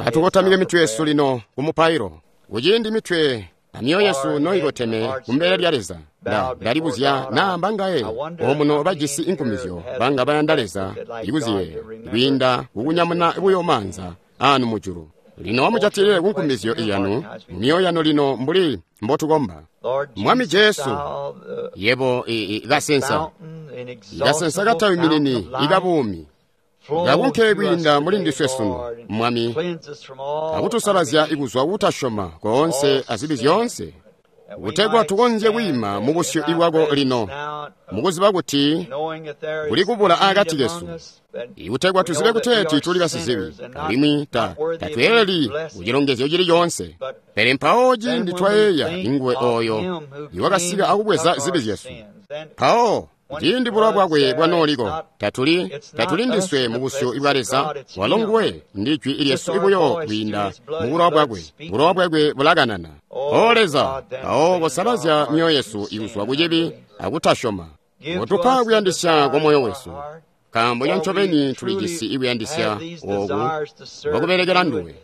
Atukotamike mitwe yesu lino kumupailo. Kuciindi mitwe amyoyo yesu noikoteme kumbele lya Leza, ndalibuzya naa mbangaye omuno bajisi inkumizyo banga bayanda Leza ikuziyeeya kwiinda kukunyamuna buyo maanza anu mujulu. Lino amujatilile kunkumizyo iyanu mumyoyo yanu lino mbuli mbotukomba. Mwami Jesu, yebo kasensa, kasensa katawiminini ikabuumi, kakunke kwiinda muli ndiswe sunu, Mwami, akutusalazya ikuzwa kutasyoma koonse azibi zyoonse, kutegwa tukonzye kwiima mu busyu bwako lino, mukuziba kuti kuli kubula akati kesu, ikutegwa tuzibe kuteeti tuli basizibi, alimwi tatweeleli kucilongezyo cili coonse. Pele mpawo ciindi twayeeya inguwe ooyo iwakasika akubweza zibi zyesu, mpawo ciindi bulowa bwakwe bwanooliko, tatuli ndiswe mu busyu bwa Leza, walo nguwe ndi jwi lyesu buyo kwiinda mu bulowa bwakwe. Bulowa bwakwe bulakanana. O Leza, mpawo kosalazya myoyo yesu ikuzwa ku cibi akutasyoma. Kotupa kuyandisya kwa moyo wesu, nkaambo cancobeni tulijisi ikuyandisya ooku kwakubelekela nduwe.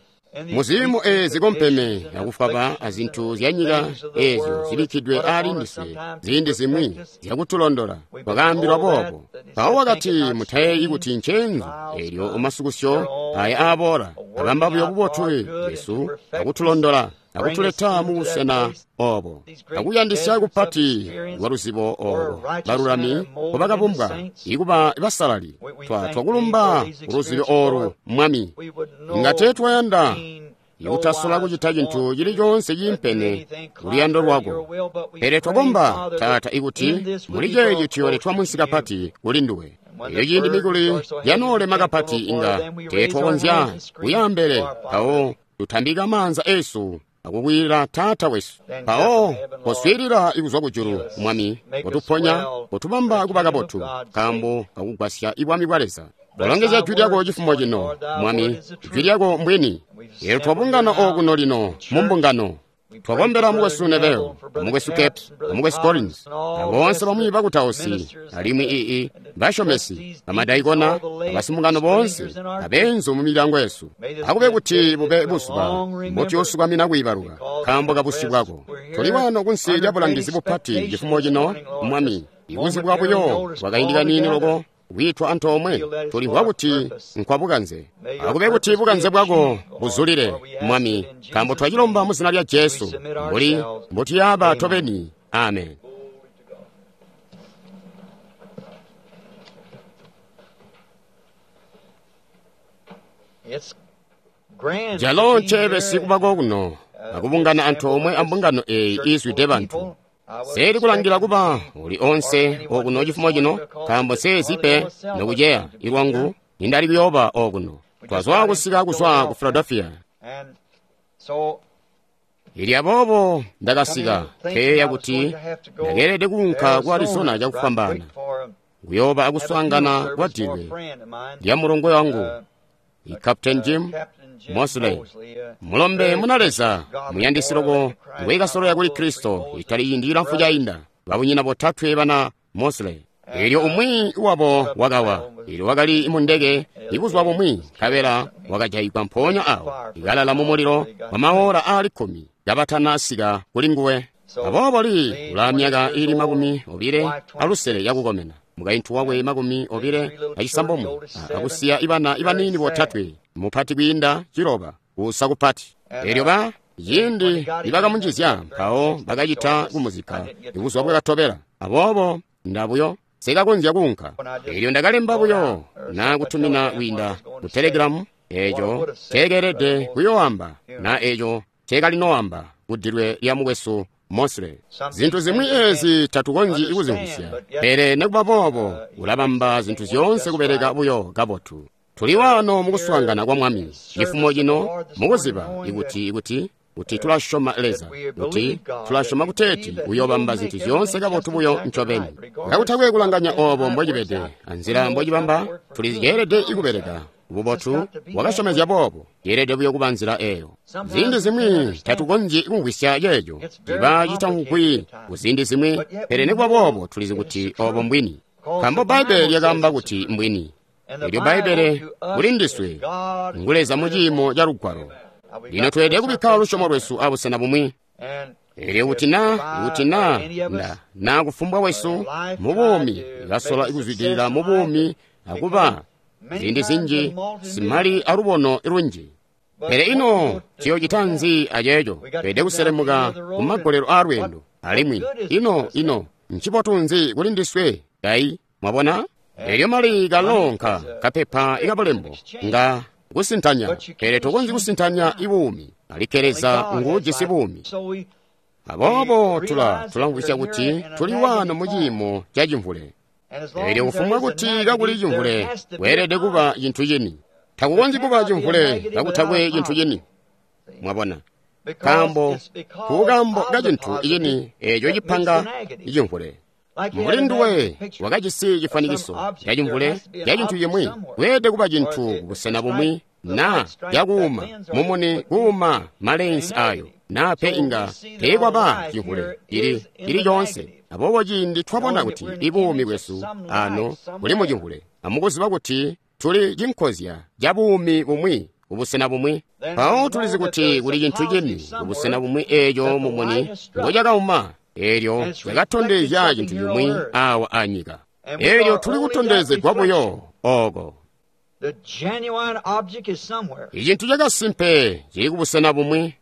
Muziimo eezi kompeme akufwaba azintu zyanyika eezyo zibikkidwe aali ndiswe ziindi zimwi zyakutulondola, twakaambilwa boobo. Mpawo wakati, mutayeeyi kuti nceenzu eelyo masukusyo aya aaboola, abamba buyo bubotu bwesu akutulondola akutuleta mu busena oobo akuyandisya kupati kwa luzibo oolo balulami mbobakabumbwa ikuba basalali. Twakulumba kuluzibo oolu, Mwami. Inga teetwayanda ikutasola kucita cintu cili coonse ciimpene kuluyando lwako, pele twakomba, Taata, ikuti muli ceeci tuyooletwa munsi kapati kuli nduwe. Elyo ciindi mikuli yanoolema kapati inga teetwakonzya kuyaambele, mpawo tutambika maanza eesu akukwiila Taata wesu. Mpawo koswiilila ikuzwa kujulu, Mwami, kotuponya, kotubamba kuba kabotu, nkaambo kakugwasya ibwami bwa Leza. Kolongezya jwi lyako cifumo cino, Mwami, jwi lyako mbwini. Eelyo twabungana okuno lino mu mbungano. Twakombela mukwesu Neville, mukwesu Capps, mukwesu Collins, aboonse bamwi bakutausi, alimwi basyomesi, bamadaikona, abasimbungano boonse, abeenzu mu milyango yesu. Akube kuti bube buzuba mbotuyoosukamina kwiibaluka, nkaambo kabusyu bwako. Tuli wano kunsi lya bulangizi bupati cifumo cino, Mwami, ikuzibwa buyo kwakaindi kaniini loko kwiitwa antoomwe, tulimvwa kuti nkwabukanze. Akube kuti bukanze bwako buzulile, Mwami, nkaambo twacilomba mu zina lya Jesu, mbuli mbotuyaba tobeni. Amen. Jalo nceebesi kubako kuno akubungana antoomwe ambungano eeyi iizwide bantu. Seeli kulangila kuba uli onse okuno cifumo cino, nkaambo seezi pe nokuceya ilwangu nindali kuyooba okuno. Twazwa kusika kuzwa ku Philadelphia. Ili aboobo ndakasika nkeyeeya kuti ndakeelede kuunka ku Arizona cakufwambaana kuyooba akuswaangana kwa dilwe lya mulongwe wangu, Captain Jim Mosley, mulombe muna Leza muyandisi loko ngwekasoloya kuli Kristo itali ciindi cilamfu cainda, babunyina botatwe bana Mosley. Eelyo umwi wabo wakawa, eelyo wakali mundeke ibuzuba bumwi, nkabela wakajayigwa mpoonya awo, ikalala mu mulilo wa maora aali 10 kabatanasika kuli nguwe. Aboobo Lee ulaa myaka iili 25 yakukomena, mukaintu wakwe 29, akusiya ibana ibaniini botatwe, mupati kwiinda 6, kuusa kupati. Eelyo ciindi nibakamunjizya, mpawo bakacita kumuzikka ibuzuba bwakatobela. Aboobo ndabuyo sikakonzya kuunka. Eelyo ndakalemba buyo na kutumina kwiinda ku Telegram eeco nceekeelede kuyooamba na eeco nceekalinoamba kudilwe lya mukwesu Mosley. Zintu zimwi eezi tatukonzyi kuzimvwisya, pele nikuba boobo ulabamba zintu zyoonse kubeleka buyo kabotu. Tuli waano mukuswaangana kwa Mwami cifumo cino mukuziba kuti tulasyoma Leza, kuti tulasyoma kuteeti uyoobamba zintu zyoonse kabotu buyo ncobeni. Kakutakwe kulanganya oobo mbocibede anzila mbocibamba, tuliceelede kubeleka bubotu wakasyomezya boobo, yeelede buyo kuba nzila eeyo. Ziindi zimwi tatukonzyi kumvwisya ceeco, ciba citamvwi kuziindi zimwi, pele nikuba boobo tulizi kuti oobo mbwini, nkaambo Bbaibbele lyakaamba kuti mbwini. Elyo Bbaibbele kuli ndiswe ngu Leza mu ciimo ca Lugwalo. Lino tweelede kubikka lusyomo lwesu abusena bumwi. Elyo kuti na nda na kufumbwa wesu mu buumi kasola kuzwidilila mu buumi akuba ziindi zinji simali alubono lunji. Pele ino ciyocita nzi aceeco? Tweelede kuselemuka ku magolelo aa lweendo. Alimwi ino ncibotu nzi kuli ndiswe kayi? Mwabona? Elyo mali kalonka kapepa ikabulembo nga kusintanya, pele tokonzyi kusintanya ibuumi. Alikke Leza nguujisi buumi. Aboobo tulamvwisya kuti tuli wano mu ciimo ca cimvule. Elyo kufumbwa kuti kakuli cimvule, kweelede kuba cintu cini. Takukonzyi kuba cimvule kakutakwe cintu cini. Mwabona? Nkaambo kukambo ka cintu cini eeco cipanga cimvule. Mbuli nduwe wakajisi cifwanikiso ca cimvule ca cintu cimwi, kweelede kuba cintu kubusena bumwi na cakuuma mumuni kuuma malensi ayo, na pe inga teekwaba cimvule cili coonse. Aboobo ciindi twabona kuti ibuumi bwesu ano buli mu cimvule, amukuziba kuti tuli cinkozya ca buumi bumwi kubusena bumwi, mpawo tulizi kuti kuli cintu cini kubusena bumwi eeco mumuni ngocakauma, eelyo cakatondezya cintu cimwi awa anyika. Eelyo tuli kutondezegwa buyo oko. Icintu cakasimpe cili kubusena bumwi.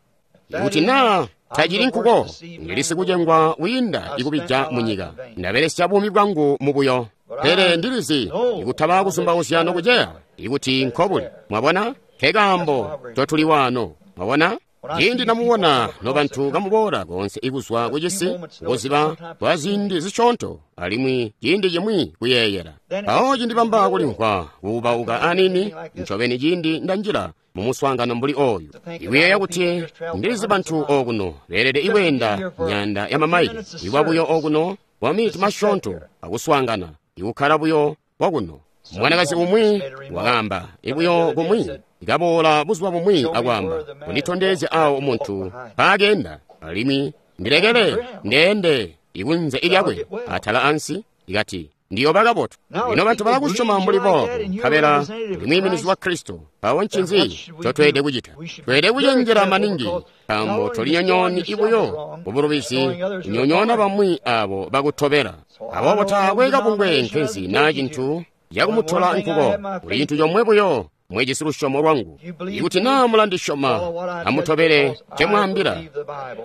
Kuti naa tacili nkuko, ndili sikucengwa wiinda ikubija munyika. Ndabelesya buumi bwangu mubuyo. Pele ndilizi ikutaba kuzumbauzya nokuceya ikuti nkobuli. Mwabona? Nkekaambo totuli wano. Mwabona? Ciindi namubona nobantu kamuboola koonse ikuzwa kucisi, kuziba kwa ziindi zisyoonto, alimwi ciindi cimwi kuyeeyela. Mpawo cindibamba kulimvwa kuubauka aniini, ncobeni ciindi ndanjila mu muswaangano mbuli oyu. Ikuyeeya kuti ndilizi bantu okuno beelede ikweenda myaanda ya mamaili, ikwa buyo okuno kwa miniti masyoonto akuswaangana, ikukkala buyo kwakuno. Mwanakazi umwi wakaamba ibuyo kumwi, ikaboola buzuba bumwi akwaamba, kunditondezya awo muntu mpaakenda, alimwi ndilekele ndeende ikunze ilyakwe atala ansi, ikati ndiyoba kabotu. Lino bantu balakusyoma mbuli boobo, nkabela uli mwiiminizi wa Kristo. Mpawo ncinzi ncotweelede kucita? Tweelede kucenjela maningi, nkaambo tolinyonyooni ibuyo kubulubizi kunyonyoona bamwi abo bakutobela. Aboobo taakwe kabungwe nkenzi naa cintu cakumutola nkuko. Kuli cintu comwe buyo mwejisi lusyomo lwangu. Ikuti naa mulandisyoma, amutobele ncemwaambila,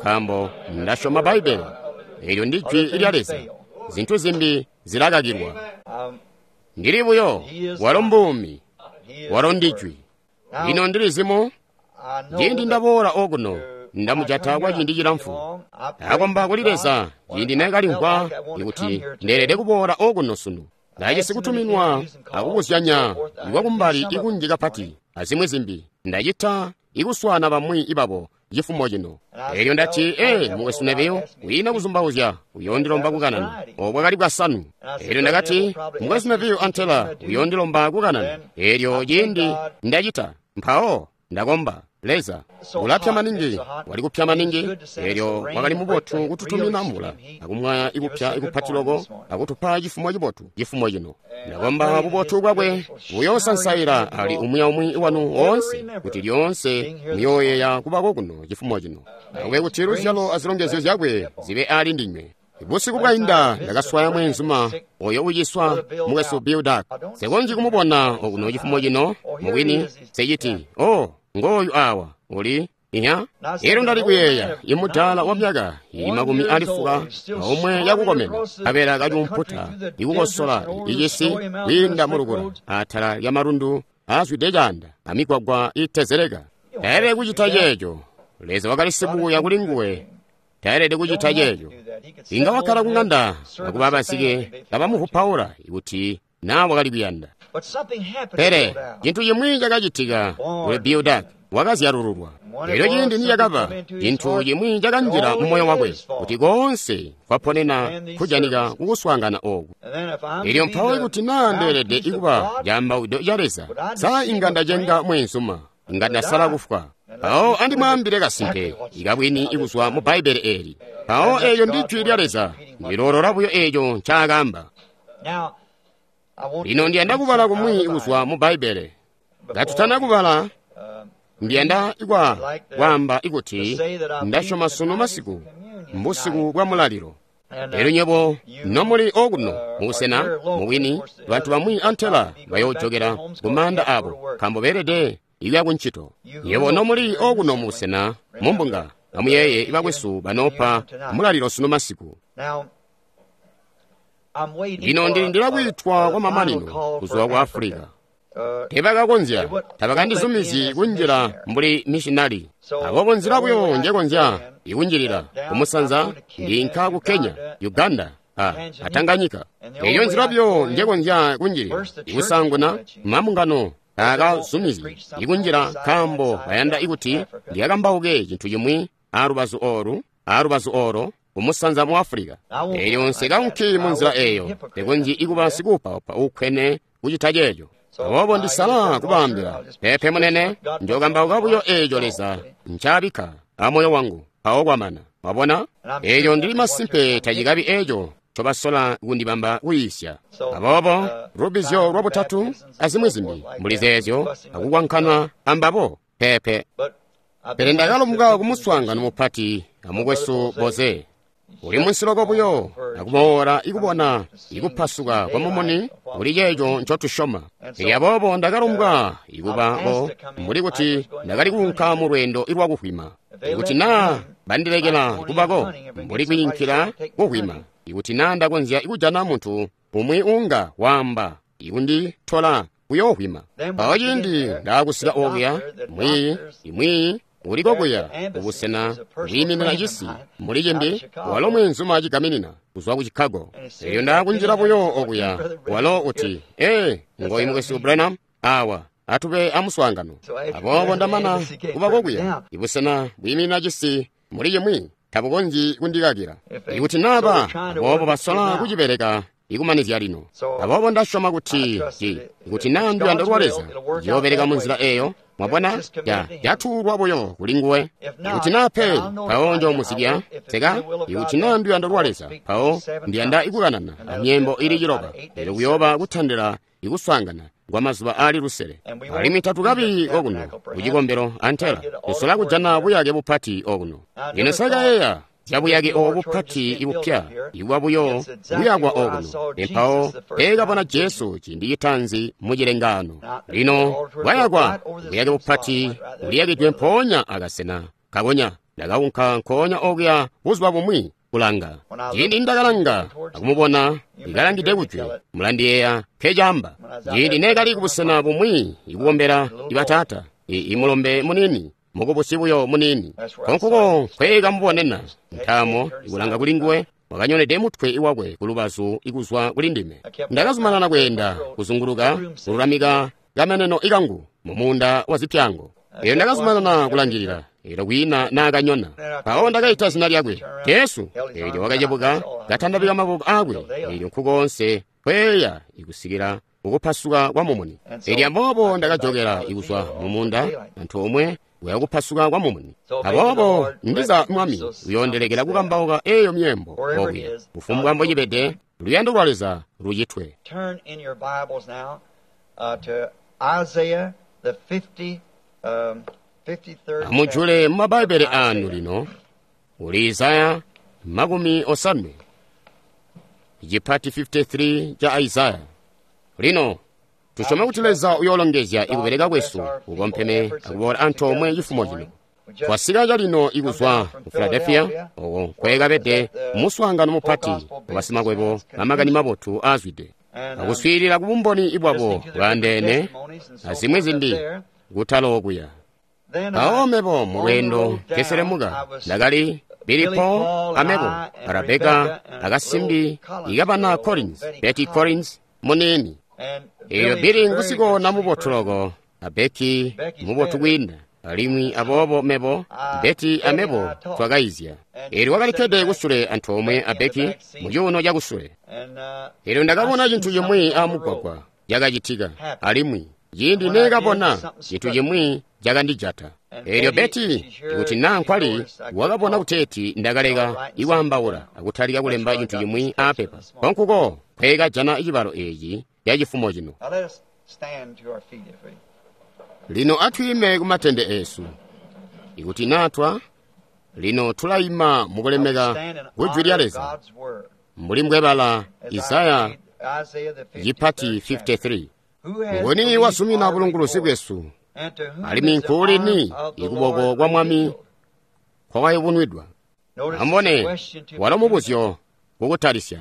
nkaambo ndasyoma Bbaibbele. Eelyo ndi Jwi lya Leza. Zintu zimbi zilakakilwa. Ndili buyo, walo mbuumi, walo ndijwi. Lino ndilizimu, ciindi ndaboola okuno, ndamujata kwa ciindi cilamfu. Ndakomba kuli Leza ciindi neekalimvwa ikuti ndeelede kuboola okuno sunu. Ndajisi kutuminwa akubuzyanya ikwakumbali ikunji kapati azimwi zimbi. Ndacita ikuswaana bamwi ibabo cifumo cino. Elyo ndati, mukwesu Neville, wiina kuzumbauzya uyoondilomba kukanana. Obo bwakali bwasanu. Elyo ndakati, mukwesu Neville antela uyoondilomba kukanana. Elyo ciindi ndacita, mpawo ndakomba Leza ulapya maningi, wali kupya maningi. Elyo wakali mubotu kututumina mvula akumwaya ikupya ikupati loko akutupa cifumo cibotu cifumo cino. Ndakomba bubotu bwakwe buyoosansaila ali umwi aumwi wanu woonse, kuti lyoonse muyooyeeya kubako kuno cifumo cino. Akube kuti luzyalo azilongezyo zyakwe zibe ali ndinywe. Busiku bwainda ndakaswaya mweenzuma oyo uciswa mukwesu Bill Dark. Nsekonzyi kumubona okuno cifumo cino mubwini, seciti, ngoyu awa uli inya. Elyo ndali kuyeeya imudaala wa myaka ili 90 omwe yakukomena, abela kacuumputa ikukosola icisi kwiinda mulukula atala lya malundu aazwide caanda amigwagwa itezeleka. Taelede kucita ceeco. Leza wakali sibuya kuli nguwe. Taelede kucita ceeco. Inga wakkala kuŋanda akuba basike kabamuvupaula ikuti naa wakali kuyanda. Pele cintu cimwi cakacitika kuli Bill Dark. Wakazyalululwa. Elyo ciindi nicakaba, cintu cimwi cakanjila mu moyo wakwe, kuti koonse kwaponena kujanika kukuswaangana ooku. Elyo mpawo ikuti naa ndeelede ikuba caambawudo ca Leza, sa inga ndacenga mweenzuma, inga ndasala kufwa. Mpawo andimwaambile kasimpe ikabwini ikuzwa mu Bbaibbele eeli. Mpawo eelyo ndi Jwi lya Leza, ndiloolola buyo eeco ncaakaamba. Lino ndiyanda kubala kumwi kuzwa mu Bbaibbele. Katutana kubala, ndiyanda kwaamba ikuti ndasyoma sunu masiku mbusiku bwa mulalilo. Elyo nywebo nomuli okuno mubusena mubwini, bantu bamwi antela bayoojokela ku maanda abo nkaambo beelede ikuya kuncito. Nywebo nomuli okuno mubusena mumbunga, amuyeeye bakwesu banoopa mulalilo sunu masiku. Lino ndilindila kwiitwa kwa mamanino kuzwa ku Afulika. Teebakakonzya, tabakandizumizyi kunjila mbuli mishinali. Aboobo nzila buyo njekonzya ikunjilila kumusanza ndiinka ku Kenya, Uganda, a Tanganyika. Eyo nzila buyo njekonzya kunjilila. Ikusaanguna mambungano taakazumizyi ikunjila nkaambo bayanda ikuti ndikakambauke cintu cimwi alubazu oolu alubazu olo kumusanza mu Afulika. Elyo nsekaunki mu nzila eeyo, ndekonzyi ikuba sikuupaupa uukkwene kucita ceeco. Aboobo ndisala kubaambila, peepe munene, njookambauka buyo eeco Leza ncaabikka amoyo wangu, mpawo kwamana. Mwabona? Eeco ndili masimpe tacikabi eeco ncobasola kundibamba kuyiisya. Aboobo lubbizyo lwabutatu azimwi zimbi mbuli zeezyo akukwankana ambabo, peepe. Pele ndakalombwa kumuswaangano mupati amukwesu Boze. Uli munsiloko buyo akumoola ikubona ikupasuka kwa mumuni kuli ceeco ncotusyoma. Elyo aboobo ndakalombwa ikubako mbuli kuti ndakali kuunka mu lweendo lwakuhwima. Ikuti naa bandilekela kubako mbuli kwiinkila kuhwima, ikuti naa ndakonzya kujana muntu umwi uunga waamba ikunditola kuyoohwima. Mpawo ciindi ndaakusika okuya, mwiiyi uliko kuya kubusena bwiiminina cisi mbuli cimbi, walo mweenzuma cigaminina kuzwa ku Chicago. Elyo ndaakunjila buyo okuya, walo uti, ee, ngoyu mukwesu Branham, awa atube amuswaangano. Aboobo ndamana kuba kokuya, ibusena bwiiminina cisi mbuli cimwi tabukonzyi kundikakila. Ikuti naaba aboobo basola kucibeleka ikumanizya lino. Aboobo ndasyoma kuti ikuti naa nduyando lwa Leza ciyoobeleka mu nzila eeyo. Mwabona, yatuulwa buyo kuli nguwe. Ikuti naa pe, mpawo njoomuzibya seka. Ikuti naa nduyando lwa Leza, mpawo ndiyanda ikukanana amyeembo ili 9. Elyo kuyooba kutandila ikuswaangana kwa mazuba aali 7. Alimwi tatukabi okuno kucikombelo antela tusola kujana buyake bupati okuno. Lino sakayeeya zya buyake obu bupati ibupya ikuba buyo buyakwa okuno. Mpawo peekabona Jesu ciindi citaanzi mu cilengaano. Lino bwayakwa buyake bupati buliyakidwe mpoonya akasena kakonya. Ndakaunka nkoonya okuya buzuba bumwi kulanga. Ciindi ndakalanga akumubona ikalangide kujwe, mulandiyeeya nkecaamba. Ciindi neekali kubusena bumwi ikukombela ibataata, imulombe munini, mukubusi buyo munini. Konkuko nkweekamubonena ntaamo ikulanga kuli nguwe, wakanyonede mutwe wakwe kulubazu ikuzwa kuli ndime. Ndakazumanana kweenda kuzunguluka kululamika kameneno ikangu mumuunda wa zipyango. Elyo ndakazumanana kulangilila, elyo kwiina naakanyona. Mpawo ndakaita zina lyakwe, Jesu. Elyo wakacebuka katandabika maboko aakwe, elyo nkukoonse kweeya ikusikila kukupasuka kwa mumuni. Elyo aboobo ndakajokela ikuzwa mumuunda antoomwe kuya kupasuka kwa mumuni. Aboobo ndiza Mwami uyoondelekela kukambauka eeyo myeembo okuya. Kufumbwa mbocibede, luyando lwa Leza lucitwe. Turn in your Bibles now to Isaiah the 53rd. Amujule mu Mabaibbele aanu lino uli Isaya 50, chipati 53 cha Isaya. Lino tusyome kuti Leza uyoolongezya ikubereka kwesu kukompheme akuboola antoomwe cifumo cino. Twasika calino ikuzwa ku Philadelphia, oko nkweekabede muswaangano mupati wabasimakwebo bamakani mabotu aazwide, akuswiilila kubumboni bwabo bwaandeene azimwi zimbi kutala okuya. Mpawo mebo mu lweendo nkeselemuka, ndakali Billy Paul amebo, Rebeka akasimbi ikabana Collins, Betty Collins muniini. Elyo Billy ngusikona mubotu loko, a Becky mubotu kwiinda. Alimwi aboobo mebo, Betty amebo twakaizya. Elyo wakalikkede kusule antoomwe a Becky mu cuuno cakusule. Elyo ndakabona cintu cimwi amugwagwa cakacitika, alimwi ciindi neekabona cintu cimwi cakandijata. Elyo Betty, ikuti naa nkwali, wakabona kuteeti ndakaleka ikwaambaula akutalika kulemba cintu cimwi aapepa. Konkuko nkweekajana cibalo eeci ya cifumo cino. Lino atwiime ku matende eesu. Ikuti natwa, lino tulaima mukulemeka ku Jwi lya Leza. Mbuli mbwebala Isaya cipati 53. Nguni wasumina bulunguluzi bwesu, alimwi nkuulini ikuboko kwa Mwami kwakayubunwidwa? Amubone, walo mubuzyo kukutalisya.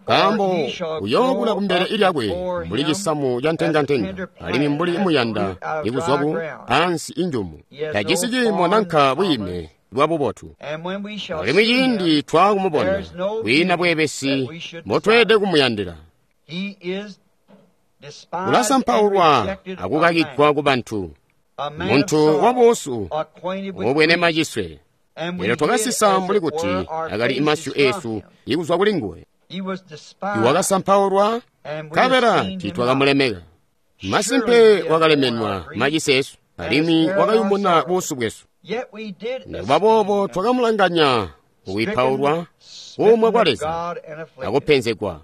Nkaambo uyookula kumbele lyakwe mbuli cisamu ca ntengantenga, alimwi mbuli muyanda ikuzwa ku ansi injumu. Tajisi ciimo nanka bwiime bwa bubotu. Alimwi ciindi twaakumubona, kwiina bweebesi mbotweelede kumuyandila. Ulasampaulwa akukakigwa ku bantu, muntu wabuusu ubwene maciswe. Lino twakasisa mbuli kuti akali masyu eesu ikuzwa kuli nguwe. Iwakasampaulwa, nkabela tiitwakamulemeka. Masimpe wakalemenwa macise eesu, alimwi wakayumuna buusu bwesu. Nikuba boobo twakamulanganya kuwipaulwa, kuumwa kwa Leza, akupenzegwa.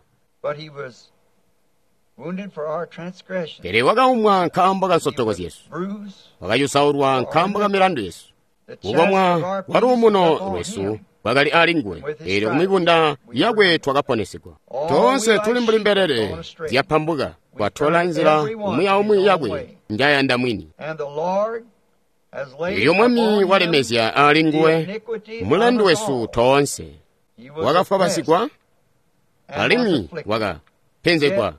Pele wakaumwa nkaambo ka nsotoko zyesu, wakayusaulwa nkaambo ka milandu yesu. Kukomwa kwa luumuno lwesu kwakali ali nguwe, eelyo kumibunda yakwe twakaponesegwa. Toonse tuli mbuli mbelele zyapambuka, twatola nzila umwi aumwi yakwe njayanda mwini. Eelyo Mwami walemezya ali nguwe mulandu wesu toonse. Wakafwabasigwa alimwi wakapenzegwa,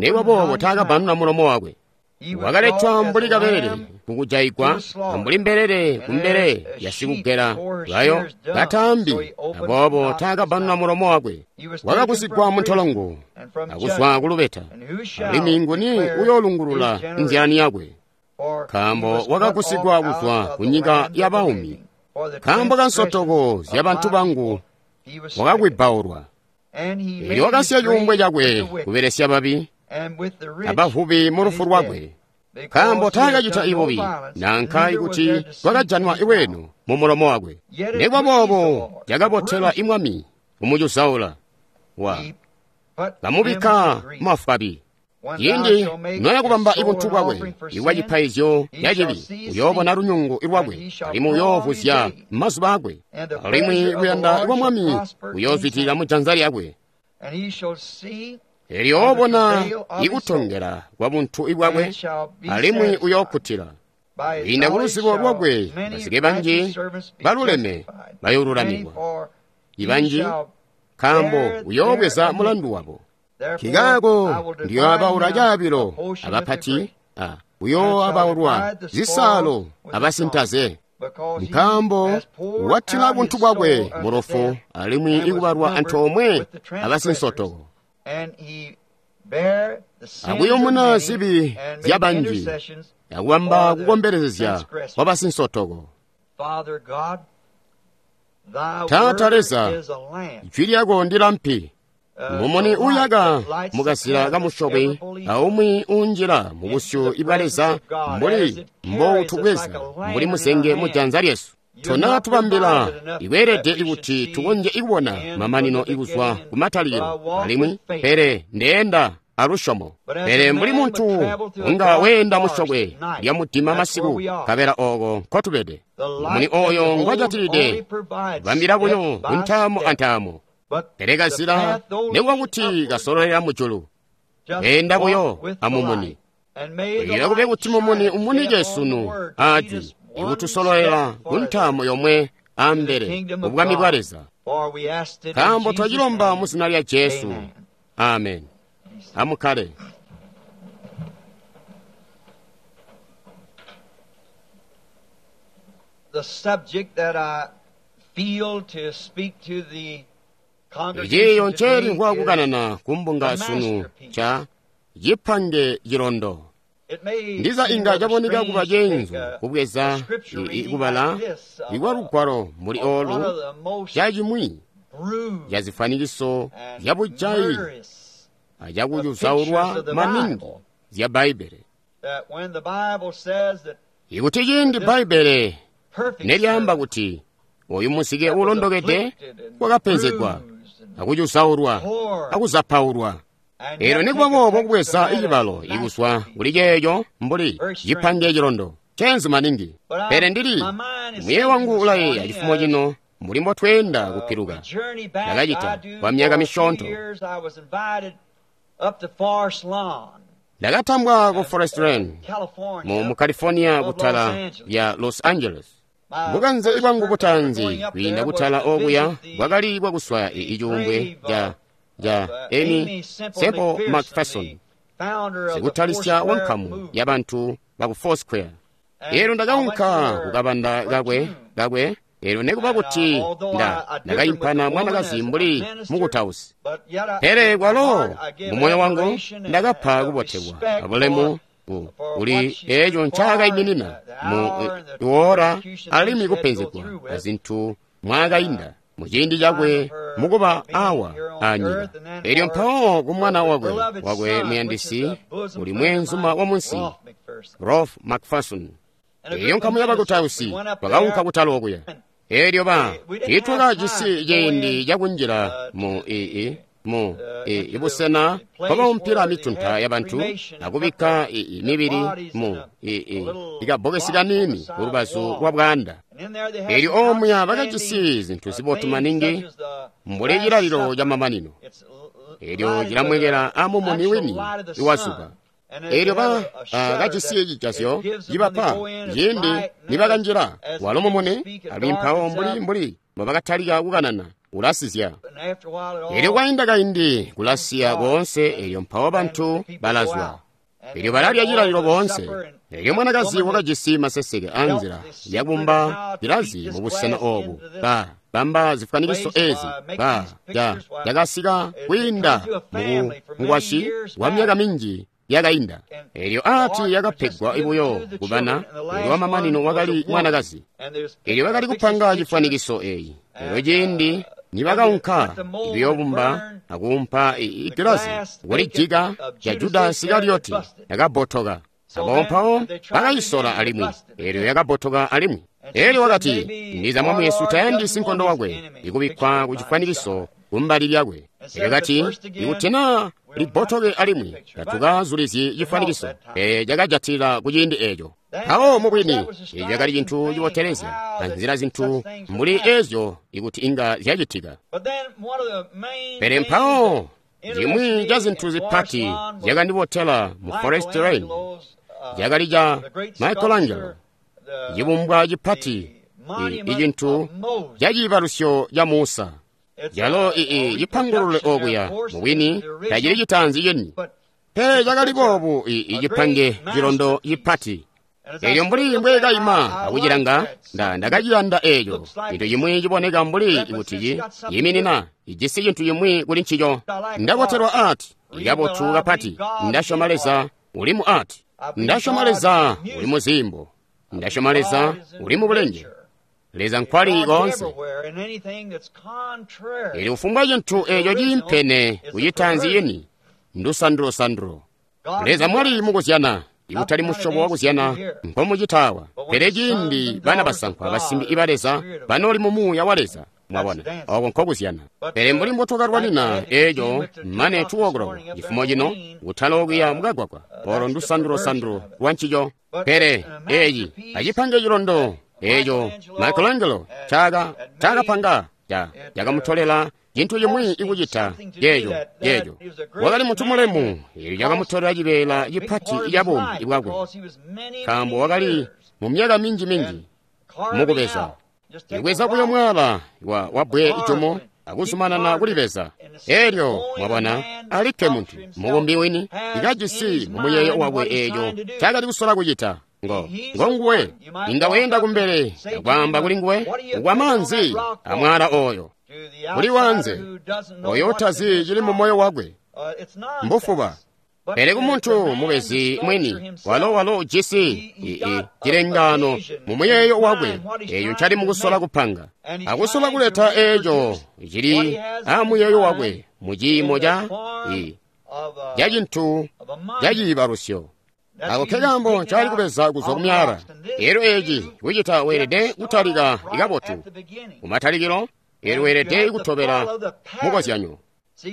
nikuba boobo taakabbanuna mulomo wakwe. Wakaletwa mbuli kabelele kukujayigwa, ambuli mbelele kumbele yasikugela bayo kataambi, aboobo taakabbanuna mulomo wakwe. Wakagusigwa muntolongo akuzwa kulubeta, alimwi nguni uyoolungulula nzyalani yakwe? Nkaambo wakagusigwa kuzwa kunyika yabaumi, nkaambo kansotoko zyabantu bangu wakakwibbaulwa. Eelyo wakasiya cuumbwe cakwe kubelesya babi abavubi mu lufu lwakwe, nkaambo taakacita ibubi nanka ikuti kwakajanwa iweeno mu mulomo wakwe. Nikuba boobo cakabotela imwami kumucuzaula, wa kamubikka mafwabi. Ciindi noya kubamba ibuntu bwakwe ibwa cipaizyo ca cibi, uyoobona lunyungu lwakwe, alimwi uyoovuzya mazuba akwe, alimwi kuyanda kwa Mwami uyoozwidilila mujanza lyakwe. Eelyo oobona ikutongela kwa buntu bwakwe, alimwi uyookkutila. Kwiinda kuluzibo lwakwe bazike banji baluleme bayoolulamikwa, ibanji, nkaambo uyoobweza mulandu wabo. Nkikaako ndiyooabaula caabilo abapati, uyooabaulwa zisaalo abasintaze. Nkaambo watila buntu bwakwe mu lufu, alimwi ikubalwa antoomwe abasinsotoko. Akuyumuna zibi zyabanji, akubamba kukombelezya kwabasinsotoko. Taata Leza, jwi lyako ndilampi, mumuni uuyaka mukazila kamusyokwe, aumwi uunjila mubusyu bwa Leza mbuli mboutubweza mbuli muzenge mujanza lyesu. Tona tubambila ikweelede ikuti tukonzye ikubona mamanino ikuzwa kumatalikilo, alimwi pele ndeenda alusyomo. Pele mbuli muntu unga weenda musyokwe lya mudima masiku, nkabela ooko nkotubede. Mumuni ooyo ngwajatilide bambila buyo kuntaamo antaamo. Pele kazila nikuba kuti kasololela mujulu, weenda buyo amumuni. Ila kube kuti mumuni umunike sunu aajwi ikutusololela kuntaamo yomwe ambele mu bwami bwa Leza. Nkaambo twacilomba mu zina lya Jesu. Amen. Amukkale. The subject that I feel to speak to the Ichiyo nceeli nkwakukanana kumbunga sunu ca cipange cilondo. Ndiza inga caboneka kuba ceenzu kubweza kubala ikwa lugwalo muli oolu cacimwi ca zifwanikiso zya bujayi acakucuzaulwa maningi zya Bbaibbele. Ikuti ciindi Bbaibbele nelyaamba kuti oyu muzike uulondokede wakapenzegwa akucuzaulwa akuzapaulwa. Elyo nikuba boobo kubweza icibalo ikuzwa kuli ceeco mbuli cipange cilondo cenzi maningi. Pele ndili muye wangu ulayeeya cifumo cino mbuli mbotweenda kupiluka. Ndakacita kwa myaka misyoonto. Ndakatambwa ku Forest Lane mu California kutala ya Los Angeles. Bukanze bwangu butaanzi kwiinda kutala okuya bwakali bwakuswaya icuumbwe ca Amy Semple McPherson, sikutalisya wa nkamu ya bantu baku Foursquare. Elyo ndakaunka kukabanda kakwe elyo nekuba kuti ndakayimpana mwanakazi mbuli mukutausi, pele kwalo mumoyo wangu ndakapa kubotelwa abulemu kuli eco ncaakaiminina mu iwoora alimwi kupenzegwa azintu mwaakainda muciindi cakwe mukuba awa anyika. Elyo mpawo ku mwana wakwe muyandisi uli mweenzuma wa munsi, Rolf McPherson. Elyo nkamu yabakutausi twakaunka kutala okuya. Elyo tiitwakajisi ciindi cakunjila mu ibusena nkobaumpila mitunta yabantu akubikka mibili mu ikabbokesi kaniini kulubazu lwa bwaanda. Elyo omuya bakajisi zintu zibotu maningi mbuli cilalilo camamanino. Elyo cilamwekela amumuni wini iwazuba. Elyo kajisi cijazyo cibapa ciindi nibakanjila walo mumuni alimwi mpawo mbuli mbobakatalika kukanana ulasizya. Elyo kwainda kaindi kulasiya koonse, elyo mpawo bantu balazwa. Elyo balalya cilalilo boonse. Elyo mwanakazi wakajisi maseseke anzila yakumba cilazi mubusena obu. Bamba zifwanikiso ezi cakasika kwiinda mukwasyi wa myaka minji yakainda. Elyo ati yakapegwa buyo kubana, elyo wamamanino wakali mwanakazi. Elyo bakali kupanga cifwanikiso eyi. Elyo ciindi nibakaunka kuyobumba akuumpa igilazi kulijika ca Judasi Isikarioti yakabotoka. Abo mpawo bakayisola alimwi, elyo yakabotoka alimwi. Elyo wakati, ndiza Mwami Yesu tayandisi nkondo wakwe ikubikkwa ku cifwanikiso kumbali lyakwe. Elyo kati, ikuti naa libotoke alimwi tatukazulizyi cifwanikiso. Pele cakajatila ku ciindi eco. Mpawo mubwini eco cakali cintu cibotelezya anzila zintu mbuli ezyo ikuti inga zyacitika. Pele mpawo cimwi ca zintu zipati zyakandibotela mu Forest Lane cakali ca Michelangelo, cibumbwa cipati, icintu ca ciibalusyo ca Musa. Calo cipangulule okuya mubwini tacili citaanzi cini, pele cakali boobu icipange cilondo cipati. Elyo mbuli mbwekaima akucilanga, ndakaciyanda eco. Cintu cimwi ciboneka mbuli kuti ciiminina ijisi cintu cimwi kuli ncico. Ndabotelwa ati ikabotu kapati. Ndasyoma Leza uli mu ati. Ndasyoma Leza uli mu zimbo. Ndasyoma Leza uli mu bulenge. Leza nkwali koonse. Elyo kufumbwa cintu eco ciimpene kucitaanzi yini ndusandulosandulu. Leza mwali mukuzyana, ikutali musyobo wakuzyana nkomucitawa. Pele ciindi bana basankwa basimbi iba Leza banoli mu muuya wa Leza, mwabona oko nkokuzyana. Pele mbuli mbotukalwanina eco mane 2 o'clock cifumo cino kutala okuya mukagwagwa, olo ndusandulosandulu lwa ncico. Pele eci acipange cilondo eco Michelangelo cakapanga cakamutolela cintu cimwi ikucita yeeco. Wakali muntu mulemu, elyo cakamutolela cibeela cipati ca buumi bwakwe, nkaambo wakali mu myaka minji mukubeza. Ibweza buyo mwala wa bbwe ijumu akuzumanana kulibeza. Elyo mwabona alikke muntu mubumbi wini ikajisi mu muyeeyo wakwe eeco cakali kusola kucita. Ngonguwe inga weenda kumbele akwaamba kuli nguwe ukwamanzi amwala oyo kuli wanze oyo utazi cili mu moyo wakwe mbufuba. Pele kumuntu mubezi mwini walo ujisi cilengano mu muyeeyo wakwe eyo ncali mukusola kupanga akusola kuleta eco cili amuyeeyo wakwe mu ciimo ca cintu ca ciibalusyo. Ako kekaambo ncali kubeza kuzwa kumyala. Elyo eci kucita weelede kutalika ikabotu kumatalikilo, elyo weelede kutobela mukozyanyo.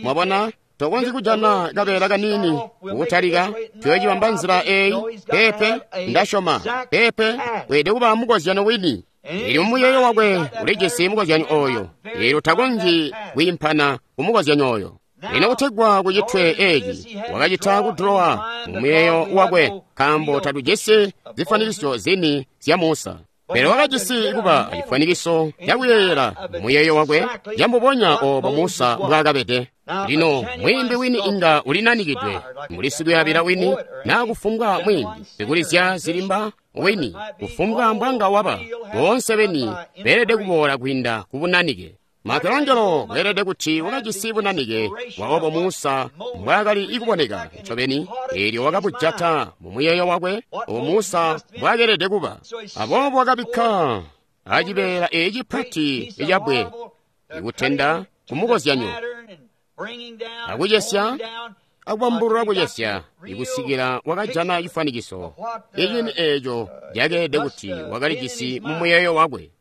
Mwabona, Tokonzyi kujana kabeela kaniini kukutalika, tuyoocibamba nzila eyi. Peepe, ndasyoma. Peepe, weelede kuba mukozyano wini. Elyo muyeeyo wakwe ulijisi mukozyanyo oyo. Elyo takonzyi kwiimpana ku mukozyanyo oyo. Lino kutegwa kucitwe eci, wakacita kudulowa mu muyeeyo wakwe, nkaambo tatujisi zifwanikiso zini zya Musa. Pele wakajisi kuba acifwanikiso cakuyeeyela mu muyeeyo wakwe cambubonya obo Musa mbwaakabede. Lino mwiimbi wini inga ulinanikidwe, mbuli sikuyabila wini, naa kufumbwa mwiimbi, sikulizya zilimba wini, kufumbwa mbwanga waba, boonse beni beelede kuboola kwiinda ku bunanike. Michelangelo weelede kuti wakajisi bunanike bwa obo Musa mbwaakali ikuboneka ncobeni, eelyo wakabujata mu muyeeyo wakwe obo Musa mbwaakeelede kuba. Aboobo wakabikka acibeela eci cipati icabwe ikutenda kumukozyanyo, akucesya akubambulula kucesya ikusikila wakajana cifwanikiso icini eeco cakeelede kuti wakalijisi mu muyeeyo wakwe.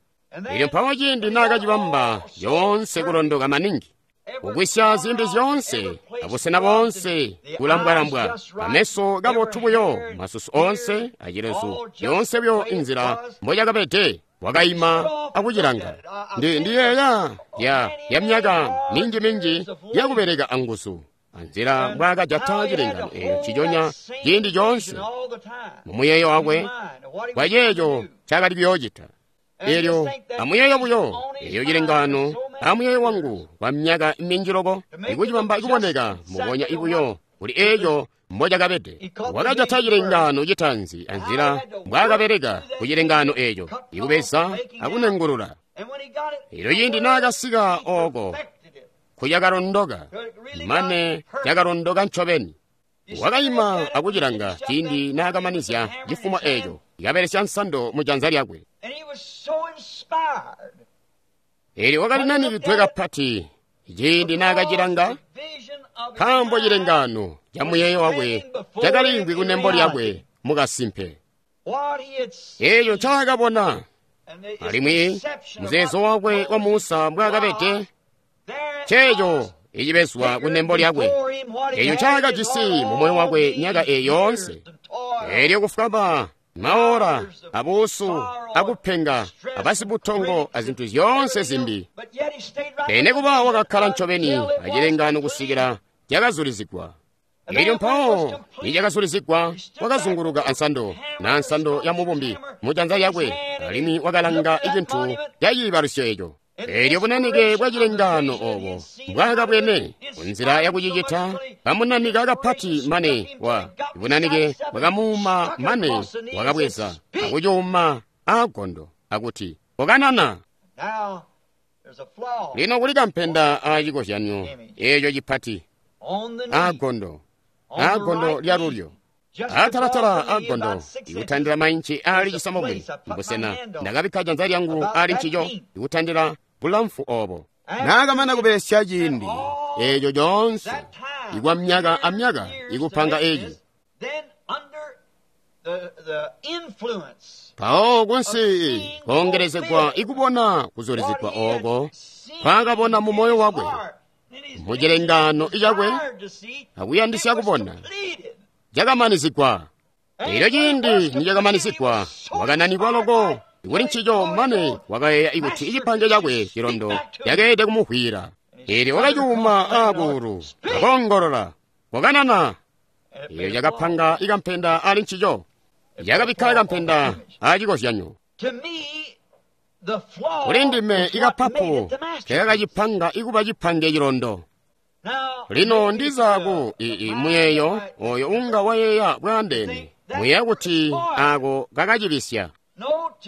Elyo mpawo ciindi naakacibamba yoonse kulondoka maningi, kugwisya zimbi zyoonse, abusena boonse kulambwalambwa, ameso kabotu buyo, masusu oonse acilezu, yoonse buyo inzila mboyakabede, wakayima akucilanga. Ndiyeeya ya myaka minji-minji yakubeleka anguzu, anzila mbwaakajata cilengano eeco ciconya ciindi coonse mu muyeeyo wakwe kwa ceeco ncaakali kuyoocita. Elyo amuyeeyo buyo eyo cilengano amuyeeyo wangu kwa myaka minji loko ikucibamba ikuboneka mubonya ibuyo kuli eeco mbocakabede. Wakajata cilengano citaanzi anzila mbwaakabeleka ku cilengano eeco, ikubeza akunengulula. Elyo ciindi naakasika ooko kuyakalondoka, mane cakalondoka ncobeni. Wakayima akucilanga ciindi naakamanizya cifumo eeco, kabelesya nsando mu janza lyakwe. Elyo wakalinanikidwe kapati ciindi naakacilanga, nkaambo cilengano ca muyeeyo wakwe cakaliimvwi kunembo lyakwe mukasimpe. Eeco ncaakabona, alimwi muzeezo wakwe wa Musa mbwaakabede, nceeco icibezwa kunembo lyakwe, eeco ncaakajisi mu moyo wakwe myaka eyi yoonse. Elyo kufwaba maora abuusu akupenga abasibutongo azintu zyoonse zimbi, pele kuba wakakkala ncobeni acilengano kusikila cakazulizigwa. Elyo mpawo nicakazulizigwa, wakazunguluka ansando na nsando ya mubumbi mu janza lyakwe, alimwi wakalanga icintu caciibalusyo eco. Elyo bunanike bwa cilengano obo mbwaakabwene kunzila yakucicita, kamunanika kapati mane wa bunanike bwakamuuma mane wakabweza akucuuma aagondo akuti kokanana. Lino kuli kampenda acikozyanyo eeco cipati aagondo, aagondo lyalulyo, atalatala aagondo ikutandila mainci aali cisambomwe mbusena ndakabikka janza lyangu aali ncico ikutandila bulamfu obo. Naakamana kubelesya ciindi eeco coonse ikwa myaka amyaka ikupanga eci, mpawo kunsi koongelezegwa ikubona kuzulizigwa ooko nkwaakabona mu moyo wakwe mu cilengano icakwe akuyandisya kubona cakamanizigwa. Elyo ciindi nicakamanizigwa, wakananikwa loko kuli ncico mane wakayeeya ikuti icipange cakwe cilondo cakeelede kumuhwira. Elyo wakacuuma aakuulu akoongolola, kokanana. Elyo cakapanga ikampenda ali ncico, cakabikka kampenda acikozyanyo. Kuli ndime ikapapu kekakacipanga ikuba cipange cilondo. Lino ndizaku muyeeyo oyo unga wayeeya bwaandeene, muyeeya kuti ako kakacibisya.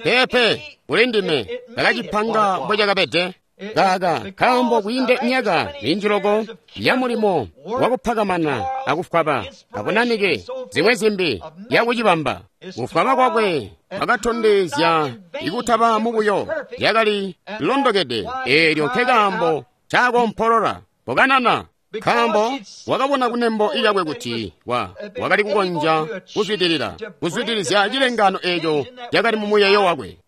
Peepe, kuli ndime kakacipanga mbwecakabede. Kaka nkaambo kwiinde myaka minji loko ya mulimo wakupakamana akufwaba abunanike zimwe zimbi yakucibamba. Kufwaba kwakwe kwakatondezya ikutaba mubuyo, yakali londokede. Eelyo nkekaambo caakompolola kokanana, nkaambo wakabona kunembo lyakwe kuti wakali kukonzya kuzwidilila kuzwidilizya cilengano eeco cakali mu muyeeyo wakwe.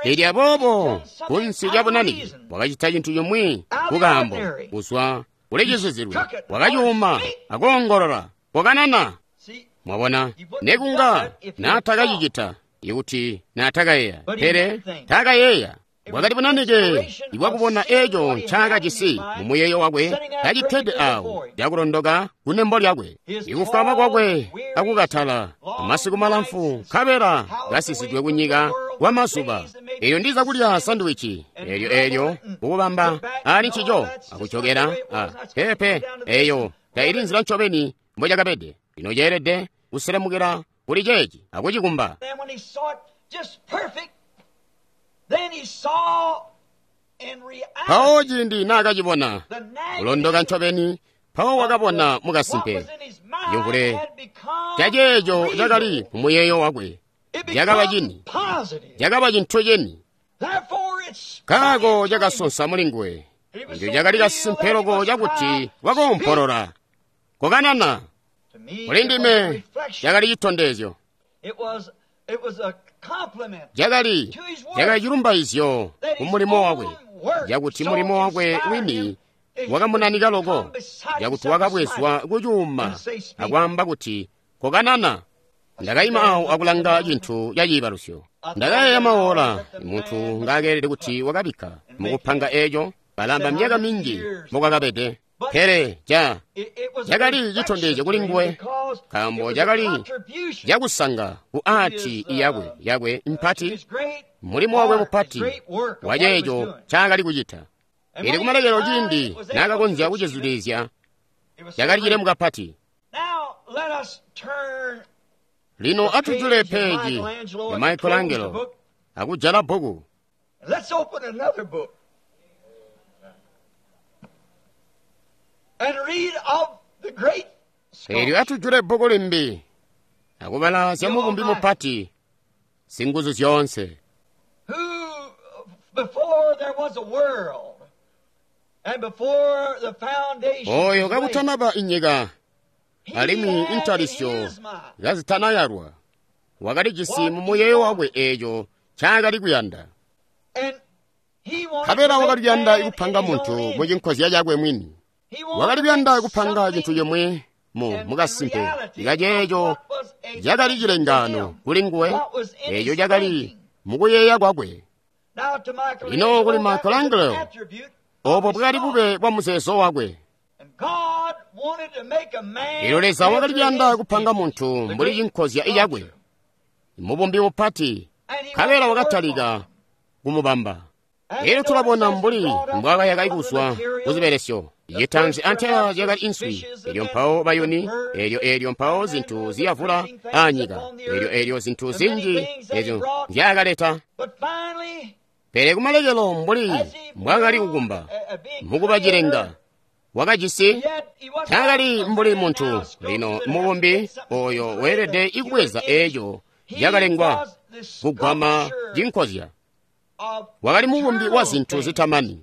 Elyo aboobo kunsi lya bunanike wakacita cintu cimwi kukaambo kuzwa Ulicizizilwe. Wakacuuma akoongolola, "Kokanana!" Mwabona, nekunga naatakacicita ikuti naatakayeeya, pele taakayeeya. Bwakali bunanike ibwakubona eeco ncaakajisi mumuyeeyo wakwe kacikkede awo cakulondoka kunembo lyakwe. Ikufwaba kwakwe akukatala masiku malamfu nkabela kasisidwe kunyika kwamazuba. Eelyo ndiza kulya sandiwici eelyo eelyo kukubamba ali ncico akujokera a pepe eeyo taili nzila ncobeni mbocakabede. Lino ceelede kuselemukila kuli ceeci akucikumba. Mpawo ciindi naakacibona kulondoka ncobeni, mpawo wakabona mukasimpe cimvule caceeco cakali mumuyeeyo wakwe cakaba cini, cakaba cintu cini. Nkaako cakasonsa mulinguwe. Eco cakali kasimpe loko cakuti wakoompolola, "Kokanana!" Kulindime cakali citondezyo. Cakali cilumbaizyo kumulimo wakwe, cakuti mulimo wakwe wini wakamunanika loko, cakuti wakabwezwa kucuuma akwaamba kuti, "Kokanana!" Ndakaima awo akulanga cintu ca ciibalusyo. Ndakayeeya maola muntu ngaakeelede kuti wakabikka mukupanga eeco, balamba myaka minji mbokwakabede. Pele cakali citondezyo kuli nguwe, nkaambo cakali cakusanga ku aati yakwe yakwe mpati, mulimo wakwe mupati waceeco ncaakali kucita. Eelyo kumalekelo ciindi naakakonzya kucizulizya, cakali cilemu kapati. Lino atujule peji ya Michelangelo akujala bbuku. Eelyo atujule bbuku limbi akubala zya mubumbi mupati singuzu zyoonse, oyo kakutanaba inyika alimwi intalisyo kazitanayalwa, wakalijisi mumuyeeyo wakwe eeco ncaakali kuyanda. Nkabela wakali kuyanda kupanga muntu mucinkozya cakwe mwini. Wakali kuyanda kupanga cintu cimwi mukasimpe kaceeco cakali cilengaano kuli nguwe, eeco cakali mukuyeeya kwakwe. Lino kuli Michelangelo, obo bwakali bube bwa muzeezo wakwe. Eelyo Leza wakali kuyanda kupanga muntu mbuli cinkozya cakwe, mubumbi mupati, nkabela wakatalika kumubamba. Eelyo tulabona mbuli mbwaakayaka kuzwa kuzibelesyo. Citanzi antela zyakali inswi, eelyo mpawo bayuni, eelyo eelyo mpawo zintu ziyavula aanyika, eelyo eelyo zintu zinji ezyo nzyaakaleta. Pele kumalekelo mbuli mbwaakali kukumba mukuba cilenga, wakajisi taakali mbuli muntu. Lino mubumbi oyo weelede ikubweza eeco cakalengwa kugwama cinkozya. Wakali mubumbi wa zintu zitamani.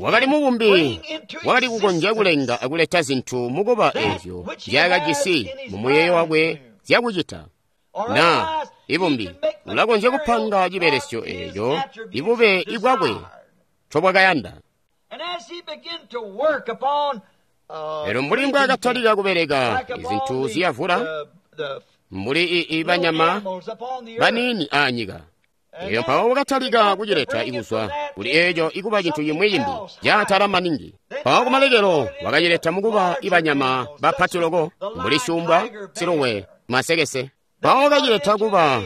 Wakali mubumbi wakali kukonzya kulenga akuleta zintu mukuba eezyo nzyaakajisi mumuyeeyo wakwe zyakucita. Na ibumbi ulakonzya kupanga cibelesyo eeco ibube ibwakwe ncobwakayanda. Elyo mbuli mbwaakatalika kubeleka izintu ziyavula mbuli ibanyama baniini aanyika, elyo mpawo wakatalika kucileta ikuzwa kuli eeco ikuba cintu cimwi cimbi caatala maningi. Mpawo kumalekelo wakacileta mukuba ibanyama bapati loko mbuli syuumbwa, siluwe, masekese. Mpawo wakacileta kuba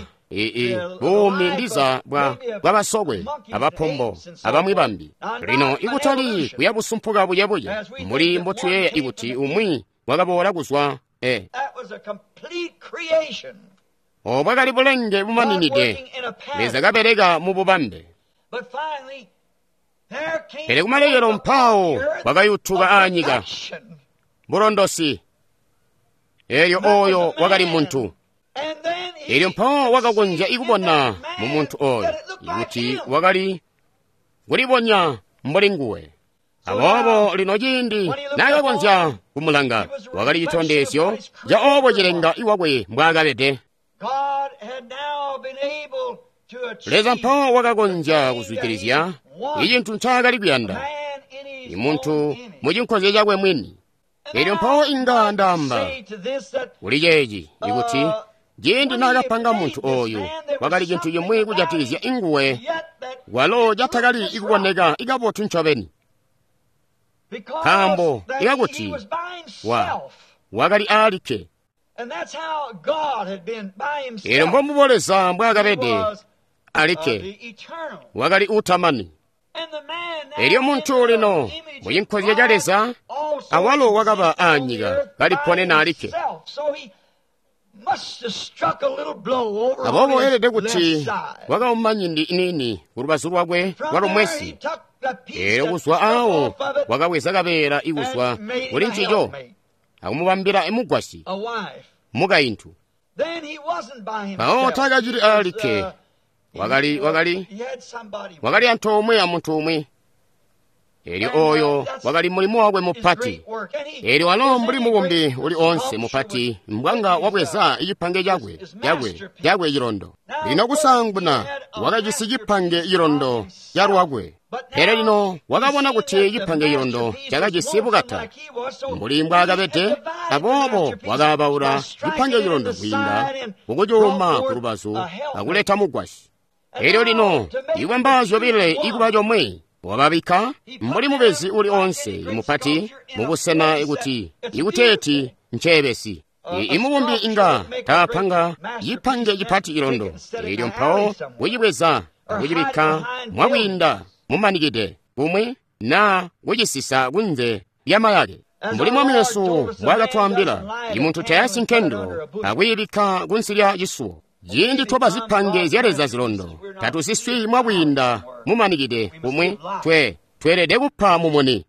buumi ndiza bwa basokwe abapombo abamwi bambi. Lino ikutali kuya busumpuka buyebuye mbuli mbotuyeeya ikuti umwi wakaboola kuzwa obo bwakali bulenge bumaninide, Leza kabeleka mu bubambe. Pele kumalekelo mpawo wakayutuka aanyika bulondosi. Eelyo oyo wakali muntu. Eelyo mpawo wakakonzya ikubona mu muntu oyo kuti wakali kulibonya mbuli nguwe. Aboobo lino ciindi naakakonzya kumulanga, wakali citondezyo ca obo cilenga iwakwe mbwaakabede. Leza mpawo wakakonzya kuzwidilizya Icintu ncaakali kuyanda imuntu mucinkozya cakwe mwini. Elyo mpawo inga ndaamba kuli ceeci ikuti ciindi naakapanga muntu oyu kwakali cintu cimwi kujatikizya inguwe walo catakali ikuboneka ikabotu ncobeni, nkaambo ikakuti wakali aalikke. Elyo mbombubo Leza mbwaakabede alikke, wakali uutamani. Elyo muntu lino mucinkozya ca Leza awalo wakaba aanyika kaliponena alikke. Aboobo elede kuti wakauma nyindi iniini kulubazu lwakwe lwalumwesi. Elyo kuzwa awo wakabweza kabeela ikuzwa kuli ncico akumubambila mugwasyi, mukaintu. Mpawo taakacili aalikke, wakali antoomwe amuntu umwi. Elyo oyo wakali mulimo wakwe mupati. Elyo walo mbuli mubumbi uli onse mupati mbwanga wabweza cipange cakwe cilondo. Lino kusaanguna wakajisi cipange cilondo ca lwakwe, pele lino wakabona kuti cipange cilondo cakajisi bukata mbuli mbwaakabede, aboobo wakaabaula cipange cilondo kwiinda kukucuuma kulubazu akuleta mugwasyi. Elyo lino ikwamba zyobile ikuba comwe wababikka mbuli mubezi uli onse mupati mubusena ikuti ikuteeti nceebesi. Imubumbi inga taapanga cipange cipati cilondo, elyo mpawo kucibweza akucibikka mwakwiinda mumanikide kumwi naa kucisisa kunze lyamayake. Mbuli Mwami Yesu mbwaakatwaambila, imuntu tayasi nkendo akuyibikka kunsi lya cisuwo. Ciindi twaba zipange zya Leza zilondo, tatusiswi mwakwiinda mumanikide kumwi, tweelede kupa mumuni.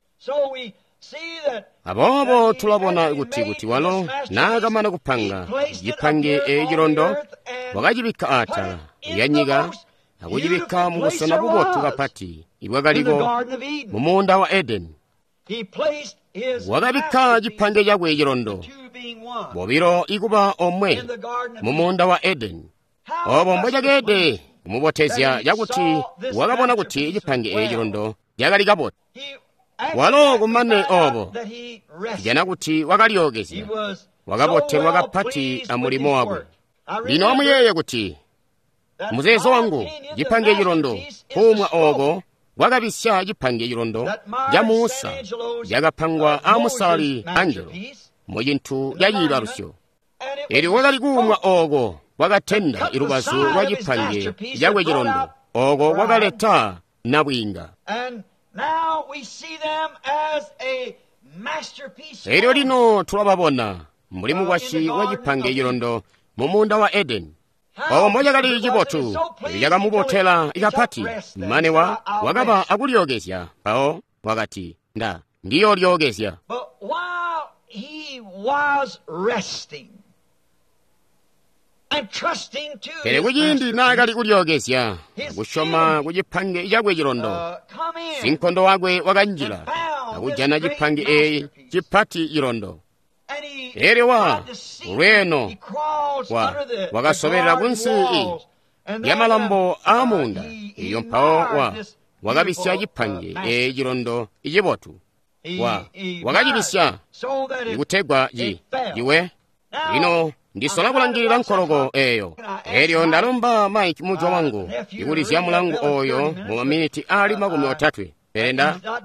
Aboobo tulabona kuti walo naakamana kupanga cipange eeci cilondo, wakacibikka atala lya nyika akucibikka mubusena bubotu kapati ibwakaliko mumuunda wa Edeni. Wakabikka cipange cakwe cilondo, bobilo ikuba omwe mumuunda wa Edeni. Obo mbwecakeede kumubotezya cakuti wakabona kuti cipange eeci cilondo cakali kabotu. Walo kumane obo tujana kuti wakalyokezya, wakabotelwa kapati amulimo wakwe. Lino amuyeeye kuti muzeezo wangu cipange cilondo kuumwa ooko kwakabisya cipange cilondo ca Musa cakapangwa a Musali Angelo mucintu ca ciibalusyo. Elyo kwakali kuumwa ooko kwakatenda ilubazu lwa cipange cakwe cilondo, ooko kwakaleta nabwiinga. Elyo lino tulababona mbuli mukwasyi wa cipange cilondo mumuunda wa Edeni. Obo mbocakali cibotu, cakamubotela kapati, mane wakaba akulyokezya. Mpawo wakati, ndiyoolyokezya. Pele kuciindi naakali kulyokezya akusyoma ku cipange cakwe cilondo, sinkondo wakwe wakanjila akujana cipange eeci cipati cilondo. Elyo ulweeno wakasobelela kunsi lyamalambo aamuunda. Elyo mpawo wakabisya cipange eeci cilondo icibotu. Wakacibisya ikutegwa ciwe. Lino ndisola kulangilila nkoloko eyo. Elyo ndalomba Mike mujwa wangu ikulizya mulangu oyo mu maminiti ali 30. Pele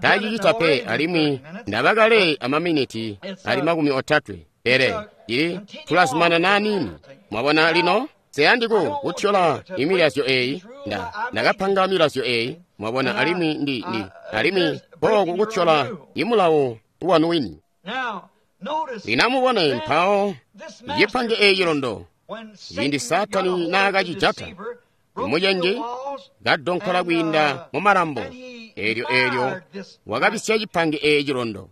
tacicita pe, alimwi ndabakale amaminiti ali 30. Pele ili tulazumanana nini. Mwabona lino seyandi kutyola imilazyo eyi. Ndakapanga milazyo eyi, mwabona, alimwi alimwi pooku kutyola imulawo wanu wini. Lino amubone mpawo cipange eeci cilondo ciindi Saatani naakacijata imucenji kadonkola kwiinda mumalambo, elyo wakabisya cipange eeci cilondo.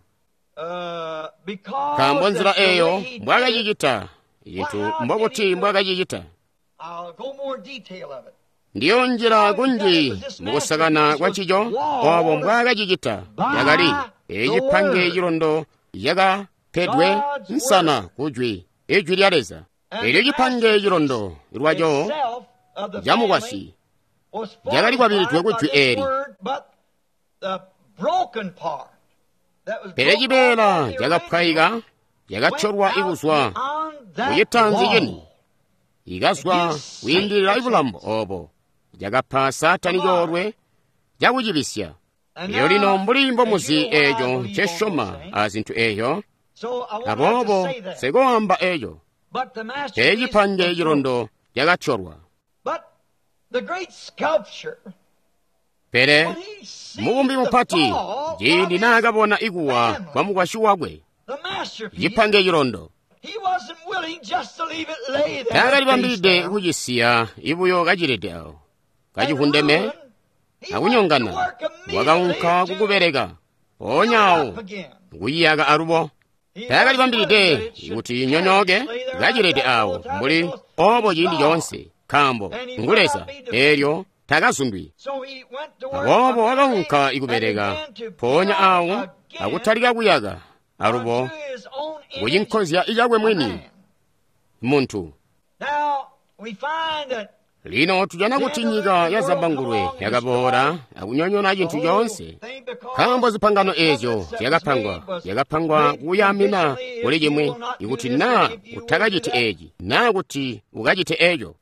Nkaambo nzila eyo mbwaakacicita cintu mbobuti mbwaakacicita. Ndiyo njila kunji mukusakana kwa ncico obo mbwaakacicita. Yakali ecipange cilondo yakapedwe nsana kujwi, ijwi lya Leza. Elyo cipange cilondo lwaco camukwasyi cakali kwabilidwe kujwi eeli. Pele cibeela cakapwayika cakatolwa kuzwa kucitanzi cini, ikazwa kwiindilila bulambo obo, cakapa Saatani coolwe cakucibisya. Elyo lino mbuli mbomuzi eeco ncesyoma a zintu eeyo, aboobo sikoamba eeco. Pele cipange cilondo cakatolwa. Pele mubumbi mupati ciindi naakabona ikuwa kwa mukwasyi wakwe, cipange cilondo, taakalibambilide kucisiya ibuyo kacilede awo, kacivundeme akunyongana. Wakaunka kukubeleka mpoonya awo kuyiyaka alubo. Taakalibambilide kuti inyonyooke kacilede awo mbuli obo ciindi coonse, nkaambo ngu Leza, eelyo takazundwi. Aboobo wakaunka ikubeleka mpoonya awo akutalika kuyaka alubo kucinkozya cakwe mwini muntu. Lino tujana kuti nyika ya Zambangulwe yakaboola akunyonyoona cintu coonse, nkaambo zipangano eezyo zyakapangwa kuyamina kuli cimwi, ikuti naa utakaciti eeci naa kuti ukacite eeco.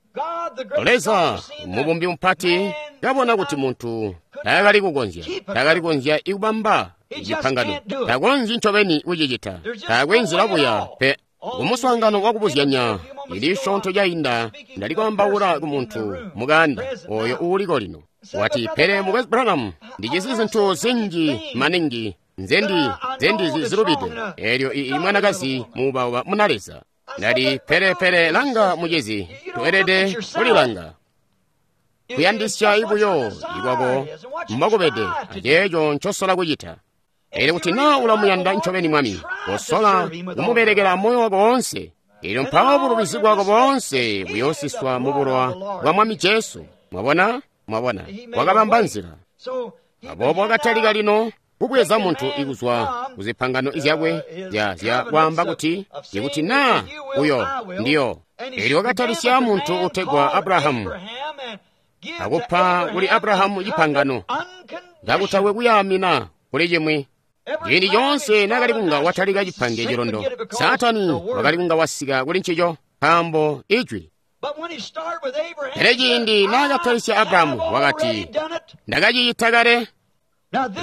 Leza mubumbi mupati kabona kuti muntu taakali kukonzya ikubamba cipangano, takonzyi ncobeni kucicita, taakwe nzila buya pe. Kumuswaangano wakubuzyanya ili syoonto cainda, ndali kwaambaula ku muntu mukaanda oyo uuliko lino. Wati, pele Mukwesu Branham, ndijisi zintu zinji maningi nzendizi zilubide. Eelyo ii mwanakazi muubauba muna Leza. Ndati, pele langa mucizi, tweelede kulilanga. Kuyandisya ibuyo ikwako mbokubede aceeco ncosola kucita. Elyo kuti naa ulamuyanda ncobeni Mwami, kosola kumubelekela moyo wako woonse. Elyo mpawo bulubizi bwako boonse buyoosiswa mu bulowa bwa Mwami Jesu. Mwabona? Mwabona? Wakabamba nzila. Aboobo wakatalika lino kubweza muntu ikuzwa kuzipangano zyakwe zya kwaamba kuti ikuti naa uyo ndiyo. Elyo wakatalisya muntu utegwa Abrahamu, akupa kuli Abrahamu cipangano cakutakwe kuyaamina kuli cimwi. Ciindi coonse naakali kunga watalika cipange cilondo, Saatani wakali kunga wasika kuli ncico, nkaambo ijwi. Pele ciindi naakatalisya Abrahamu wakati, ndakacicita kale.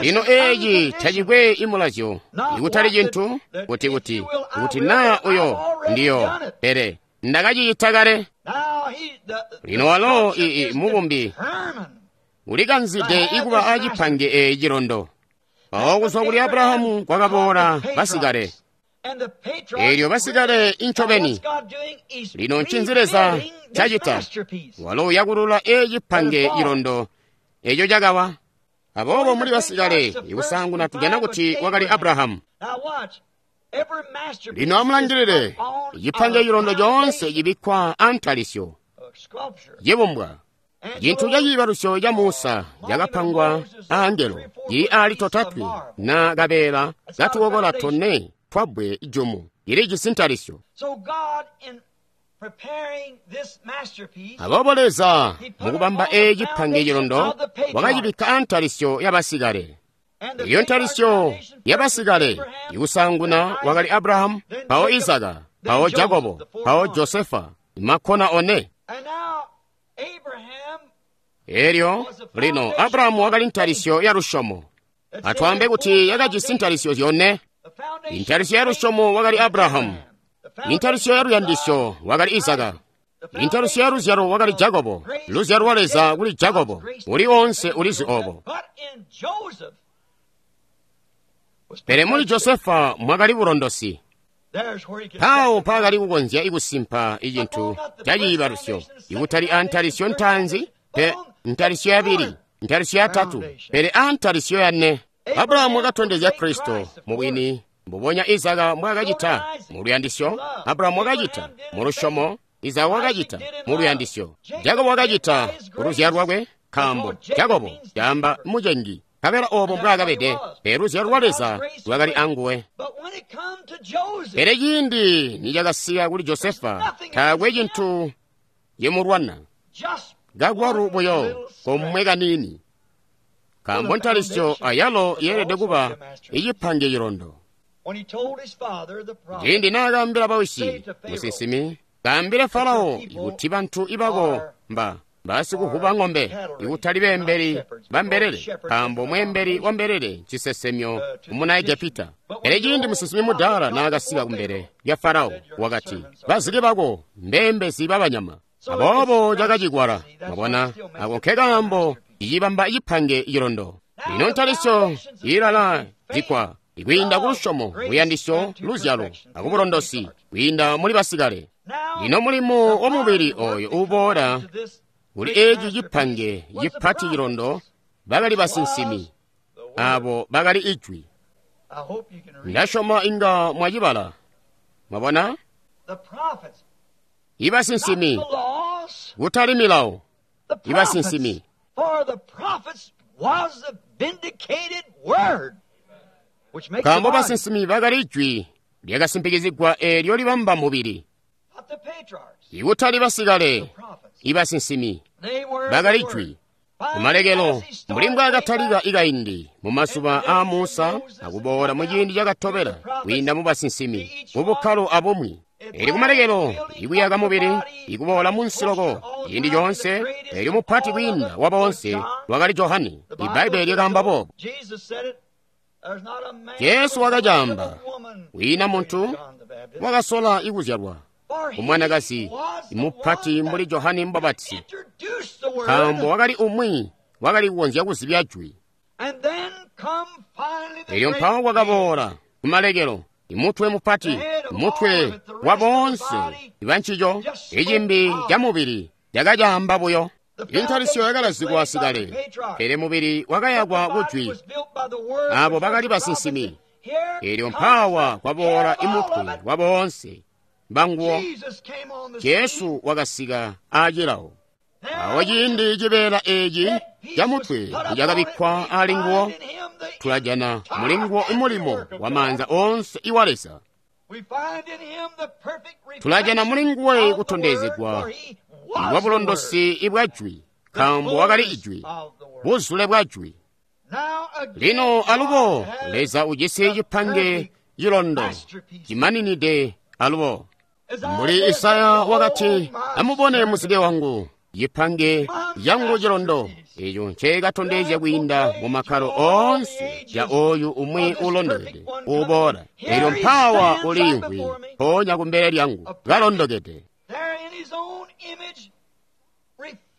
Lino eeci tacikwe imulazyo, ikutali cintu kuti naa uyo ndiyo, pele ndakacicita kale. Lino walo mubumbi ulikanzide ikuba acipange eeci cilondo. Mpawo kuzwa kuli Abrahamu kwakaboola basikale. Eelyo basikale incobeni. Lino ncinzi Leza cacita? Walo uyakulula ecipange cilondo eco cakawa. Aboobo muli basikale ikusaanguna tujana kuti wakali Abrahamu. Lino amulangilile, cipange cilondo coonse cibikkwa antalisyo, cibumbwa. Cintu ca ciibalusyo ca Musa cakapangwa aangelo, cili ali totatwe na kabeela katukokola tone twabbwe jumu, cilijisi ntalisyo. Aboobo Leza mukubamba eeci cipange cilondo wakacibikka antalisyo yabasikale. Iyo ntalisyo yabasikale ikusaanguna wakali Abrahamu, mpawo Izaka, mpawo Jakobo, mpawo Josefa, makkona one. Elyo lino Abrahamu wakali ntalisyo ya lusyomo. Atwaambe kuti yakajisi ntalisyo zyone. Intalisyo ya lusyomo wakali Abrahamu. Intalisyo ya luyandisyo wakali Izaka. Intalisyo ya luzyalo wakali Jakobo. Luzyalo lwa Leza kuli Jakobo. Uli onse ulizi obo. Pele muli Josefa mwakali bulondosi. Mpawo mpaakali kukonzya ikusimpa icintu ca ciibalusyo, ikutali antalisyo ntaanzi, pe ntalisyo yabili, ntalisyo yatatu, pele antalisyo yane. Abrahamu wakatondezya Kristo mubwini, mbubonya Izaka mbwaakacita mu luyandisyo. Abrahamu wakacita mu lusyomo, Izaka wakacita mu luyandisyo, Jakobo wakacita ku luzyalo lwakwe, nkaambo Jakobo caamba mucengi. Nkabela obo mbwaakabede, pele luzyalo lwa Leza lwakali anguwe. Pele ciindi nicakasika kuli Josefa, taakwe cintu cimulwana, kakwalu buyo komwe kaniini. Nkaambo ntalisyo ayalo yeelede kuba icipange cilondo. Ciindi naakaambila bawisi, musinsimi, kaambile Farao kuti bantu ibako mba basikuvuba ng'ombe, ikutali beembeli ba mbelele, nkaambo mweembeli wa mbelele ncisesemyo kumuna Egepita. Pele ciindi musinsimi mudaala naakasika kumbele lya Farao, wakati, bazike bako mbeembezi babanyama. Aboobo cakacikwala, mwabona, ako nkekaambo icibamba cipange cilondo. Lino ntalisyo ilala zikwa ikwiinda ku lusyomo, luyandisyo, luzyalo, akubulondosi, kwiinda muli basikale. Lino mulimo wa mubili oyo uboola kuli eci cipange cipati cilondo bakali basinsimi, abo bakali ijwi. Ndasyoma inga mwacibala. Mwabona? Ibasinsimi, kutali milawo, ibasinsimi. Nkaambo basinsimi bakali ijwi lyakasimpikizigwa eelyo libamba mubili. Ikutali basikale, ibasinsimi bakali jwi. Kumalekelo, mbuli mbwaakatalika ikaindi mu mazuba aa Musa akuboola mu ciindi cakatobela kwiinda mu basinsimi mu bukkalo abumwi. Eli kumalekelo ikuyaka mubili ikuboola munsi loko ciindi coonse, elyo mupati kwiinda wa boonse wakali Johane. Ibbaibbele lyakaamba boobo. Jesu wakacaamba, kwiina muntu wakasola ikuzyalwa kumwanakazi mupati mbuli Johane Mubapatizi, nkaambo wakali umwi wakali kukonzya kuzibya jwi. Elyo mpawo kwakaboola kumalekelo imutwe mupati, mutwe wa boonse ibancico, icimbi ca mubili cakacaamba buyo. Intalisyo yakalazikwa sikale, pele mubili wakayakwa kujwi. Abo bakali basinsimi. Elyo mpawa kwaboola imutwe wa boonse banguwo. Jesu wakasika aacilawo. Awo ciindi cibeela eci ca mutwe cakabikkwa ali nguwo, tulajana muli nguwo imulimo wa maanza oonse iwa Leza. Tulajana muli nguwe kutondezegwa bwa bulondosi ibwa jwi, nkaambo wakali ijwi, buzule bwa jwi. Lino alubo Leza ujisi cipange cilondo cimaninide alubo. Mbuli Isaya wakati, amubone muzike wangu, cipange changu cilondo, eco ncekatondezya kwiinda mu makkalo oonse ca oyu umwi ulondokede uboola. Elyo mpawa uliimvwi mpoonya kumbele lyangu kalondokede.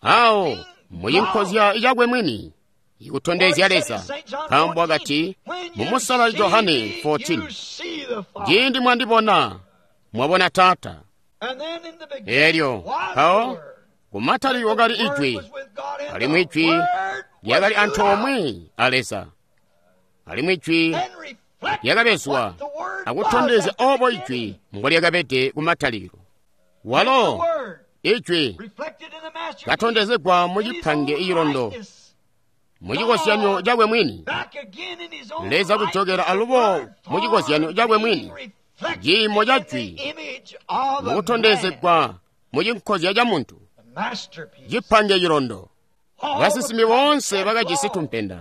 Awo mucinkozya cakwe mwini ikutondezya Leza, nkaambo wakati mu Musala Johane 14, ciindi mwandibona mwabona Taata. Elyo mpawo kumatali wakali ijwi, alimwi ijwi lyakali antoomwe a Leza, alimwi ijwi lyakabezwa akutondezya obo ijwi mbolyakabede kumatalikilo. Walo ijwi katondezegwa mu cipange icilondo mucikozyanyo cakwe mwini. Leza kujokela alubo mucikozyanyo cakwe mwini, ciimo ca jwi mukutondezegwa mucinkozya ca muntu, cipange cilondo. Basinsimi boonse bakajisi tumpenda,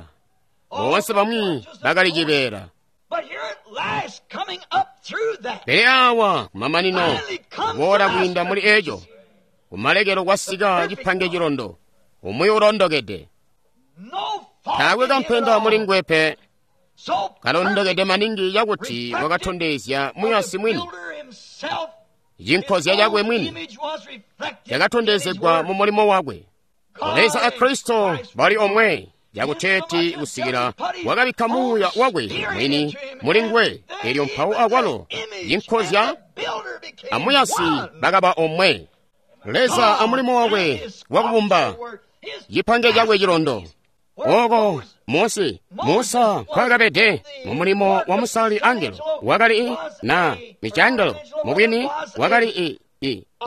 boonse bamwi bakali cibeela. Pele awa kumamanino kuboola kwiinda muli eco, kumalekelo kwasika cipange cilondo, umwi ulondokede. Taakwe kampenda muli nguwe pe, kalondokede maningi cakuti wakatondezya muyasi mwini. Cinkozya cakwe mwini cakatondezegwa mu mulimo wakwe. Leza a Kristo bali omwe, cakuteeti kusikila wakabikka muuya wakwe mwini muli nguwe, elyo mpawo akwalo cinkozya amuyasi bakaba omwe. Leza amulimo wakwe wakubumba cipange cakwe cilondo. Oko Mose, Musa nkwakabede mu mulimo wa musali angelo, wakali na michangelo mubwini wakali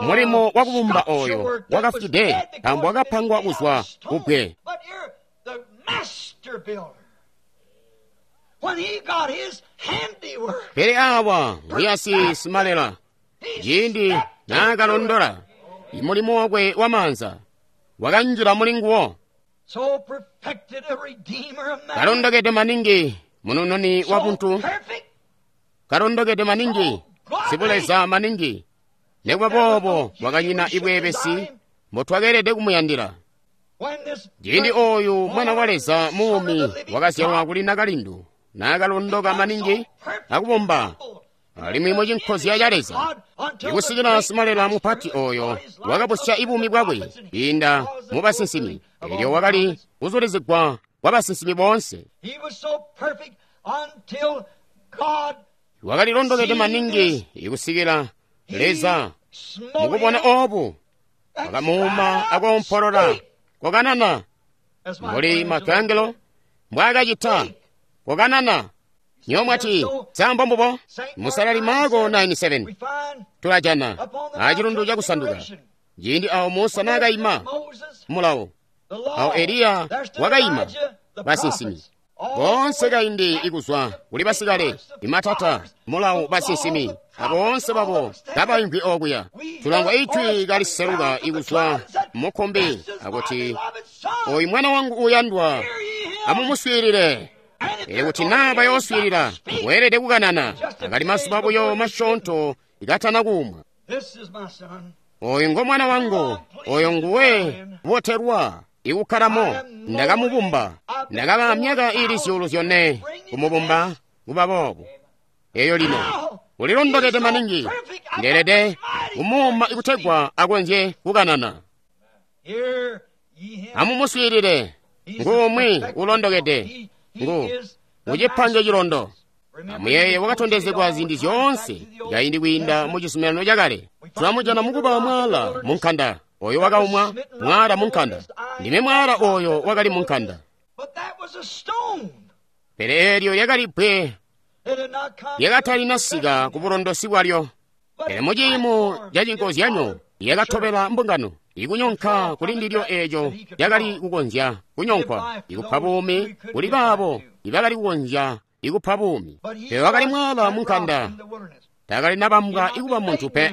mulimo wakubumba oyo wakafwide, nkaambo wakapangwa kuzwa kubbwe. Pele awa muyasi simalela, ciindi naakalondola imulimo wakwe wa maanza wakanjila muli nguwo. Kalondokede maningi munununi wa buntu, kalondokede maningi sibuleza maningi, nekuba boobo wakanyina ibweebesi mbotwakeelede kumuyandila. Ciindi ooyu mwana wa Leza muumi wakazyalwa kuli nakalindu, naakalondoka maningi akubomba alimwi mucinkozya ca Leza, ikusikila simalela mupati ooyo wakabusya ibuumi bwakwe kwiinda mu basinsimi, eelyo wakali kuzulizigwa kwa basinsimi boonse. Wakali londokede maningi ikusikila Leza mukubona oobu wakamuuma akoompolola kokanana mbuli Michelangelo mbwaakacita kokanana. Nywebo mwati sa mbombubo? Musalali Marko 9:7 tulajana acilundu cakusanduka ciindi awo Musa naakaima mulawo, awo Eliya wakaima basinsimi boonse kaindi ikuzwa kuli basikale imatata mulawo basinsimi aboonse babo kabaimvwi okuya. Tulangwa ijwi kaliseluka ikuzwa mukkumbi akuti, oyu mwana wangu uuyandwa, amumuswiilile. Pele kuti naa bayooswiilila, weelede kukanana. Akali mazuba buyo masyoonto ikatana kuumwa. Oyu ngo mwana wangu, oyo nguwe botelwa ikukkalamo. Ndakamubumba, ndakaba myaka iili 4,000 kumubumba kuba boobu. Eyo lino ulilondokede maningi, ndeelede kumuuma ikutegwa akonzye kukanana. Amumuswiilile, nguumwi ulondokede, ngu mucipange cilondo. Amuyeeye wakatondezegwa ziindi zyoonse kaindi kwiinda mu cizuminano cakale. Tulamujana mukuba mwaala munkanda, oyo wakaumwa mwaala munkanda. Ndime mwaala oyo wakali munkanda. Pele eelyo lyakali bbwe lyakatalinasika ku bulondosi bwalyo. Pele muciimo cacinkozyanyo lyakatobela mbungano ikunyonka kuli ndilyo eeco lyakali kukonzya kunyonkwa ikupa buumi kuli baabo ibakali kukonzya ikupa buumi. Pele wakali mwaala munkanda, taakali nabambwa ikuba muntu pe,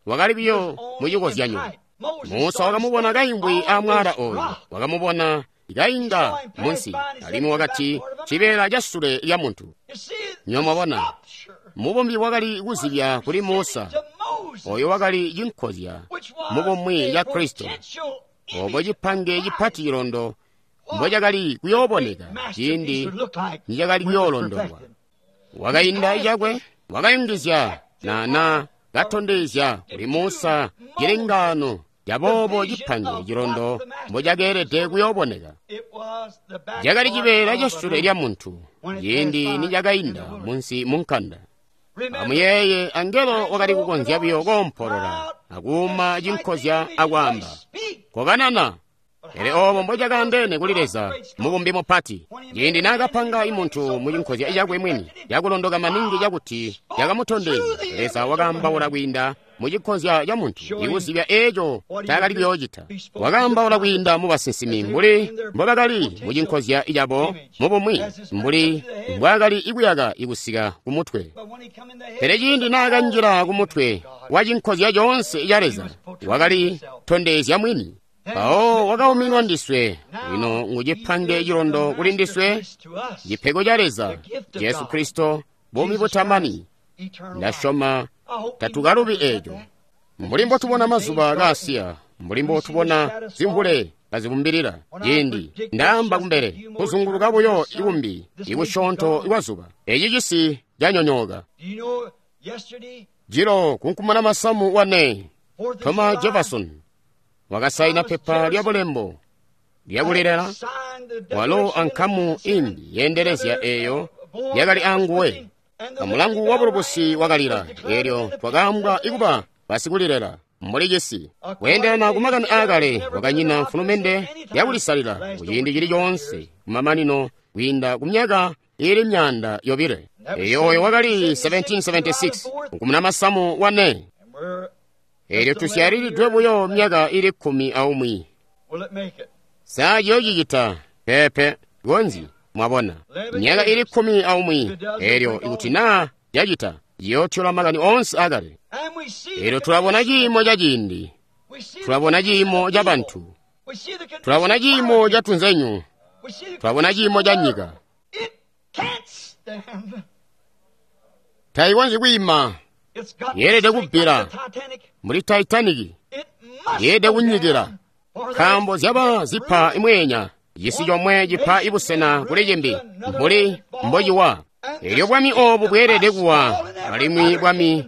wakali biyo mucikozyanyo. Musa wakamubona kaimvwi amwaala oyu, wakamubona kainga munsi, alimwi wakati cibeela casule lya muntu. Nywebo mwabona, mubumbi wakali kuzibya kuli Musa, oyo wakali cinkozya mubumwi ca Kristo, obo cipange cipati cilondo mbocakali kuyooboneka ciindi nicakali kuyoolondolwa. Wakainda cakwe, wakayungizya na katondezya kuli Musa cilengaano caboobo cipange cilondo mbocakeelede kuyooboneka. Cakali cibeela casule lya muntu ciindi nicakainda munsi munkanda. Amuyeeye, angelo wakali kukonzya buyo koompolola akuuma cinkozya akwaamba kokanana. Pele oobo mbocakaandeene kuli Leza mubumbi mupati, ciindi naakapanga imuntu mucinkozya cakwe mwini cakulondoka maningi cakuti cakamutondezya, Leza wakaambaula kwiinda mucinkozya ca muntu ikuzibya eeco ncaakali kuyoocita. Wakaambaula kwiinda mu basinsimi mbuli mbobakali mucinkozya cabo mubumwi, mbuli mbwaakali ikuyaka ikusika kumutwe. Pele ciindi naakanjila kumutwe wa cinkozya coonse ca Leza, wakali tondezya mwini. Mpawo wakauminwa ndiswe, lino ngucipange cilondo kuli ndiswe, cipego ca Leza, Jesu Kristo, buumi butamani. Ndasyoma tatukalubi eeco. Mbuli mbotubona mazuba kaasiya, mbuli mbotubona zimvule kazibumbilila, ciindi ndaamba kumbele kuzunguluka buyo ikumbi ikusyoonto kwazuba, eci cisi canyonyooka. Jilo kunkumana masamu wane, Thomas Jefferson wakasaina pepa lya bulembo lyakulilela, walo ankamu imbi yeendelezya eeyo yakali anguwe. Amulangu wa bulubusi wakalila, eelyo twakaambwa ikuba basikulilela mbuli cisi. Kweendelana kumakani aakale, wakanyina mfulumende yakulisalila kuciindi cili coonse kumamanino kwiinda kumyaka iili 200. Eeyo oyo wakali 1776 nkumuna masamu wane. Eelyo tusyalilidwe buyo myaka iili 11. Sa ciyoocicita? Peepe, konzi mwabona myaka iili 11. Eelyo ikuti naa cacita, ciyootyola makani oonse akale. Eelyo tulabona ciimo ca ciindi, tulabona ciimo ca bantu. Tulabona ciimo ca tunzenyu. Twabona ciimo ca nyika. Tayikonzyi kwiima. Yeelede kubbila mbuli Titanic. Yeelede kunyikila nkaambo zyaba zipa imweenya cisi comwe cipa ibusena kuli cimbi mbuli mbociwa. Elyo bwami obu bweelede kuwa, alimwi bwami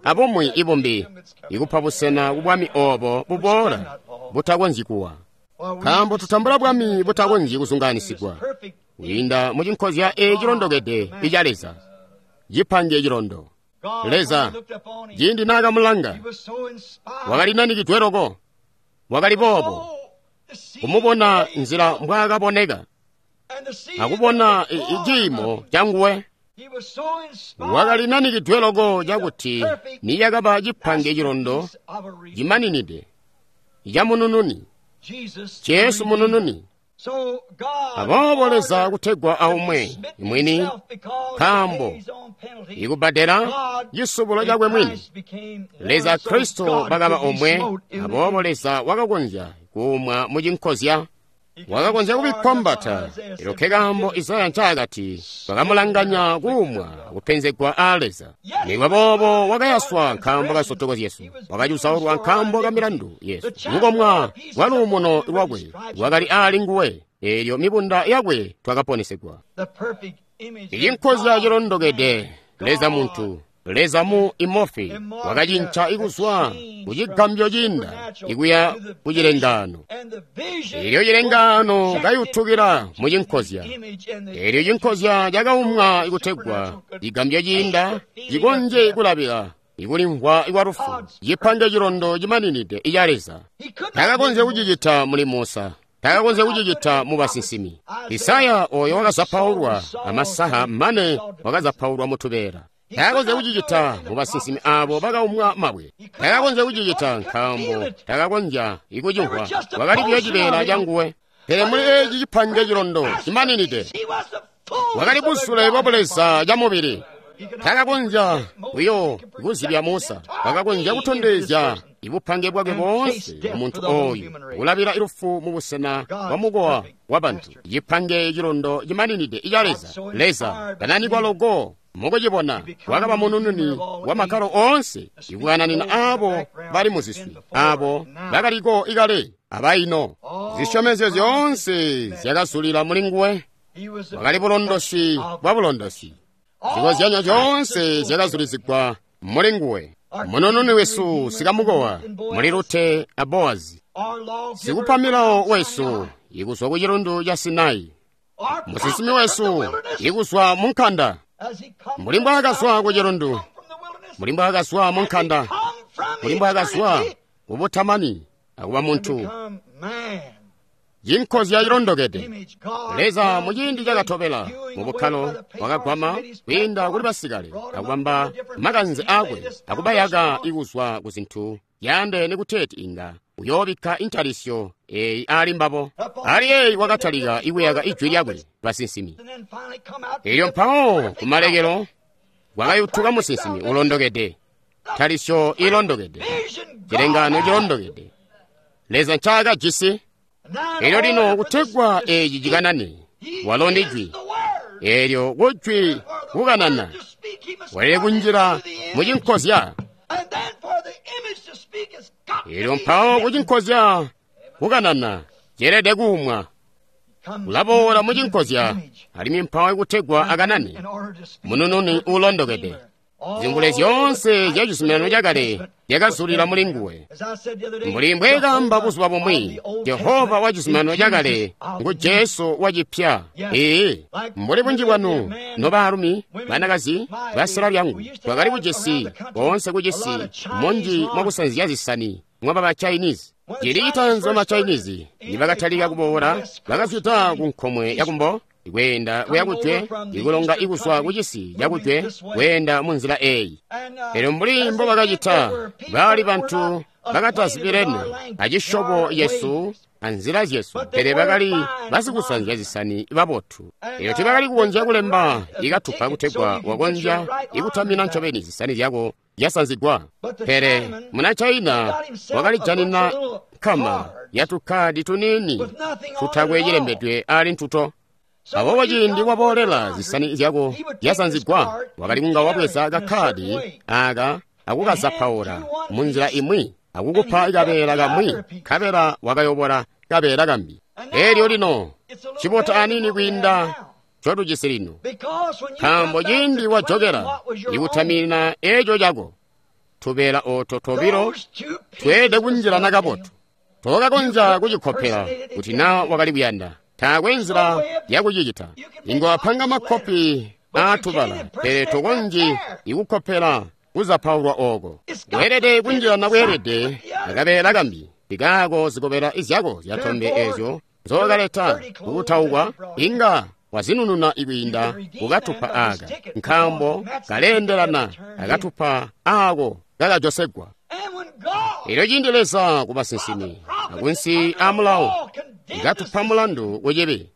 abumwi ibumbi ikupa busena ku bwami obo buboola butakonzyi kuwa. Nkaambo tutambula bwami butakonzyi kuzungaanisigwa kwiinda mu cinkozya ecilondokede ica Leza, cipange cilondo. Leza, ciindi naakamulanga, wakali nanikidwe loko, wakali boobo, kumubona nzila mbwaakaboneka, akubona ciimo canguwe. Wakali nanikidwe loko cakuti niyakaba cipange cilondo cimaninide ca munununi, Jesu munununi. Aboobo Leza kutegwa aumwe mwini, nkaambo ikubbadela cisubulo cakwe mwini, Leza Kristo bakaba omwe. Aboobo Leza wakakonzya kuumwa mu cinkozya, wakakonzya kubikkwa mbata. Elyo nkekaambo Isaya ncaakati bakamulanganya kuumwa akupenzegwa aa Leza. Nikuba boobo wakayaswa nkaambo ka nsotoko zyesu, wakacuzaulwa nkaambo ka milandu yesu. Lukomwa lwa luumuno lwakwe lwakali aali nguwe, eelyo mibunda yakwe twakaponesegwa. Icinkozya cilondokede, Leza muntu, Leza mu imofi, wakacinca ikuzwa ku cigambyo ciinda ikuya ku cilengaano. Elyo cilengaano kayutukila mu cinkozya. Elyo cinkozya cakaumwa ikutegwa cigambyo ciinda cikonzye kulabila ikulimvwa kwa lufu, cipange cilondo cimaninide ica Leza. Takakonzya kucicita muli Musa, takakonzya kucicita mu basinsimi. Isaya oyo wakazapaulwa amasaha mane wakazapaulwa mu tubeela. Takakonzya kucicita mu basinsimi abo bakaumwa mabwe. Takakonzya kucicita nkaambo takakonzya ikucimvwa, wakali buyo cibeela canguwe. Pele muli eci cipange cilondo cimaninide, wakali busule bwa Buleza ca mubili. Takakonzya buyo kuzibya Musa, wakakonzya kutondezya ibupange bwakwe boonse muntu oyu kulabila ilufu mu busena bwa mukowa wa bantu. Cipange cilondo cimaninide ica Leza. Leza kananikwa loko mukucibona, wakaba munununi wa makkalo oonse, ikukananina abo bali muziswi, abo bakaliko ikale abaino. Zisyomezyo zyoonse zyakazulila muli nguwe. Wakali bulondosi bwa bulondosi. Zikozyanyo zyoonse zyakazulizigwa muli nguwe. Munununi wesu sikamukowa muli Rute a Boazi, sikupa milawo wesu ikuzwa ku chilundu cha Sinai, musinsimi wesu ikuzwa mu nkanda. Mbuli mbwaakazwa ku chilundu, mbuli mbwaakazwa mu nkanda, mbuli mbwaakazwa kubutamani akuba muntu, cinkozya cilondokede. Leza muciindi cakatobela mu bukkalo wakagwama kwiinda kuli basikale akubamba makanze akwe akubayaka ikuzwa ku zintu yaandeene kuteeti inga uyoobikka intalisyo eyi ali mbabo. Ali eyi wakatalika ikuyaka ijwi lyakwe basinsimi. Elyo mpawo kumalekelo kwakayutuka musinsimi ulondokede, ntalisyo ilondokede, cilengaano cilondokede Leza ncaakajisi. Elyo lino kutegwa eci cikanane, walo ndi jwi. Elyo kujwi kukanana welele kunjila mu cinkozya. Elyo mpawo kucinkozya kukanana ceelede kuumwa. Ulaboola mu cinkozya alimwi mpawo kutegwa akanane munununi uulondokede. Zingule zyoonse zya cizuminano cakale zyakazulila muli nguwe. Mbuli mbweekamba buzuba bumwi, Jehova wa cizuminano cakale ngu Jesu wa cipya. Ee, mbuli bunji bwanu nobaalumi, banakazi, basela lyangu, twakali kujisi boonse kujisi munji mwakusanzya zisani mwaba ba Chinese. Cili citaanzi ba Chinese nibakatalika kuboola, bakazwida ku nkomwe yakumbo kweenda kuya kujwe, ikulonga ikuzwa kucisi cakujwe kweenda mu nzila eyi. Elyo mbuli mbo bakacita, baali bantu bakatazibirene acisyobo yesu anzila zyesu, pele bakali basikusanzya zisani babotu. Elyo tibakali kukonzya kulemba ikatupa kutegwa wakonzya ikutamina ncobeni zisani zyako zyasanzigwa. Pele muna China wakalijanina nkama yatukkadi tuniini tutakwe cilembedwe ali ntuto. Aboobo ciindi waboolela zisani zyako zyasanzigwa, wakali kunga wabweza kakkadi aka akukazapaula munzila imwi akukupa kabeela kamwi, nkabela wakayobola kabeela kambi. Elyo lino cibota aniini kwiinda ncotujisi lino, nkaambo ciindi wajokela ikutaminina eco cako, tubeela ooto tobilo tweelede kunjilana kabotu. Tokakonzya kucikopela kuti naa wakali kuyanda. Taakwe nzila yakucicita. Inga wapanga makkopi aatubala, pele tokonzyi ikukkopela kuzapaulwa ooko. Weelede kunjilana bweelede akabeela kambi. Ikaako zikobela izyako zyatombe eezyo nzookaleta kukutaukwa inga wazinununa ikwiinda kukatupa aaka, nkaambo kaleendelana akatupa aako kakajosegwa. Elyo ciindi Leza ku basinsimi akunsi a mulawo ikatupa mulandu kucibi,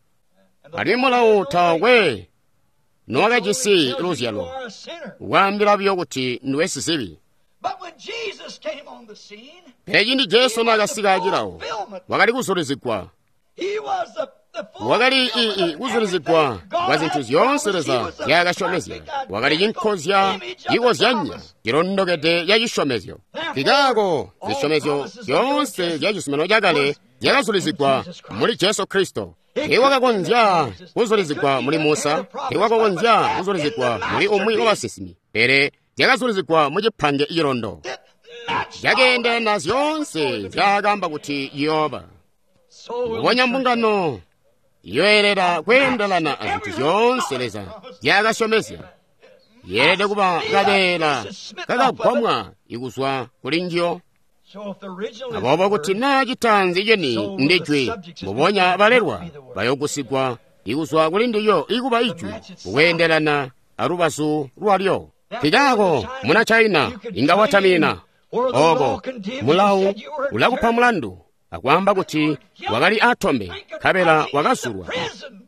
alimwi mulawo taakwe nowakajisi luzyalo, waambila buyo kuti ndiwe sizibi. Pele ciindi Jesu naakasika acilawo, wakali kuzulizigwa. Wakali kuzulizigwa kwa zintu zyoonse Leza nzyaakasyomezya. Wakali cinkozya cikozyanya cilondokede ca cisyomezyo. Nkikaako zisyomezyo zyoonse zya cizuminano cakale zyakazulizigwa muli Jesu Kristo. Teewakakonzya kuzulizigwa muli Musa, teewakakonzya kuzulizigwa muli umwi wabasinsimi, pele zyakazulizigwa mu cipange cilondo. Zyakeendelana zyoonse nzyaakaamba kuti ciyooba. Mbubonya mbungano yoelera kweendelana azintu zyoonse Leza nzyaakasyomezya, yeelede kuba kabeela kakagwamwa ikuzwa kuli njiyo. Aboobo kuti naa citaanzi ceni ndi jwi, mbubonya balelwa bayogusigwa ikuzwa kuli ndiyo ikuba ijwi kukweendelana alubazu lwalyo. Nkikaako muna China inga watamina ooko mulawu ulakupa mulandu akwaamba kuti wakali atombe, nkabela wakazulwa,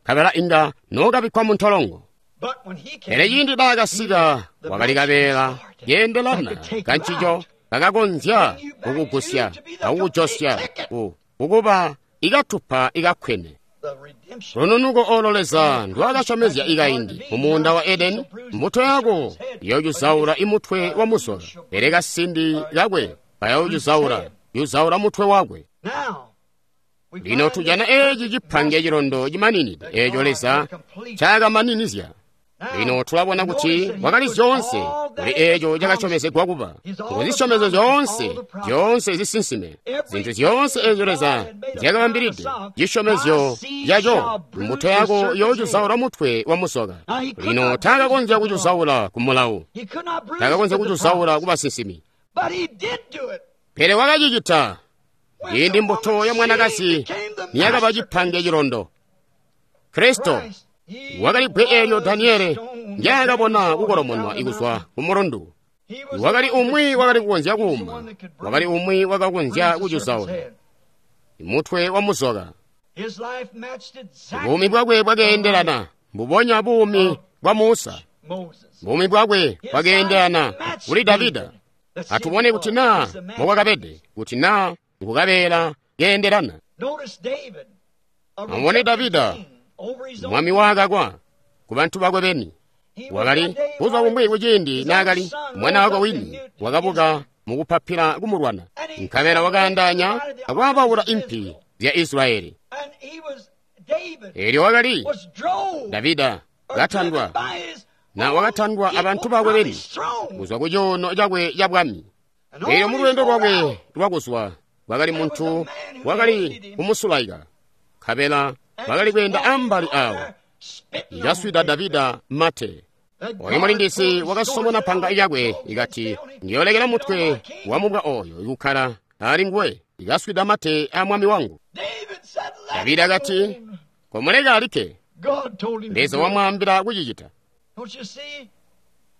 nkabela inga nookabikkwa mu ntolongo. Pele ciindi naakasika wakali kabeela keendelana kancico kakakonzya kukugusya akukujosya kukuba ikatupa ikakkwene. Lununuko olo Leza ndwaakasyomezya ikaindi mu muunda wa Edeni, mbuto yako iyoocuzaula imutwe wa muzoka, pele kasindi kakwe kayoocuzaula yuzaula mutwe wakwe. Lino tujana eeci cipange cilondo cimaninide eeco Leza ncaakamaninizya. Lino tulabona kuti wakali zyoonse kuli eeco cakasyomezegwa kuba. Nguzisyomezyo zyoonse, zyoonse zisinsime, zintu zyoonse eezyo Leza nzyakabambilide, cisyomezyo caco, mbuto yako yoocuzaula mutwe wa muzoka. Lino taakakonzya kucuzaula ku mulawo, taakakonzya kucuzaula ku basinsimi. Pele wakacicita ciindi mbuto ya mwanakazi niyakaba cipange cilondo. Kristo wakali bbwe eelyo Daniele ndyaakabona kukolomonwa ikuzwa ku mulundu. Wakali umwi wakali kukonzya kuuma, wakali umwi wakakonzya kucuzaula mutwe wa muzoka. Buumi bwakwe bwakeendelana mbubonya buumi bwa Musa. Buumi bwakwe bwakeendelana kuli Davida. Atubone kuti naa mbokwakabede, kuti naa ngukabeela keendelana. Amubone Davida, mwami waakakwa ku bantu bakwe beni. Wakali buzuba bumwi kuciindi naakali mwana wakwe wini wakabuka mukupapila kumulwana, nkabela wakaandaanya akwaabaula impi zya Israyeli. Eelyo wakali Davida katandwa na wakatandwa abantu bakwe beni kuzwa ku cuuno cakwe ca bwami. Eelyo mu lweendo lwakwe lwakuzwa kwakali muntu wakali kumusulaika, nkabela bakali kweenda ambali awo, ikaswida Davida mate. Oyo mulindisi wakasomona panga lyakwe ikati, ndiyolekela mutwe wa mubwa oyo ikukkala ali nguwe, ikaswida mate a mwami wangu. Davida akati, komuleka alikke. Leza wamwaambila kucicita.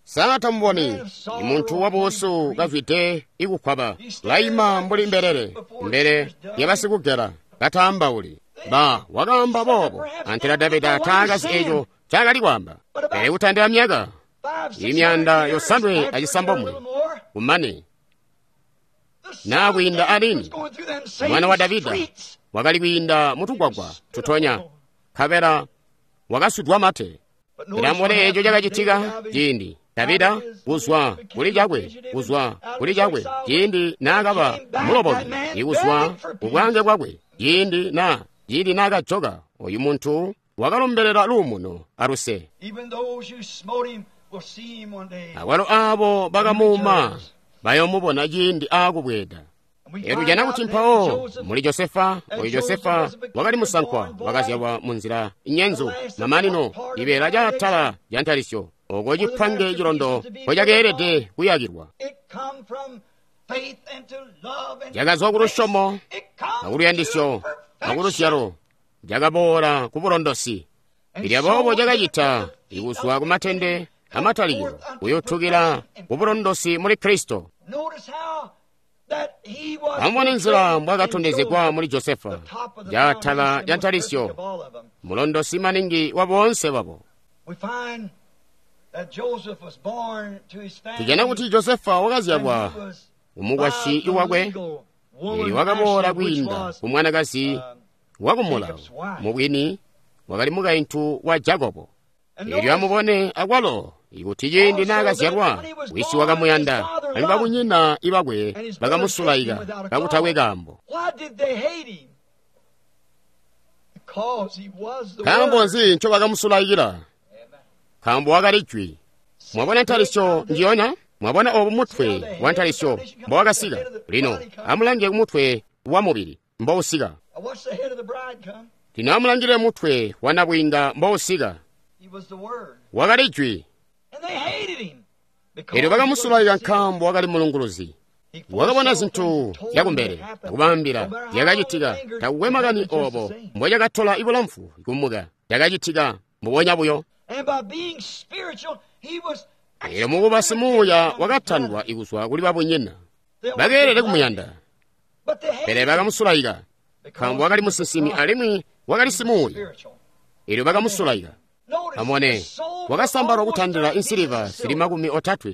Sa tamuboni muntu wabuusu kazwide ikukwaba, laima mbuli mbelele mbele yabasikugela kataambauli. Ba wakaamba boobo antela Davida taakazi eco ncaakali kwaamba. Pele kutandila myaka imyanda 900 kumane naa kwiinda alini mwana wa Davida wakali kwiinda mutugwagwa tutonya, nkabela wakaswidwa mate. Pele amubone eco cakacitika ciindi Davida kuzwa kuli cakwe, kuzwa kuli cakwe, ciindi naakaba muloboki, ikuzwa kubwange bwakwe, ciindi naakajoka, oyu muntu wakalombelela luumuno aluse. Akwalo aabo bakamuuma bayoomubona ciindi aakubweeda. Tujana kuti mpawo muli Josefa, oyu Josefa wakali musankwa wakazyalwa munzila inyenzu, mamanino ibeela caatala lya ntalisyo, oko cipange cilondo mpo cakeelede kuyakilwa. Cakazwa ku lusyomo akuluyandisyo akuluzyalo, cakaboola ku bulondosi. Elyo aboobo cakacita ikuzwa ku matende amatalikilo kuyutukila ku bulondosi muli Kristo. Amubone nzila mbwakatondezegwa muli Josefa, caatala lya ntalisyo, mulondosi maningi wa boonse babo. Tujana kuti Josefa wakazyalwa umukwasyi wakwe, elyo wakaboola kwiinda ku mwanakazi wakumulawo, mubwini wakali mukaintu wa Jakobo. Elyo amubone akwalo ikuti ciindi naakazyalwa wisi wakamuyanda, alimwi babunyina ibakwe bakamusulaika kakutakwe kaambo. Nkaambo nzi ncobakamusulaikila? Nkaambo wakali jwi. Mwabona ntalisyo njiyonya? Mwabona obu mutwe wa ntalisyo mbowakasika? Lino amulange kumutwe wa mubili mbousika. Lino amulangile mutwe wa nabwiinga mbousika. Wakali jwi. Elyo bakamusulaika nkaambo wakali mulunguluzi. Wakabona zintu zyakumbele akubaambila zyakacitika. Takukwe makani obo mbocakatola ibulamfu kumuka, cakacitika mbubonya buyo. Elyo mukuba simuuya wakatandwa ikuzwa kuli babunyina. Bakeelede kumuyanda, pele bakamusulaika nkaambo wakali musinsimi alimwi wakali simuuya. Elyo bakamusulaika. Amubone, wakasambalwa kutandila insiliva zili 30,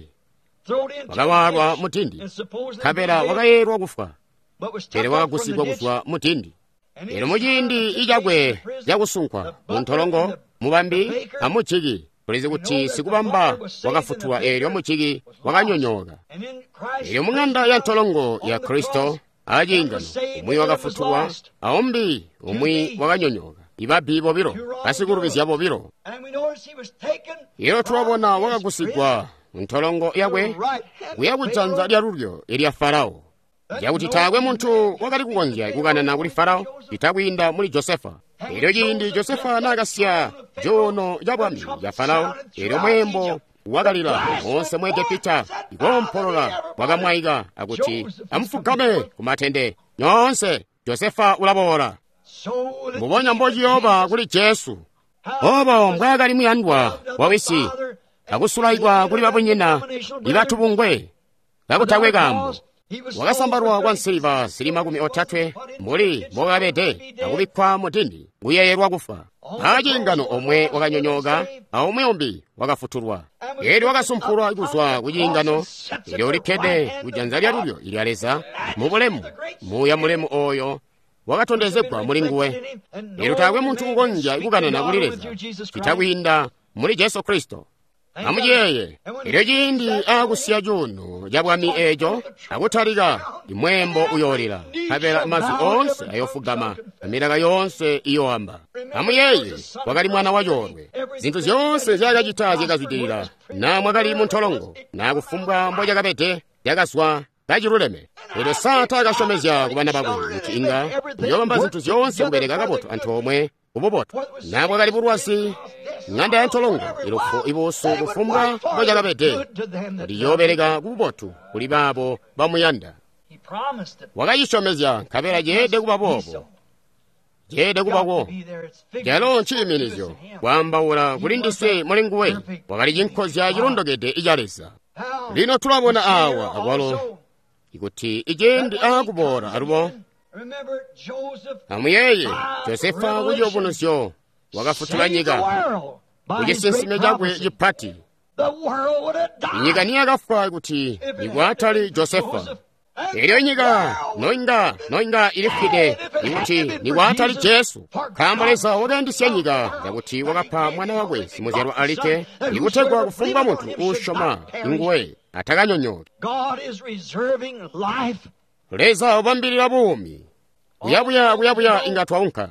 wakawaalwa mudindi, nkabela wakayeelwa kufwa, pele wakagusigwa kuzwa mudindi. Elyo muciindi icakwe cakusunkwa muntolongo, mubambi amujiki, tulizi kuti sikubamba wakafutulwa, eelyo mujiki wakanyonyooka. Elyo mung'anda ya ntolongo ya Kristo aciingano, umwi wakafutulwa, aumbi umwi wakanyonyooka. Ibabbi bobilo, basikulubizya bobilo. Elyo tulabona wakagusigwa ntolongo yakwe kuya kujanza lyalulyo ilya Farao, cakuti taakwe muntu wakali kukonzya kukanana kuli Farao cita kwiinda muli Josefa. Elyo ciindi Josefa naakasiya cuuno ca bwami ca Farao, elyo mweembo wakalila moonse mu Egepita, ikoompolola kwakamwaika akuti, amufugame kumatende nyoonse, Josefa ulaboola. Mbubonya mbociyooba kuli Jesu, obo mbwaakali muyandwa wa wisi, akusulaikwa kuli babunyina ibatubungwe kakutakwe kaambo. Wakasambalwa kwa nsiliva zili 30 mbuli mbokabede, akubikkwa mudindi kuyeeyelwa kufa. Aciingano omwe wakanyonyooka, aumwi umbi wakafutulwa. Elyo wakasumpulwa kuzwa ku ciingano, elyo ulikkede kujanza lyalulyo ilya Leza mubulemu, muuya mulemu oyo wakatondezegwa muli nguwe. Elyo taakwe muntu kukonzya kukanana kuli Leza cita kwiinda muli Jesu Kristo. Amuciyeeye, elyo ciindi aakusiya cuuno ca bwami eeco akutalika, imweembo uyoolila, nkabela mazwi oonse ayoofugama, amilaka yoonse iyooamba. Amuyeeye, wakali mwana wa coolwe. Zintu zyoonse nzyaakacita zyakazwidilila, naa mwakali muntolongo, naa kufumbwa mbocakabede, cakazwa kaciluleme. Elyo Sata akasyomezya ku bana bakwe kuti inga uyoobamba zintu zyoonse kubeleka kabotu antoomwe kububotu. Naa bwakali bulwazi, ng'anda ya ntolongo, ilufu, ibuusu, kufumbwa mbocakabede, kuti iyoobeleka kububotu kuli baabo bamuyanda. Wakacisyomezya, nkabela ceelede kuba boobo. Ceelede kubako. Calo nciiminizyo, kwaambaula kuli ndiswe muli nguwe, wakali cinkozya cilondokede ica Leza. Lino tulabona awa akwalo ikuti iciindi aakuboola alubo. Amuyeeye, Josefa kuciyubunuzyo wakafutula nyika kucisinsime cakwe cipati. Inyika niyakafwa kuti nikwatali Josefa. Elyo nyika noinga ilifwide ikuti nikwatali Jesu. Nkaambo Leza wakayandisya nyika yakuti wakapa mwana wakwe simuzyalwa alikke, ikutegwa kufumbwa muntu uusyoma nguwe atakanyonyooki. Leza ubambilila buumi. Kuyabuya inga twaunka.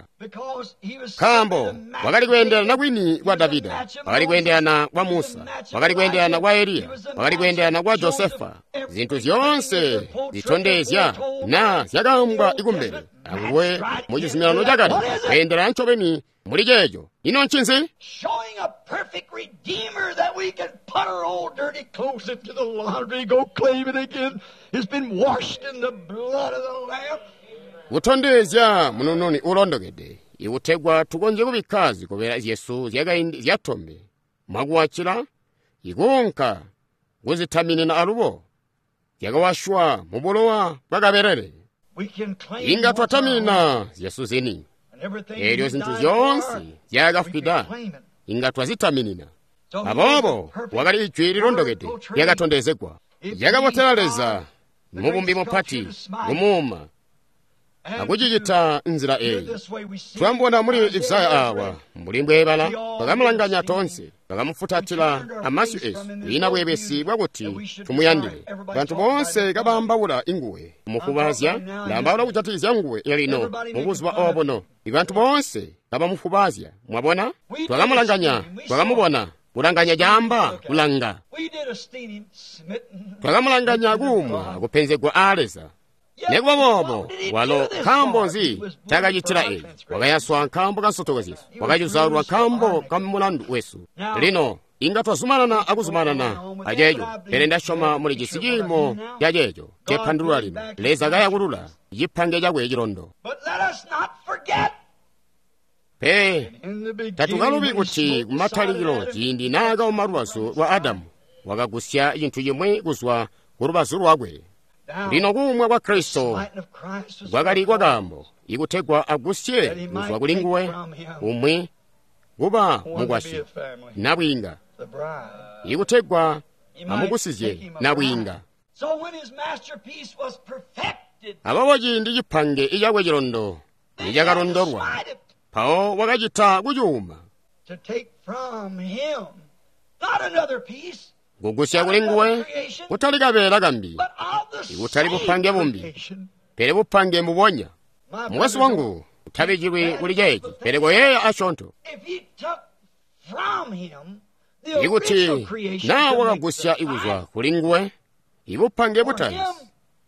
Nkaambo wakali kweendelana kwini kwa Davida, wakali kweendelana kwa Musa, wakali kweendelana kwa Eliya, wakali kweendelana kwa Josefa. Zintu zyoonse zitondezya na zyakaambwa ikumbele anguwe mu Chizuminano Chakale, kweendelana ncobeni muli ceeco. Ino ncinzi? Kutondezya munununi ulondokede, ikutegwa tukonzye kubikka zikobela zyesu zyakaindi zyatombe mwakuwacila, ikuunka kuzitaminina alubo zyakawashwa mu bulowa bwa kabelele. Inga twataminina zyesu zini, eelyo zintu zyoonse zyakafwida inga twazitaminina. Aboobo wakali ijwi lilondokede lyakatondezegwa, lyakabotela Leza mubumbi mupati kumuuma akucicita nzila eyi. Twambona muli Isaya awa mbuli mbweebala, bakamulanganya toonse, bakamufutatila amasyu esu, kwiina bweebesi bwakuti tumuyandile. Bantu boonse kabaambaula inguwe mufubazya, ndaambaula kujatikizya nguwe lino mubuzuba obuno. Ibantu boonse kabamufubaazya, mwabona? Twakamulanganya, twakamubona. Kulanganya caamba kulanga. Twakamulanganya kuumwa akupenzegwa aa Leza. Nekuba boobo, walo nkaambo nzi takacitila eeci? Wakayaswa nkaambo ka nsotoko zyesu, wakacuzaulwa nkaambo ka mulandu wesu. Lino inga twazumanana akuzumanana aceeco, pele ndasyoma muli cisi ciimo ca ceeco cepandulula lino. Leza kayakulula cipange cakwe cilondo. Pe tatukalubi kuti kumatalikilo ciindi naakauma lubazu lwa Adamu, wakagusya cintu cimwi kuzwa ku lubazu lwakwe. Lino kuumwa kwa Kristo kwakali kwakaambo, ikutegwa agusye kuzwa kuli nguwe umwi kuba mukwasyi nabwiinga, ikutegwa amugusizye nabwiinga. Aboobo ciindi cipange icakwe cilondo nicakalondolwa, mpawo wakacita kucuuma, kugusya kuli nguwe kutali kabeela kambi, ikutali bupange bumbi, pele bupange mbubonya. Mukwesu wangu, utabijilwi kuli ceeci, pele koyeeya asyoonto. Ikuti naa wakagusya ikuzwa kuli nguwe ibupange butaanzi,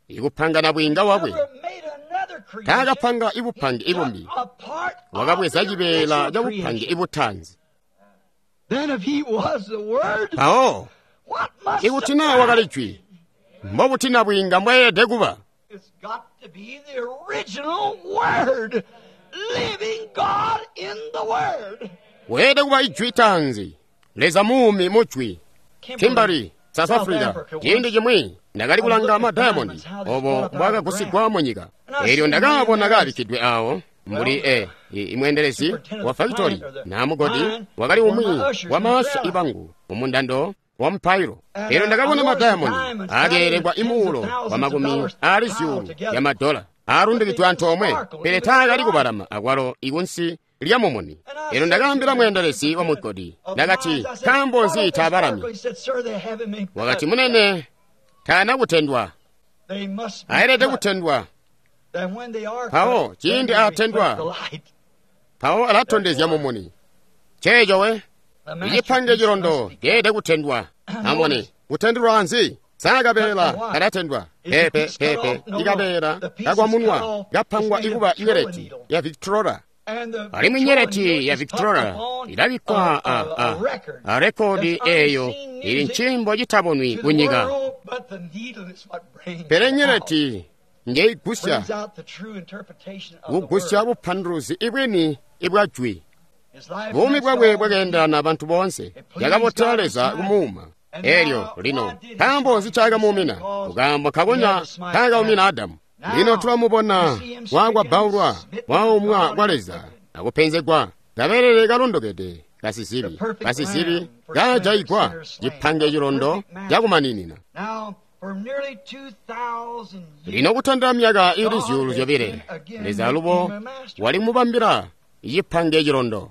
ikupanga nabwiinga wakwe, taakapanga ibupange ibumbi, wakabweza cibeela ca bupange ibutaanzi. Mpawo ikuti naa wakali jwi, mbobuti nabwiinga mbwayelede kuba? Weelede kuba ijwi taanzi, Leza muumi mujwi. Kimberley, South Africa, ciindi cimwi ndakali kulanga madayamondi obo mbwakagusigwa mu nyika. Eelyo ndakaabona kaabikkidwe awo mbuli imweendelezi wa fakitori na mugodi wakali umwi wa maasha ibangu mumundando wa mpairo. Eelyo ndakabona madayamondi akeelekwa imuulo wa makumi aali zyuulu ya madola aalundikidwe antoomwe, pele taakali kubalama akwalo ikunsi lya mumuni. Eelyo ndakaambila mweendelezi wa mugodi, ndakati, nkaambo nzi taabalami? Wakati, munene, taana kutendwa, ayelede kutendwa. Mpawo ciindi aatendwa, mpawo alatondezya mumuni. Ceeco we icipange cilondo ceelede kutendwa. Amubone, kutendelwa nzi? Saakabeela kalatendwa, pepe pepe ikabeela kakwamunwa kapangwa ikuba nyeleti ya Victrola. Alimwi nyeleti ya Victrola ilabikkwa a rekodi eeyo ili ncimbo citabonwi kunyika. Pele nyeleti njeigusya kugusya bupanduluzi ibwini ibwa jwi. Buumi bwakwe bwakeendelana abantu boonse, yakabotela Leza kumuuma. Eelyo lino nkaambo nzi caakamuumina? Kukaambo nkakonya kaakaumina Adamu. Lino tulamubona wakwabbaulwa, waumwa kwa Leza akupenzegwa, kabelele kalondokede basizibi. Basizibi kajaigwa cipange cilondo cakumaninina. Lino kutandila myaka ili 2,000, Leza alubo walimubambila cipange cilondo.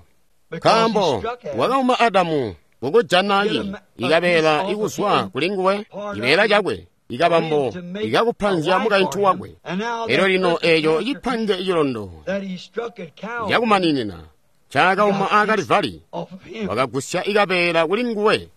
Nkaambo wakauma Adamu kukujana ikabeela ikuzwa kuli nguwe, cibeela cakwe, ikabambo ikakupanzya mukaintu wakwe. Elyo lino eeco cipange cilondo cakumaninina cakauma aakalivali, wakagusya ikabeela kuli nguwe.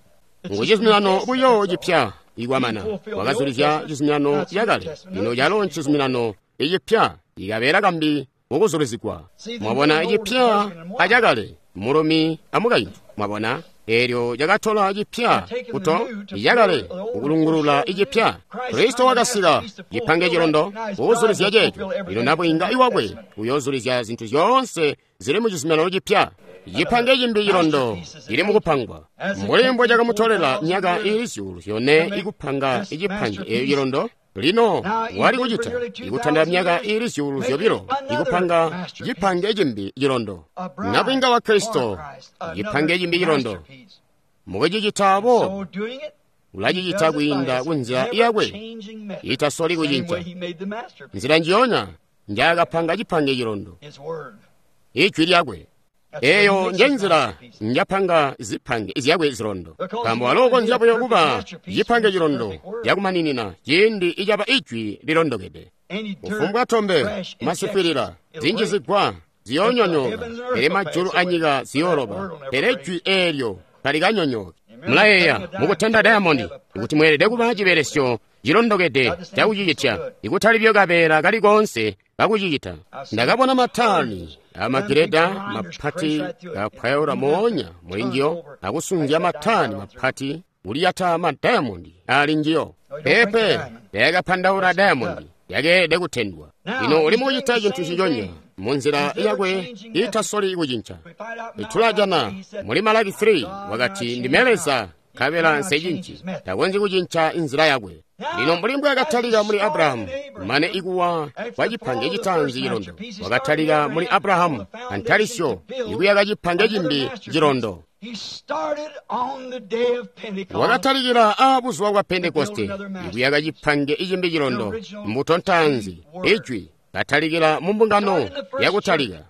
Ngu cizuminano buyo cipya ikwamana, wakazulizya cizuminano cakale. Lino calo ncizuminano icipya, ikabeela kambi mukuzulizigwa. Mwabona icipya acakale, mulumi amukaintu. Mwabona eelyo cakatola cipya kuto icakale kukulungulula icipya. Kristo wakasika cipange cilondo kukuzulizya ceeco. Lino nabwiinga iwakwe uyoozulizya zintu zyoonse zili mu cizuminano cipya. Cipange cimbi cilondo cili mukupangwa, mbuli mbwe cakamutolela myaka iili 4,000 ikupanga icipange eeyo cilondo. Lino wali kucita ikutandila myaka iili 2,000 ikupanga cipange cimbi cilondo. Nabwiinga wa Kristo, cipange cimbi cilondo. Mukucicita boobo, ulacicita kwiinda kunzila yakwe itasoli kucinca. Nzila njiyonya njaakapanga cipange cilondo, ijwi lyakwe. Eeyo njenzila njapanga zipange zyakwe zilondo, nkaambo walo ukonzya buyo kuba cipange cilondo cakumaninina ciindi icaba ijwi lilondokede. Kufumbwa tombe, masifwilila, zinjizigwa ziyoonyonyooka, pele majulu anyika ziyooloba, pele jwi eelyo talikanyonyooki. Mulayeeya mukutenda dayamondi kuti mweelede kuba cibelesyo cilondokede cakucicitya, ikutali buyo kabeela kali koonse kakucicita. Ndakabona matani amagireda mapati kapwayaula moonya muli njiyo, akusunzya matani mapati kuliyata madayamondi ali njiyo. Pepe tayakapandaula dayamondi, yakeelede kutendwa. Lino uli mukucita cintu ciconya munzila yakwe itasoli kucinca. Tulajana muli Malaki 3 wakati, ndime Leza nkabela nsecinci, takonzyi kucinca inzila yakwe. Lino mbuli mbwaakatalika muli Abrahamu, mane ikuwa kwa cipange citaanzi cilondo, wakatalika muli Abrahamu antalisyo ikuyaka cipange cimbi cilondo. Wakatalikila aabuzuba bwa Pentekoste ikuyaka cipange icimbi cilondo, mbuto ntaanzi, ijwi, katalikila mu mbungano yakutalika.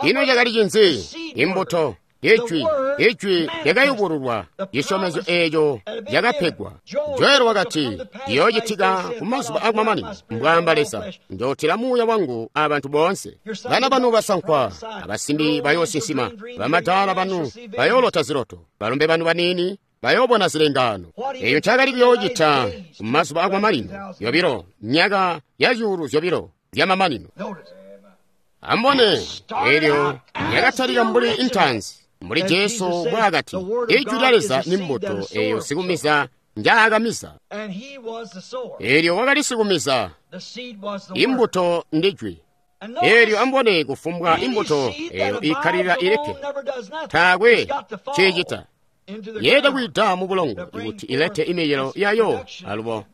Ino cakali cinzi? Imbuto, ijwi, ijwi lyakayubululwa, cisyomezyo eeco cakapegwa. Joeli wakati, ciyoocitika kumazuba akumamanino, mbwaamba Leza, njootila muuya wangu abantu boonse. Bana banu basankwa abasimbi bayoosinsima, bamadaala banu bayoolota ziloto, balombe banu baniini bayoobona zilengaano. Eeyo ncakali kuyoocita kumazuba akumamanino, yobilo, myaka ya 2,000 zyamamanino. Ambone, eelyo yakatalika mbuli intanzi, mbuli Jesu mbwaakati, ijwi lya Leza ni mbuto eeyo sikumiza njaakamiza. Eelyo wakali sikumiza, imbuto ndijwi. Eelyo ambone kufumbwa imbuto eeyo ikkalilila ilikke, taakwe ciicita, yeelede kwiida mu bulongo kuti ilete imicelo yayo alubo.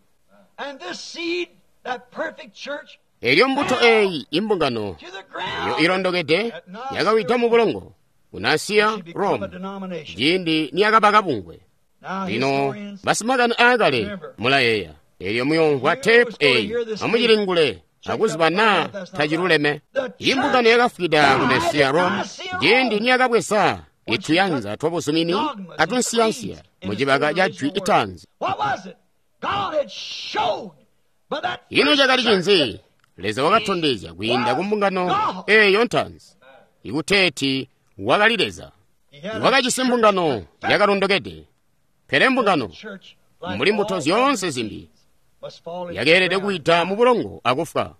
Eelyo mbuto eeyi imbungano eyo ilondokede yakawida mu bulongo ku Nasiya Rome ciindi niyakaba kabungwe. Lino basimakani aakale mulayeeya, eelyo muyoomvwa teepu eeyi, amucilingule akuziba naa taciluleme. Imbungano yakafwida ku Nasiya Rome ciindi niyakabweza ituyanza twabuzumini atunsiyansiya mucibaka ca jwi itaanzi. Ino cakali cinzi? Leza wakatondezya kwiinda ku mbungano eeyo ntaanzi ikuteeti wakali Leza. Wakajisi mbungano yakalondokede, pele mbungano mbuli mbuto zyoonse zimbi yakeelede kuwida mu bulongo akufwa.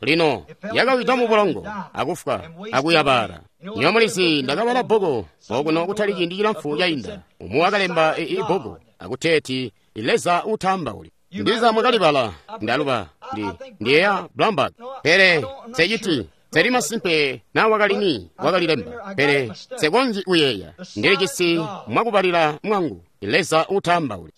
Lino yakawida mu bulongo akufwa akuyabala. Nyo mulizi ndakabala bbuku okuno kutali ciindi cilamfu cainda. Umwi wakalemba ibbuku akuteeti Leza utaambauli. Ndiza mwakalibala, ndaluba ndiyeya Blumberg, pele seciti seli masimpe na wakalini wakalilemba, pele sekonzyi kuyeeya. Ndilijisi mwakubalila mwangu Leza utaambauli.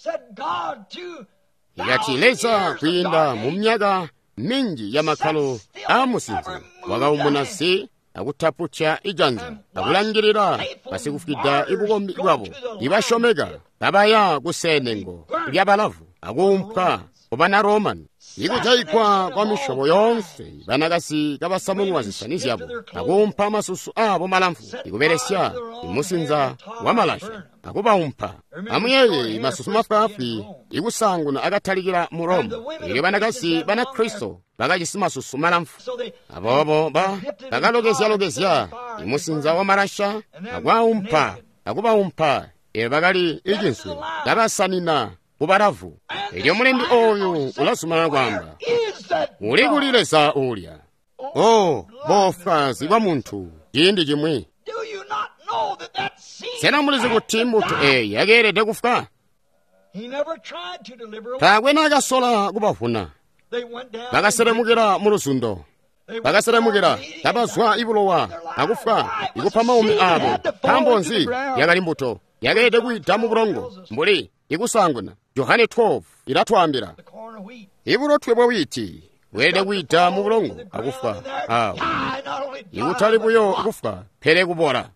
Ikati Leza kwiinda mu myaka minji ya makkalo aamusinze wakaumuna si akutaputya ijanza akulangilila basikufwida ibukombi bwabo ibasyomeka kabaya kuseenengo lyabalavu akuumpwa kubana Romani. Ikujayigwa kwa misyobo yoonse, banakazi kabasamunwa zisani zyabo akuumpa masusu aabo malamfu ikubelesya imusinza wamalasha akubaumpa. Amuyeeye masusu mafwaafwi ikusaanguna akatalikila mu Roma, elyo banakazi Banakristo bakajisi masusu malamfu. Aboobo bakalokezya-lokezya imusinza wamalasha akwaumpa akubaumpa elyo bakali icinswe kabasanina kubalavu. Elyo mulembi oyu ulazumanana kwaamba, uli kuli Leza uulya? O boofwazi bwa muntu ciindi cimwi. Sena mulizi kuti mbuto eeyi yakeelede kufwa? Taakwe naakasola kubavuna. Bakaselemukila mu luzundo, bakaselemukila kabazwa ibulowa akufwa ikupa maumi aabo. Nkaambo nzi? Yakali mbuto yakeelede kwiida mu bulongo mbuli ikusaanguna. Johane 12 ilatwaambila ibulotwe bwa wiiti bweelede kwiida mu bulongo akufwa awo, ikutali buyo kufwa pele kubola.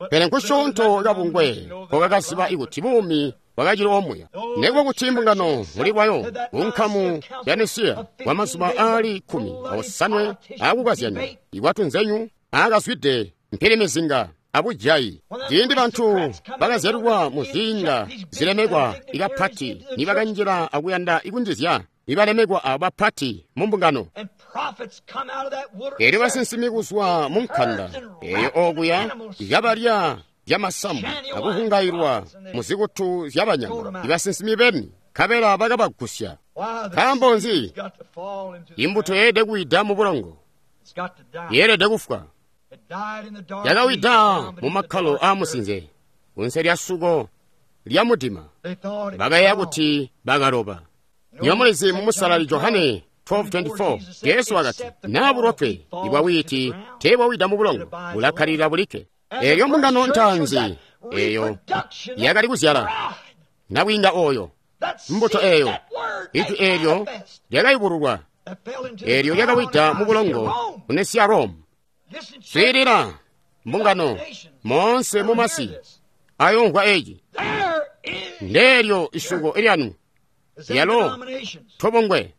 Pele nkusyoonto kabungwe kokakaziba ikuti buumi bwakacili omuya. Nekuba kuti mbungano muli lwayo kunkamu ya Nisiya kwa mazuba aali 18 aakukazyanya ikwatunzenyu aakazwide mpilimizinga abujayi. Ciindi bantu bakazyalilwa mu ziinga zilemekwa ikapati nibakanjila akuyanda ikunjizya ibalemekwa abo bapati mu mbungano. Elyo basinsimi kuzwa mu nkanda eyo okuya ikabalya zyamasamu akuhungailwa mu zikutu zyabanyama ibasinsimi beni, nkabela bakabagusya. Nkaambo nzi? Imbuto yeelede kuwida mu bulongo, yeelede kufwa. Yakawida mu makkalo aamusinze kunze lya suko lya mudima. Bakayeeya kuti bakaloba. Nyomulizi mu Musalali Johane 12:24 Jesu wakati, naa bulotwe ibwa wiiti teebwawida mu bulongo, bulakkalirira bulikke. Elyo mbungano ntaanzi eyo yakali kuzyala nabwiinga oyo, mbuto eyo, ijwi eelyo lyakayubululwa, eelyo lyakawida mu bulongo ku Nesiya Rome. Swiilila mbungano moonse mumasi ayomvwa eci. Ndeelyo isuko lyanu lyalo tobongwe.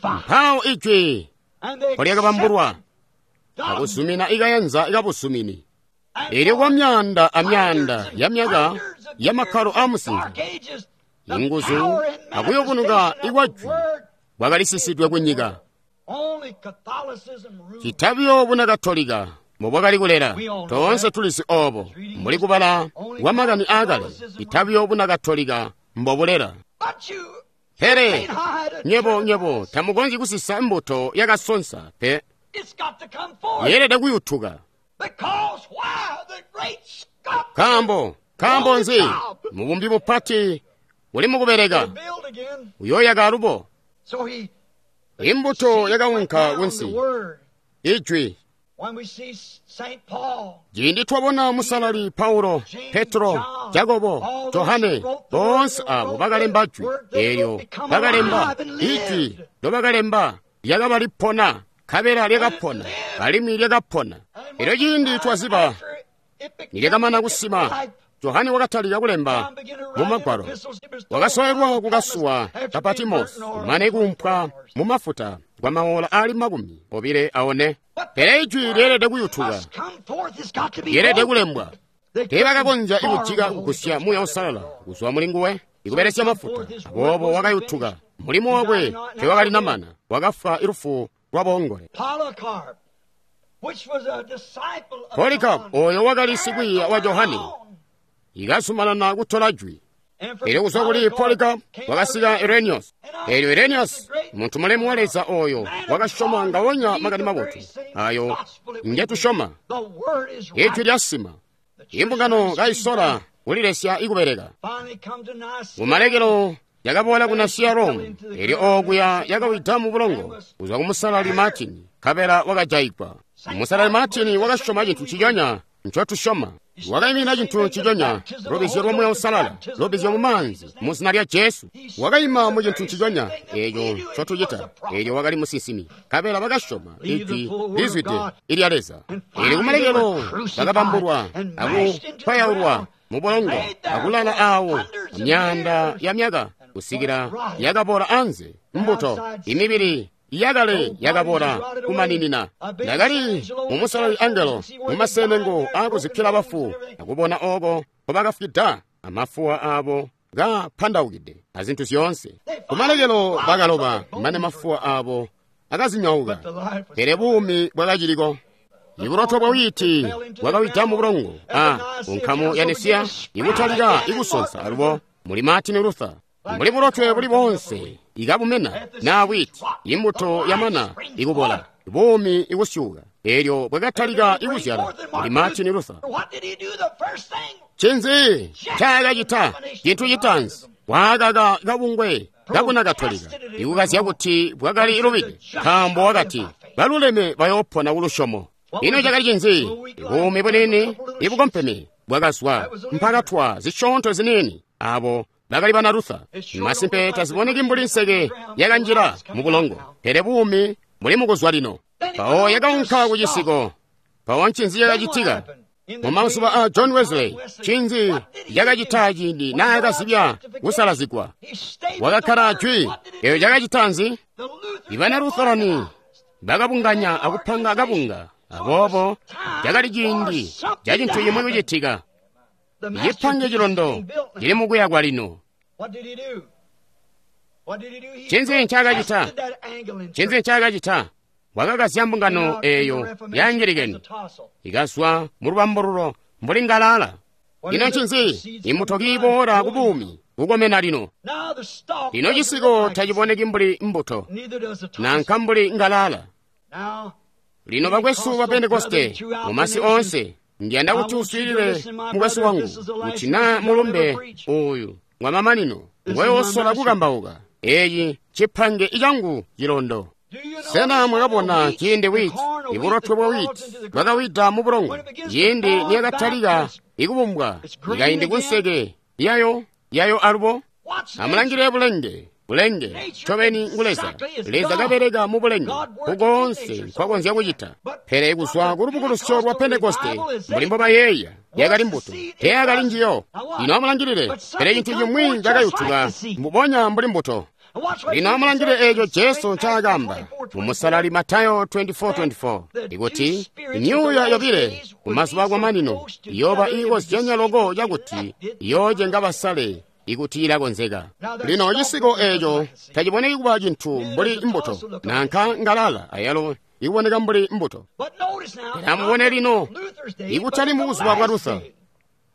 Mpawo ijwi lyakabambulwa akuzumina ikayanza ikabuzumini. Elyo kwa myaanda amyaanda ya myaka ya makkalo aamusinza, inguzu akuyobunuka ikwajwi bwakalisisidwe kunyika. Citabiyo Bunakatolika mbobwakali kulela, toonse tulizi oobo mbuli kubala kwa makani aakale. Citabiyo Bunakatolika mbobulela. Pele nywebo tamukonzyi kusisa mbuto yakasonsa pe, yeelede kuyutuka. Nkaambo nzi? Mubumbi mupati uli mukubeleka, uyooyaka alubo. Imbuto yakaunka kunsi, ijwi. Ciindi twabona Musalali Paulo, Petro, Jakobo, Johane, boonse abo bakalemba jwi eelyo bakalemba ijwi ndobakalemba lyakaba lipona, nkabela lyakapona alimwi lyakapona. Elyo ciindi twaziba nilyakamana kusima, Johane wakatalika kulemba mu Magwalo. Wakasoelwa kukasuwa ka Patimosi mane kuumpwa mu mafuta kwa maola aali 24. Pele ijwi lyeelede kuyutuka, lyeelede kulembwa. Teebakakonzya ikujika kugusya Muuya Uusalala kuzwa muli nguwe ikubelesya mafuta. Aboobo wakayutuka. Mulimo wakwe teewakalinamana, wakafwa ilufu lwaboongole. Polycarp oyo wakali sikwiiya wa Johane ikazumanana kutola jwi. Elyo kuzwa kuli Polycarp wakasika Irenaeus. Elyo Irenaeus muntu mulemu wa Leza oyo wakasyoma ngawonya makani mabotu ayo ngetusyoma. Ijwi lyasima, imbungano kayisola kulilesya ikubeleka. Kumalekelo yakaboola ku Nasiya Rome, elyo okuya yakawida mu bulongo kuzwa ku Musalali Martin, nkabela wakajayigwa. Musalali Martin wakasyoma cintu nciconya ncotusyoma. Wakaimina cintu nciconya, lubbizyo lwa Muuya Uusalala, lubbizyo mu maanzi, mu zina lya Jesu. Wakaima mu cintu nciconya eco ncotucita. Elyo wakali musinsimi, nkabela bakasyoma ijwi lizwide ilya Leza. Elyo kumalekelo bakabambulwa akupwayaulwa mu bulongo akulala awo myaanda ya myaka kusikila yakabola anze mbuto imibili yakale yakabola kumaninina. Ndakali mumusalali angelo mumasenengo akuzikkila bafu akubona oko nkobakafwida amafuwa abo kapandaukide azintu zyoonse. Kumalekelo bakaloba mane mafuwa abo akazinyauka, pele buumi bwakaciliko. Ibulotwe bwa wiiti bwakawida mu bulongo a kunkamu ya Nesiya ikutalika ikusonsa alubo muli Martin Luther. Mbuli bulotwe buli boonse ikabumena naa wiiti, imbuto yamana ikubola, buumi ikusyuka. Elyo bwakatalika ikuzyala muli Martin Luther. Ncinzi ncaakacita? Cintu citaanzi, waakaka kabungwe kakuna Katolika ikukazya kuti bwakali lubide, nkaambo wakati baluleme bayoopona kulusyomo. Ino cakali cinzi? Buumi buniini ibukompeme bwakazwa mpakatwa zisyoonto ziniini. Abo bakali bana Luther. Masimpe taziboneki mbuli nseke yakanjila mu bulongo, pele buumi buli mukuzwa lino. Mpawo yakaunka ku cisiko. Mpawo ncinzi cakacitika? Mu mazuba a John Wesley, ncinzi cakacita ciindi naakazibya kusalazigwa? Wakakkala jwi. Eyo cakacita nzi? Ibana Lutherani bakabunganya akupanga kabunga. Aboobo cakali ciindi ca cintu cimwi kucitika. Cipange cilondo cili mukuyakwa lino. Ncinzi ncaakacita? Ncinzi ncaakacita? Wakakazya mbungano eeyo ya Angilikeni ikazwa mu lubambululo mbuli ngalala. Ino ncinzi? Imbuto kiiboola ku buumi kukomena lino. Lino cisiko taciboneki mbuli mbuto nanka mbuli ngalala. Lino bakwesu ba Pentekoste mumasi oonse, ndiyanda kuti uswiilile mukwesu wangu kuti naa mulumbe uyu ngwamamanino ngweyosola kukambauka. Eeci cipange icangu cilondo. Sena mwakabona ciindi wiiti, ibulotwe bwa wiiti bwakawida mu bulongo, ciindi niyakatalika ikubumbwa ikaindi kunseke yayo yayo alubo? Amulangile bulenge. Bulenge ncobeni ngu Leza. Leza kabeleka mu bulenge kukoonse nkwakonzya kucita. Pele kuzwa ku lubukulusyo lwa Pentekoste mbuli mbobayeeya, yakali mbuto, teyakali njiyo. Lino amulangilile, pele cintu cimwi cakayutuka mbubonya mbuli mbuto. Lino amulangilile eeco Jesu ncaakamba mu Musalali Matayo 24:24 ikuti myuuya yobile kumazuba akwamanino iyooba iikozyanya loko cakuti iyoocenga basale ikuti ilakonzeka. Lino cisiko eeco taciboneki kuba cintu mbuli mbuto nanka ngalala ayalo ikuboneka mbuli mbuto. Pele amubone lino, ikutali mubuzuba bwa Luther,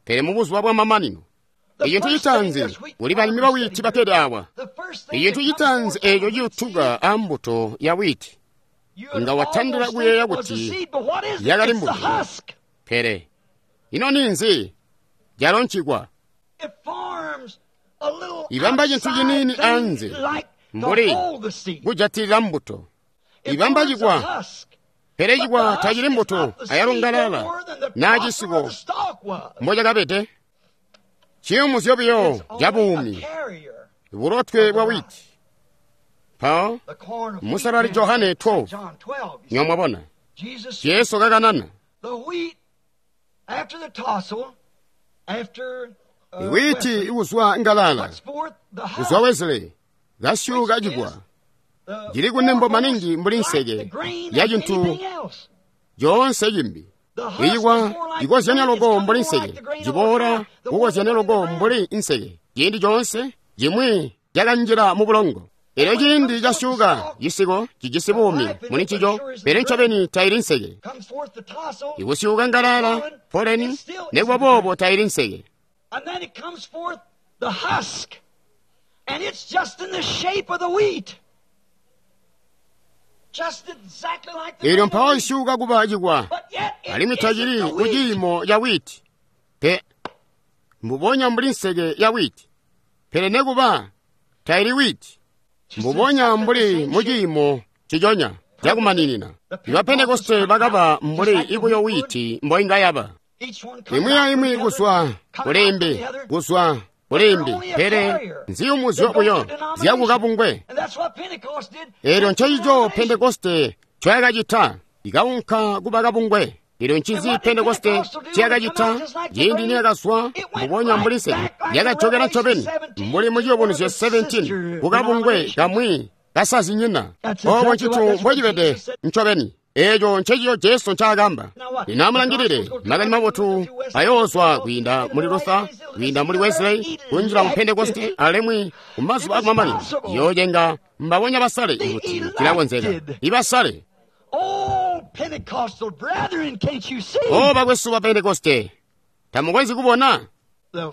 pele mubuzuba bwa mamanino. Icintu citaanzi kuli balimi ba wiiti bakkede awa. Icintu citaanzi eeco ciyutuka a mbuto ya wiiti, nga watandila kuyeeya kuti yakali mbuto. Pele ino ninzi? Calo ncikwa. Ibamba cintu ciniini anze mbuli kujatilila mbuto. Ibamba cikwa, pele cikwa tacili mbuto ayalo ngalala naa cisiko mbocakabede. Ciyumuzyo buyo ca buumi, bulotwe bwa wiiti. Mpawo Musalali Johane 12, nyomwabona Jesu kakanana. Iwiiti ikuzwa ngalala, kuzwa Wesley, kasyuka cikwa, cili kunembo maningi mbuli nseke ya cintu coonse cimbi. Icikwa cikozyanya loko mbuli nseke, ciboola kukozyanya loko mbuli nseke. Ciindi coonse cimwi cakanjila mu bulongo. Elyo ciindi casyuka cisiko cijisi buumi muli ncico, pele ncobeni taili nseke. Ikusyuka ngalala, poleni, nekuba boobo taili nseke. And then it comes forth the husk, and it's just in the shape of the wheat. Just exactly like the Elyo mpawo isyuka kuba cikwa, But yet it alimwi tacili isn't the ku wheat. ciimo ca wiiti. Pe mbubonya mbuli nseke ya wiiti, pele nekuba taili wiiti. Mbubonya mbuli mu ciimo ciconya cakumaninina. Iba Pentekoste bakaba mbuli ibuyo wiiti mboinga yaba. Imwi aimwi kuzwa kulimbi, kuzwa kulimbi, pele nziyumuzyo buyo zyakukabungwe. Elyo ncencico Pentekoste ncoyakacita, ikaunka kuba kabungwe. Elyo ncinzi Pentekoste nciyakacita ciindi niyakazwa mbubonya mbuli nseke, yakajokela ncobeni mbuli mu Ciyubunuzyo 17 kukabungwe kamwi kasazinyina. Obo ncitu mbocibede ncobeni. Eeco ncencico Jesu ncaakamba. Lino amulangilile, Makani Mabotu ayoozwa kwiinda muli Luther, kwiinda muli Wesley, kunjila mu Pentekoste, alimwi kumazuba akumamanino yoocenga mbabonya basale kuti cilakonzeka. Ibasale. O bakwesu ba Pentekoste, tamukonzyi kubona?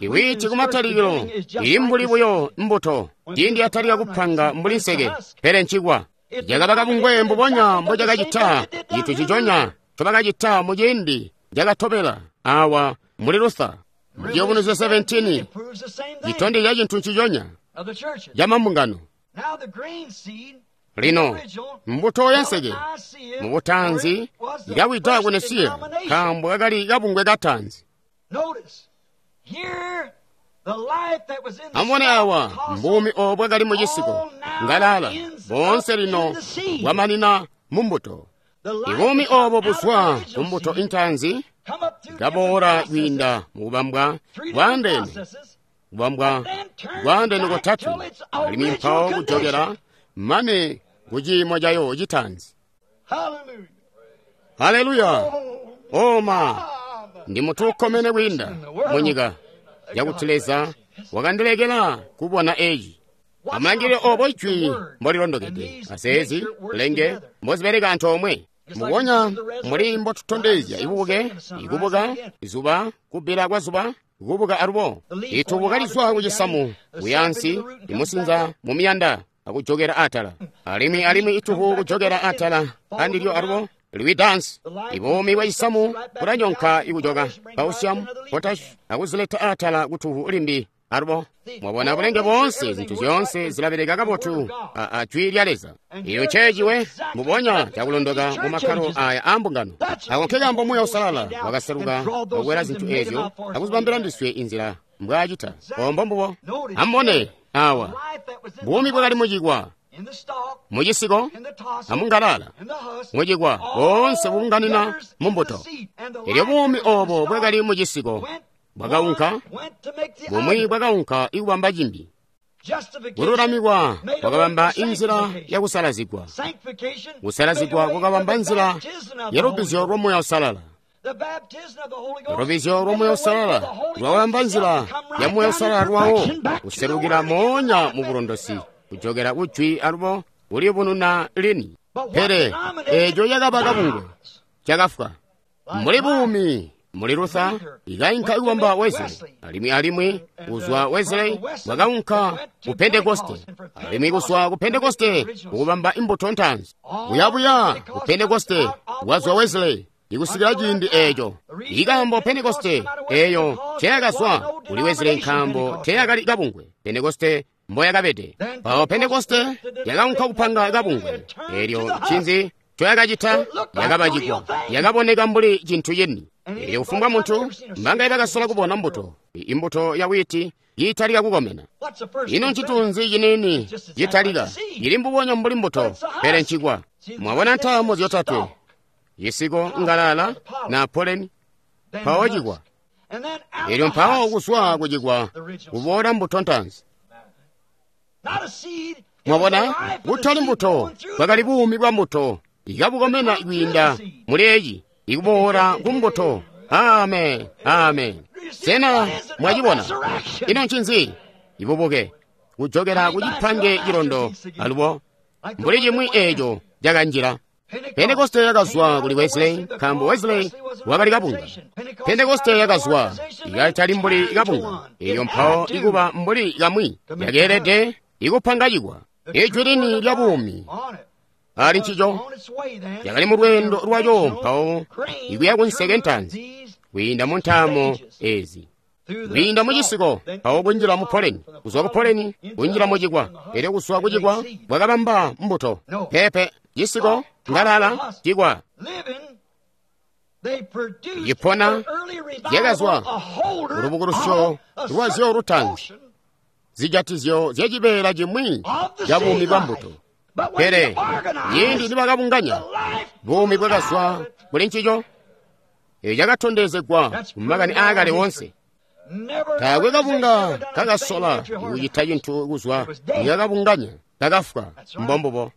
Iwiiti kumatalikilo ili mbuli buyo mbuto, ciindi yatalika kupanga mbuli nseke, pele ncikwa. Cakaba kabungwe mbubonya mbocakacita cintu ciconya ncobakacita muciindi cakatobela awa muli Luther. Mu Ciyubunuzyo 17 citondezya cintu nciconya camambungano. Lino mbuto yanseke mubutanzi ikawida ku Nesiya nkaambo kakali kabungwe kataanzi. Amubone awa mbuumi obo bwakali mucisiko ngalala boonse lino bwamanina mumbuto. Ibuumi obo buzwa kumbuto intaanzi kaboola kwiinda mukubambwa bwaandeene, kubambwa bwaandeene kotatwe, alimwi mpawo kujokela mane kuciimo cayo citaanzi. Haleluya! Oma ndi mutu ukkomene kwiinda munyika yakuti Leza wakandilekela kubona eci. Amulangilile obo ijwi mbolilondokede, azeezi lenge mbozibeleka antoomwe. Mubonya muli mbotutondezya ibubuke, ikubuka, izuba, kubbila kwa zuba, kubuka alubo. Itubuka lizwa kucisamu, kuyansi, imusinza mumiyanda, akujokera atala. Alimwi alimwi itubu kujokera atala, andilyo alubo liwidansi. Ibuumi bwa cisamu bulanyonka ikujoka calcium, potash, akuzileta atala kutubu limbi alubo. Mwabona bulenge boonse, zintu zyoonse zilabeleka kabotu a jwi lya Leza. Iyo nceeciwe mbubonya cakulondoka mu makkalo aya aambungano. Ako nkekaambo Muuya Uusalala wakaseluka akukwela zintu eezyo akuzibambila ndiswe inzila mbwaacita. Ombo mbubo. Amubone awa buumi bwakali mucikwa, mucisiko, amungalala, mucikwa, boonse kubunganina mumbuto. Elyo buumi obo bwakali mucisiko bwakaunka, bumwi bwakaunka ikubamba cimbi. Kululamikwa kwakabamba inzila yakusalazigwa. Kusalazigwa kwakabamba nzila ya lubbizyo lwa Muuya Uusalala. Lubbizyo lwa Muuya Uusalala lwakabamba nzila ya Muuya Uusalala lwawo kuselukila moonya mu bulondosi, kujokela kujwi alubo kuliyubununa lini. Pele eeco cakaba kabungwe cakafwa. Mbuli buumi muli Luther ikainka ikubamba Wesley, alimwi alimwi kuzwa Wesley bwakaunka ku Pentekoste, alimwi kuzwa ku Pentekoste kukubamba imbuto ntaanzi. Buyabuya ku Pentekoste bwazwa Wesley ikusikila ciindi eeco. Ikaambo Pentekoste eeyo teyakazwa kuli Wesley nkaambo teyakali kabungwe Pentekoste mboyakabede. Mpawo Pentekoste yakaunka kupanga kabungwe. Eelyo ncinzi ncoyakacita? Yakaba cikwa, yakaboneka mbuli cintu cini. Elyo kufumbwa muntu mbangaye bakasola kubona mbuto, imbuto ya wiiti yiitalika kukomena. Ino ncitunzi ciniini citalika, ili mbubonya mbuli mbuto, pele ncikwa. Mwabona ntaamo zyotatwe, cisiko, ngalala, na poleni, mpawo cikwa. Elyo mpawo kuzwa kucikwa kuboola mbuto ntaanzi. Mwabona, kutali mbuto, bwakali buumi bwa mbuto ikabukomena kwiinda muli eci, ikuboola kumbuto. Amen, amen. Sena mwacibona? Ino ncinzi? Ibubuke kujokela kucipange cilondo alubo mbuli cimwi eeco cakanjila. Pentekoste yakazwa kuli Wesley nkaambo Wesley wakali kabunga. Pentekoste yakazwa ikatali mbuli kabunga, elyo mpawo ikuba mbuli kamwi yakeelede ikupanga cikwa. Ijwi lini lya buumi ali ncico yakali mu lweendo lwaco mpawo ikuya kunseke ntaanzi kwiinda mu ntaamo ezi, kwiinda mu cisiko mpawo kunjila mu poleni, kuzwa ku poleni kunjila mu cikwa, elyo kuzwa ku cikwa bwakabamba mbuto. Pepe, cisiko, ngalala, cikwa. Icipona zyakazwa ulubukulusyo lwazyo lutaanzi, zijatizyo zyacibeela cimwi ca buumi bwa mbuto. Pele ciindi nibakabunganya, buumi bwakazwa kuli ncico. Eco cakatondezegwa mu makani aakale woonse. Taakwe kabunga kakasola kucita cintu kuzwa nikakabunganya, kakafwa. Mbombubo.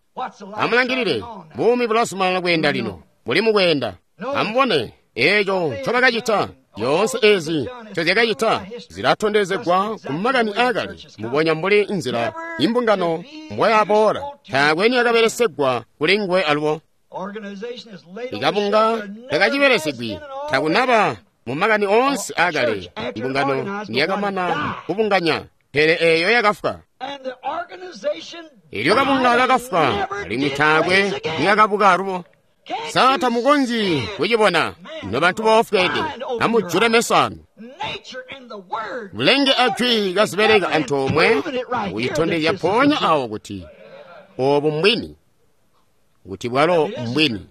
Amulangilile, buumi bulazumanana kweenda lino, buli mukweenda. Amubone eco ncobakacita. Zyoonse ezi ncozyakacita zilatondezegwa ku makani aakale, mbubonya mbuli nzila imbungano mbwayaboola. Taakwe niyakabelesegwa kuli nguwe alubo. Ikabunga takacibelesegwi, takunaba mu makani oonse aakale imbungano niyakamana kubunganya, pele eeyo yakafwa. Elyo kabunga kakafwa, alimwi taakwe niyakabuka alubo. Sa tamukonzyi kucibona, nobantu boofweede? Amujule meso anu. Bulenge ajwi kazibeleka antoomwe kucitondezya mpoonya awo kuti obu mbwini, kuti bwalo mbwini.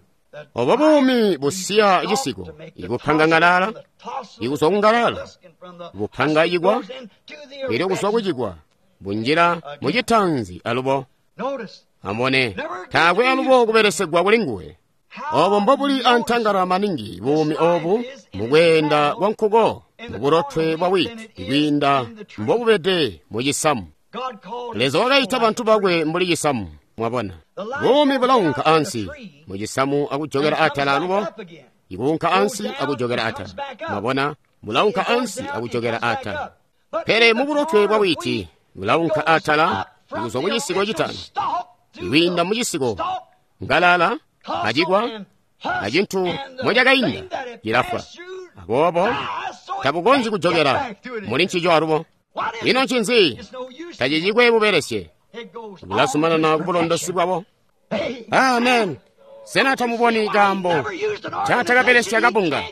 Obo buumi busiya cisiko, ikupanga ngalala, ikuzwa kungalala, bupanga cikwa, elyo kuzwa kucikwa bunjila mucitanzi alubo. Amubone, taakwe alubo kubelesegwa kuli nguwe. Obo mbobuli antangala maningi buumi obu mukweenda kwa nkuko mubulotwe bwa witi kwiinda mbobubede mu cisamu. Leza wakaita bantu bakwe mbuli cisamu. Mwabona, buumi bulaunka ansi mu cisamu akujokela atala alubo, ikuunka ansi akujokela atala. Mwabona, bulaunka ansi akujokela atala. Pele mubulotwe bwa witi bulaunka atala kuzwa ku cisiko citanu, kwiinda mu cisiko ngalala acikwa acintu mocakainda cilafwa. Aboobo tabukonzyi kujokela muli ncico alubo. Ino ncinzi? Tacicikwe bubelesye, bulazumanana kubulondosi bwabo. Amen. Sena tamuboni kaambo ncatakabelesya kabunga?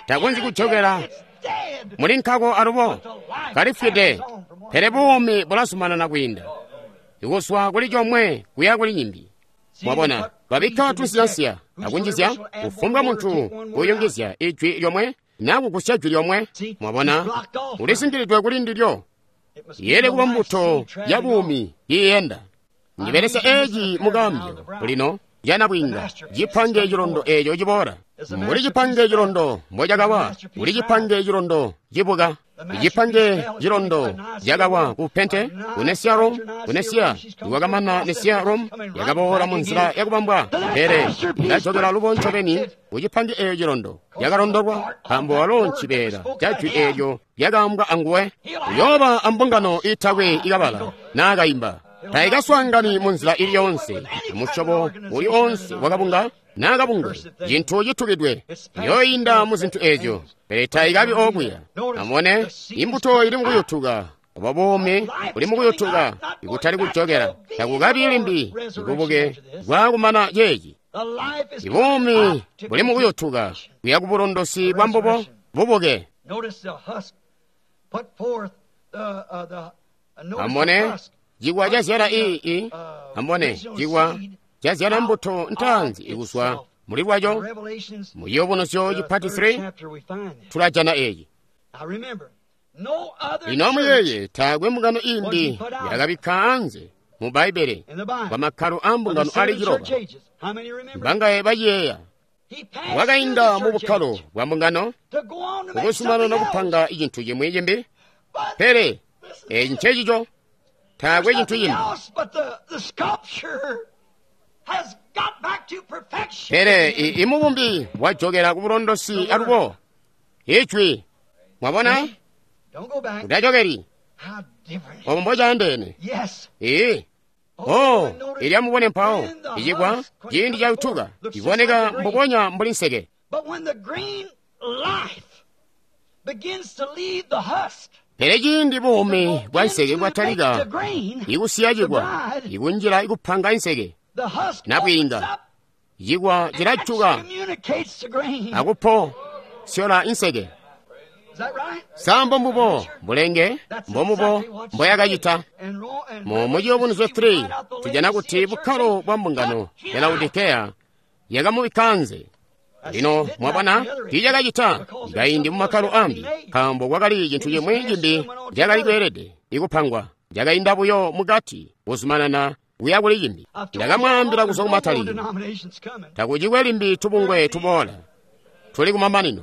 Takonzyi kujokela muli nkako alubo, kalifwide. Pele buumi bulazumanana kwiinda ikuzwa kuli comwe kuya kuli nyimbi. Mwabona, babikka tunsiyansiya akunjizya kufumbwa muntu kuyungizya ijwi lyomwe naa kugusya jwi lyomwe. Mwabona, ulisingilidwe kuli ndilyo. Yeele kuba mbuto ya buumi iiyenda. Ndibelesya eeci mukambyo lino canabwiinga, cipange cilondo eeco ciboola. Mbuli cipange cilondo mbocakawa, kuli cipange cilondo cibuka. Icipange cilondo cakawa ku Pente, ku Nesiya Rome, ku Nesiya. Iwakamana Nesiya Rome, yakaboola mu nzila yakubambwa, pele ilajokela lubo ncobeni ku cipange eeco cilondo yakalondolwa, nkaambo walo ncibeela ca jwi eelyo lyakaambwa anguwe. Uyooba ambungano iitakwe ikabala naa kaimba. Taikaswaangani mu nzila ili yoonse, musyobo uli oonse wakabunga naa kabungwe, cintu citukidwe. Iyooinda mu zintu eezyo, pele taikabi okuya. Amubone, imbuto ili mukuyutuka, obo buumi buli mukuyutuka, ikutali kujokela. Takukabi limbi bubuke bwakumana ceeci. Ibuumi buli mukuyutuka kuya ku bulondosi bwa mbubo bubuke. Amubone, cikwa cazyala amubone, cikwa cazyala mbuto ntaanzi ikuzwa muli lwaco. Mu Ciyubunuzyo cipati 3 tulajana eeci. Lino amuyeeye, taakwe mbungano imbi yakabikka anze mu Bbaibbele kwa makkalo a mbungano ali 9. Mbangaye baciyeeya? Wakainda mu bukkalo bwa mbungano kukuzumanana kupanga cintu cimwi cimbi, pele eeci ncecico. Taakwe cintu cimbi. Pele imubumbi wajokela ku bulondosi alubo. Ijwi. Mwabona? Utajokeli. Obo mbocaandeene. Ee. Oh, ilya mubone mpawo icikwa ciindi cayutuka iboneka mbubonya mbuli nseke. Pele ciindi buumi bwa nseke bwatalika ikusiya cikwa, ikunjila ikupanga inseke, nabwiinga, cikwa cilajuka akupo syola inseke. Sambo mbubo bulenge mbomubo mboyakacita. Mu Ciyubunuzyo 3 tujana kuti bukkalo bwa mbungano ya Laodikeya yakamubikka anze. Lino mwabona, tiicakacita kaindi mu makkalo ambi, nkaambo kwakali cintu cimwi cimbi cakali kweelede ikupangwa. Cakainda buyo mukati kuzumanana kuya kuli cimbi. Ndakamwaambila kuzwa kumatalikilo, takucikwe limbi tubungwe tuboola, tuli kumamanino.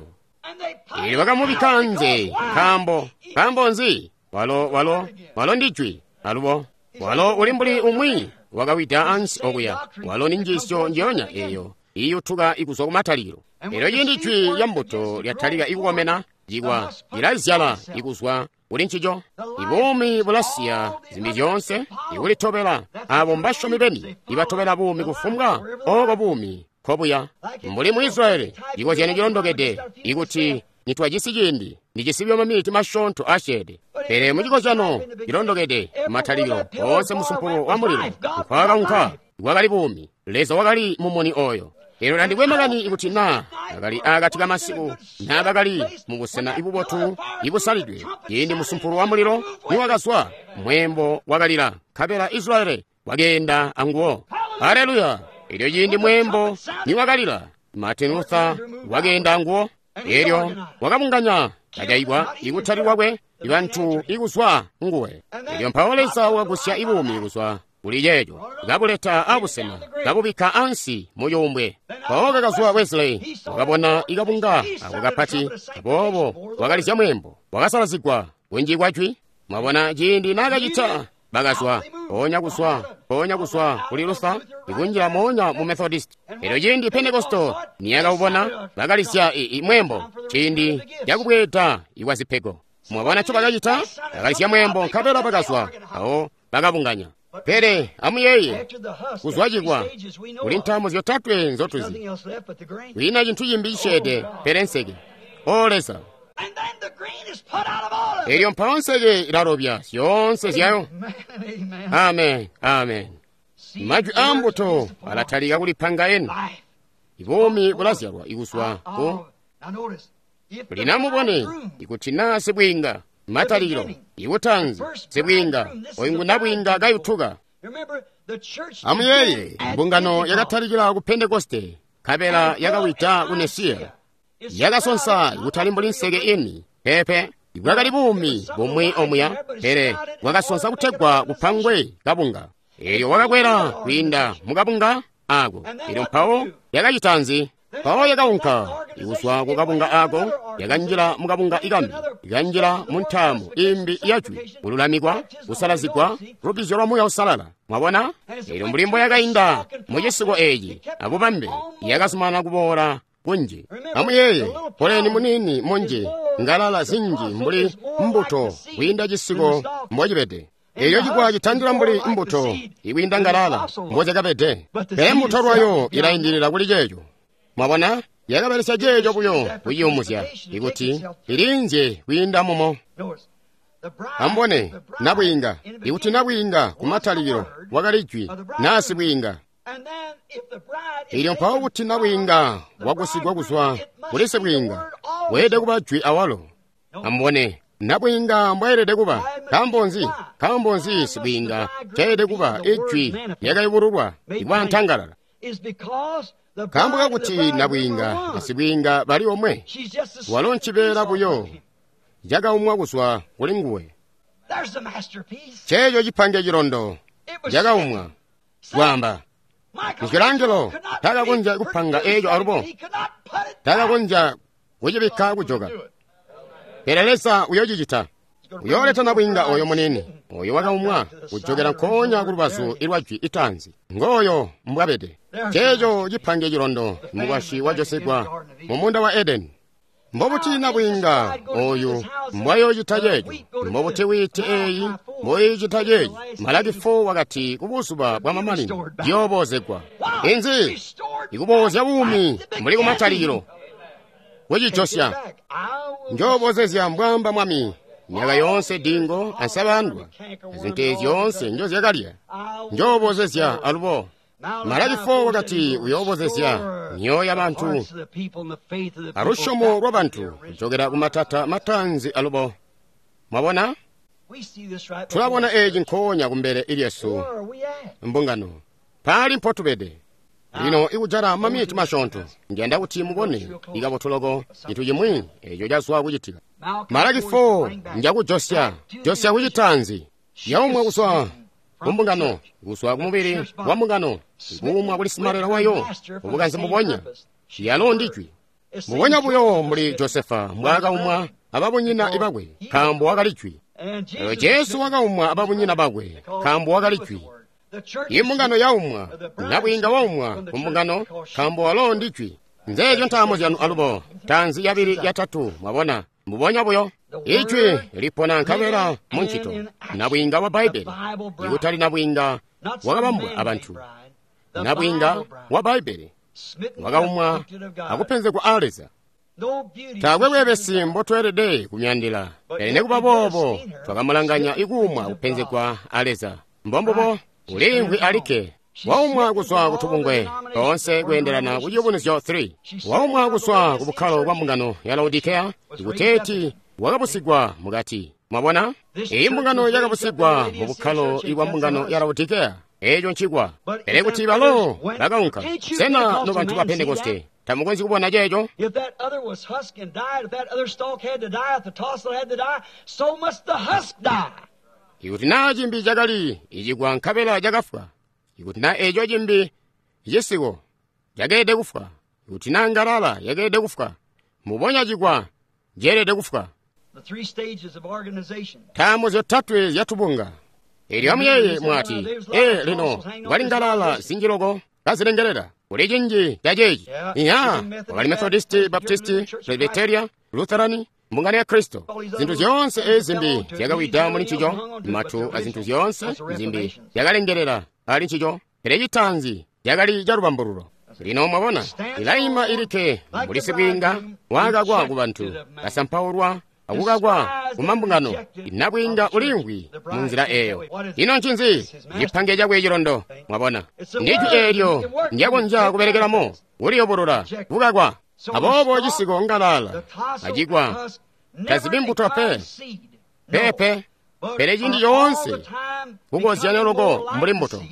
Eelyo bakamubikka anze, nkaambo nkaambo nzi? Walo ndi Jwi alubo. Walo uli mbuli umwi wakawida ansi okuya. Walo ni njiisyo njiyonya eyo iyutuka ikuzwa kumatalikilo. Elyo ciindi jwi lya mbuto lyatalika ikukomena, cikwa lilazyala ikuzwa kuli ncico. Ibuumi bulasiya zimbi zyoonse ikulitobela. Abo mbasyomi beni ibatobela buumi kufumbwa oko buumi nkobuya. Mbuli mu Israyeli, cikozyanyo cilondokede ikuti nitwajisi ciindi, ndijisi buyo maminiti masyoonto asyeede. Pele mucikozyano cilondokede, matalikilo oonse musumpulo wa mulilo nkwakaunka kwakali buumi. Leza wakali mumuni oyo. Elyo tandikwe makani ikuti naa bakali akati kamasiku naa bakali mu busena ibubotu ibusalidwe, ciindi musumpulo wa mulilo niwakazwa, mweembo wakalila, nkabela Israyeli wakeenda anguwo. Haleluya! Elyo ciindi mweembo niwakalila, Martin Luther wakeenda anguwo. Elyo wakabunganya kajaigwa ikutali kwakwe ibantu ikuzwa nguwe. Elyo mpawo Leza wakagusya ibuumi kuzwa kuli ceeco, kabuleta abusena, kabubikka ansi mu cuumbwe. Mpawo kakazwa Wesley, wakabona ikabunga ako kapati, aboobo wakalizya mweembo, wakasalazigwa kunji kwa jwi. Mwabona ciindi naakacita, bakazwa mpoonya kuzwa, mpoonya kuzwa kuli Luther, ikunjila moonya mu Methodist. Elyo ciindi Pentekosto niyakawubona, bakalizya mweembo ciindi cakubweeda ikwa zipego. Mwabona nco bakacita? Bakalizya mweembo nkabela bakazwa, awo bakabunganya. Pele amuyeeye, kuzwa cikwa kuli ntaamo zyotatwe nzotuzi, kwiina cintu cimbi cisyeede pele nseke. O Leza! Elyo mpawo nseke ilalobya zyoonse zyayo. Amen, amen. Majwi aa mbuto alatalika kulipanga eni. Ibuumi bulazyalwa ikuzwa ku. Lino amubone, ikuti naa sibwiinga, matalikilo, ikutanzi, sibwiinga, oyu ngu nabwiinga kayutuka. Amuyeeye, mbungano yakatalikila ku Pentekoste, nkabela yakawida ku Nesiya. Yakasonsa kutali mbuli nseke ini, pepe, bwakali buumi bumwi omuya, pele bwakasonsa kutegwa kupangwe kabunga. Elyo wakakwela kwiinda mukabunga ako. Elyo mpawo yakacita nzi? Mpawo yakaunka ikuzwa ku kabunga ako, yakanjila mukabunga ikambi, ikanjila mu ntaamo imbi yajwi, kululamikwa, kusalazigwa, lubbizyo lwa Muuya Uusalala. Mwabona? Elyo mbuli mbo yakainda mu cisiko eci abubambe, yakazumanana kuboola kunji. Amuyeeye, poleni muniini munji, ngalala zinji mbuli mbuto kwiinda cisiko mbocibede. Elyo cikwa citandila mbuli mbuto ikwiinda ngalala mbozyakabede, pele mbuto lwayo ilaindilila kuli ceeco. Mwabona, yakabelesya ceeco buyo kuciyumuzya ikuti ilinzye kwiinda mumo. Amubone, nabwiinga, ikuti nabwiinga kumatalikilo wakali jwi naa sibwiinga. Elyo mpawo kuti nabwiinga wagusigwa kuzwa kuli sibwiinga, weelede kuba jwi awalo. Amubone, nabwiinga mbwaelede kuba. Nkaambo nzi? Nkaambo nzi sibwiinga caelede kuba ijwi lyakayubululwa ikwantangalala? Nkaambo kakuti nabwiinga na sibwiinga bali omwe, walo ncibeela buyo cakaumwa kuzwa kuli nguwe. Ceeco cipange cilondo cakaumwa kwaamba Michelangelo takakonzya kupanga eeco alubo, takakonzya kucibikka kujoka. Pele Leza uyoocicita. Uyooleta nabwiinga oyo munene, oyo wakaumwa kujokera nkoonya ku lubazu ilwa jwi itaanzi. Ngooyo mbwabede. Ceeco cipange cilondo mukwasyi wa Josefa mu muunda wa Edeni. Mbobuti nabwiinga oyu mbwayoocita ceeco? Mbobuti wiiti eeyi mboyiicita ceeci? Malaki 4 wakati ku buzuba bwa mamanino ciyoobozegwa. Inzi? Ikuboozya buumi mbuli kumatalikilo. Kucijosya. Njoobozezya mbwaamba Mwami. Myaka yoonse dingo ansabandwa, zintu ezi zyoonse njozyakalya, njoobozezya alubo. Malaki 4 wakati uyoobozezya myoyo yabantu alusyomo lwabantu kujokera kumatata matanzi alubo. Mwabona? Tulabona eeci nkoonya kumbele ilyesu mbungano. Paali mpotubede. Lino ikujala maminiti masyoonto, ndiyanda kuti mubone ikabotu loko cintu cimwi eco cazwa kucitika. Malaki 4 njakujosya josya kucitanzi yaumwa kuzwa kumbungano, kuzwa kumubili wa mbungano, kuumwa kuli simalela wayo ubukanze mbubonya yalo ndijwi mbubonya buyo mbuli Josefa mbwaakaumwa ababunyina bakwe nkaambo wakali jwi. Elyo Jesu wakaumwa ababunyina bakwe nkaambo wakali jwi. Imbungano yaumwa, nabwiinga waumwa kumbungano nkaambo walo ndijwi. Nzeezyo ntaamo zyanu alubo, taanzi yabili yatatu, mwabona mbubonya buyo. Ijwi lipona nkabela muncito, nabwiinga wa Bbaibbele, ikutali nabwiinga wakabambwa abantu, nabwiinga wa Bbaibbele wakaumwa akupenzegwa a Leza. Taakwe bweebesi mbotweelede kumyandila, pele nekuba boobo twakamulanganya ikuumwa kupenzegwa a Leza. Mbombubo uliimvwi alikke, waumwa kuzwa kutubungwe toonse kweendelana ku Ciyubunuzyo 3, waumwa kuzwa ku bukkalo bwa mbungano ya Laodikeya ikuteeti wakabusigwa mukati. Mwabona, iyi mbungano yakabusigwa mu bukkalo bwa mbungano ya Laodikeya. Eeco ncikwa. Pele kuti balo bakaunka. Sena nobantu ba Pentekoste tamukonzyi kubona ceeco? If that other was husk and died, if that other stalk had to die, if the tassel had to die, so must the husk die. Ikuti naa cimbi cakali icikwa nkabela cakafwa, ikuti naa eeco cimbi cisiko cakeelede kufwa, ikuti naa ngalala yakeelede kufwa, mbubonya cikwa ceelede kufwa. The three stages of organization. Ntaamo zyotatwe zyatubunga. Elyo amuyeeye mwati, ee lino kwali ngalala zinji loko kazilengelela kuli cinji ca ceeci. Iya, wakali Methodisti, Baptisti, Presbyteria, Lutherani, mbungano ya Kristo. Zinthu zyoonse ezi zimbi zyakawida muli ncico, matu a zinthu zyoonse zimbi zyakalengelela ali ncico, pele citaanzi cakali ca lubambululo. Lino mwabona, ilaima ilikke mbuli sibwiinga wakakwa ku bantu, kasampaulwa akukakwa kumambungano, nabwiinga uliimvwi mu nzila eeyo. Ino ncinzi cipange cakwe cilondo? Mwabona, ndijwi eelyo ndyakonzya kubelekelamo, kuliyobolola kukakwa. Aboobo cisiko ngalala acikwa tazibi mbuto pe, pepe, pele ciindi coonse kukozyanya loko mbuli mbuto.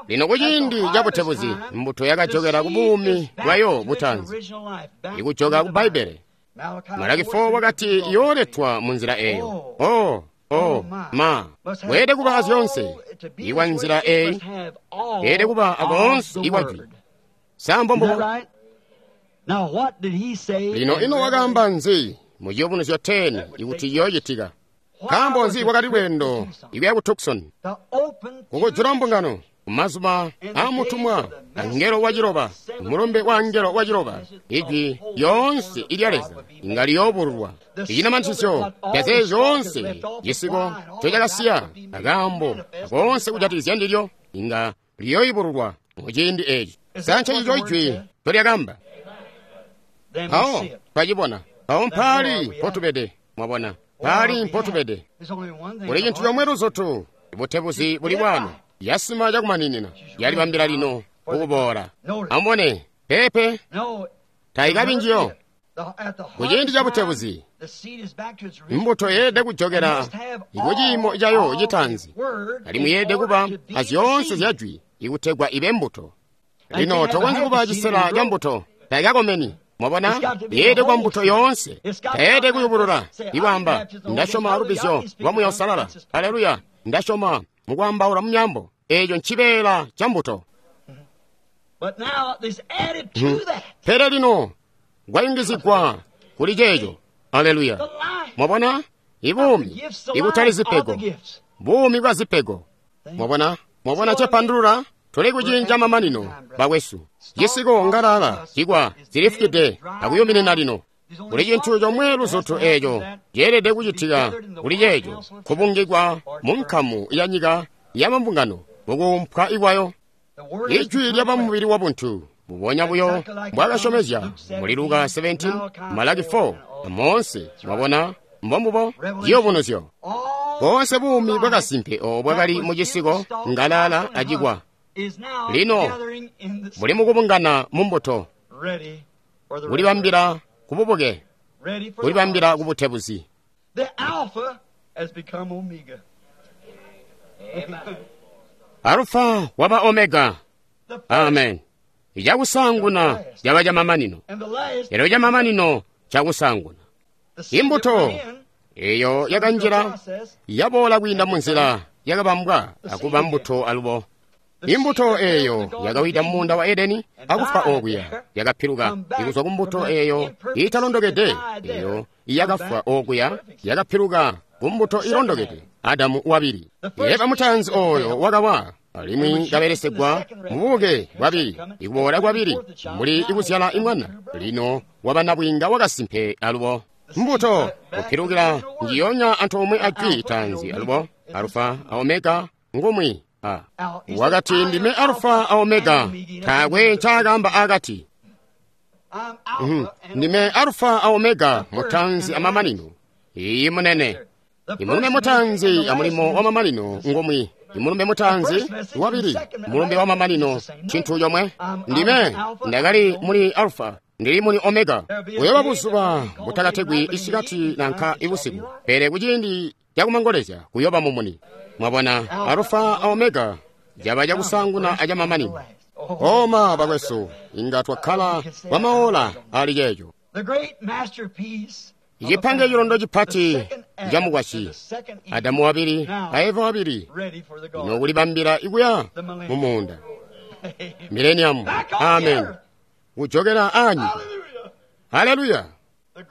Lino kuciindi cabutebuzi, mbuto yakajokela ku buumi bwayo butaanzi, ikujoka ku Bbaibbele. Malaki 4 wakati yooletwa mu nzila eeyo. Oh, oh, ma, weelede kuba azyoonse ikwa nzila eeyi, weelede kuba akoonse ikwa jwi. Sa mbombubo? Now what did he say? Lino ino wakaamba nzi mu Ciyubunuzyo 10 ikuti ciyoocitika? Nkaambo nzi kwakali lweendo ikuya ku Tucson The open kukujula mbungano kumazuba aamutumwa angelo waciloba, mulumbe wa angelo waciloba, ijwi lyoonse ilya Leza inga liyoobululwa. Icinamantisyo cazeezi zyoonse cisiko ncocakasiya akaambo akoonse kujatikizya ndilyo inga liyooyubululwa muciindi eeci. Sa ncencico ijwi ncolyakamba? Then we Mpawo see it. twacibona. Mpawo mpaali mpotubede, mwabona, mpaali mpotubede. There's only one thing. Kuli cintu comwe luzutu, butebuzi buli bwano, yasima cakumaninina, yalibambila lino kukuboola. Amubone, pepe No. tayikabi njiyo. At the Kuciindi ca butebuzi, the seed is back to its original mbuto yeelede kujokela ikuciimo cayo citaanzi, alimwi yeelede kuba azyoonse zya jwi ikutegwa ibe mbuto. Lino tokonzyi kuba cisela ca mbuto, tayikakomeni. Mwabona, yeelede kuba mbuto yoonse, tayeelede kuyubulula. Ikwaamba, ndasyoma lubbizyo lwa Muuya Uusalala. Aleluya, ndasyoma mukwaambaula mu myaambo. Eeco ncibeela ca mbuto. But now there's added to that Pele lino kwayungizigwa kuli ceeco. Aleluya. the life. Mwabona, ibuumi Gifts, the ikutali life of the zipego, gifts. buumi bwa zipego. Mwabona, mwabona cepandulula tuli kucinca mamanino bakwesu. Cisiko ngalala cikwa zilifukide akuyuminina lino. Kuli cintu comwe luzutu eeco ceelede kucitika kuli ceeco kubungikwa mu nkamu ya nyika ya mambungano mukuumpwa ikwayo. The word is Ijwi lyaba mubili wa buntu mbubonya buyo mbwaakasyomezya muli Luka 17, Malaki 4, amoonse mwabona mbombubo ciyubunuzyo. all Boonse buumi bwakasimpe oobo bwakali mu cisiko ngalala acikwa is now Lino, gathering in the buli mukubungana mu mbuto, ready for the kulibambila kububuke, ready for the kulibambila harvest. kubutebuzi. The Alpha has become Omega. Alufa waba Omega. The first Amen. Cakusaanguna caba camamanino, elyo camamanino cakusaanguna. Imbuto eyo yakanjila yaboola kwiinda munzila yakabambwa akuba mbuto alubo. Imbuto eyo yakawida mumuunda wa Edeni akufwa okuya, yakapiluka ikuzwa ku mbuto eyo italondokede eyo yakafwa okuya, yakapiluka ku mbuto ilondokede, Adamu wabili. Eva mutaanzi oyo wakawa alimwi kabelesegwa mububuke bwabili, ikuboola kwabili, mbuli ikuzyala imwana, lino waba nabwiinga wakasimpe alubo. Mbuto kupilukila njiyonya antoomwe a jwi taanzi alubo, Alufa a Omega ngumwi. Wakati ndime Alufa a Omega, taakwe ncaakaamba akati. Ndime Alufa a Omega, mutaanzi amamanino. Iyi munene. Imulumbe mutaanzi amulimo wa mamanino ngumwi. Imulumbe mutaanzi wabili, mulumbe wa mamanino cintu comwe. Ndime ndakali muli Alufa, ndili muli Omega. Kuyoba buzuba butakategwi isikati nanka ibusiku, pele kuciindi cakumangolezya kuyoba mumuni. Mwabona, Alufa a Omega caba cakusaanguna acamamanino. Oma bakwesu, inga twakkala kwa maola ali ceeco. Ichipange chilondo chipati cha mukwasyi, Adamu wabili a Eva wabili, nokulibambila ikuya mu muunda. Millennium, amen. Kujokera anyika. Haleluya.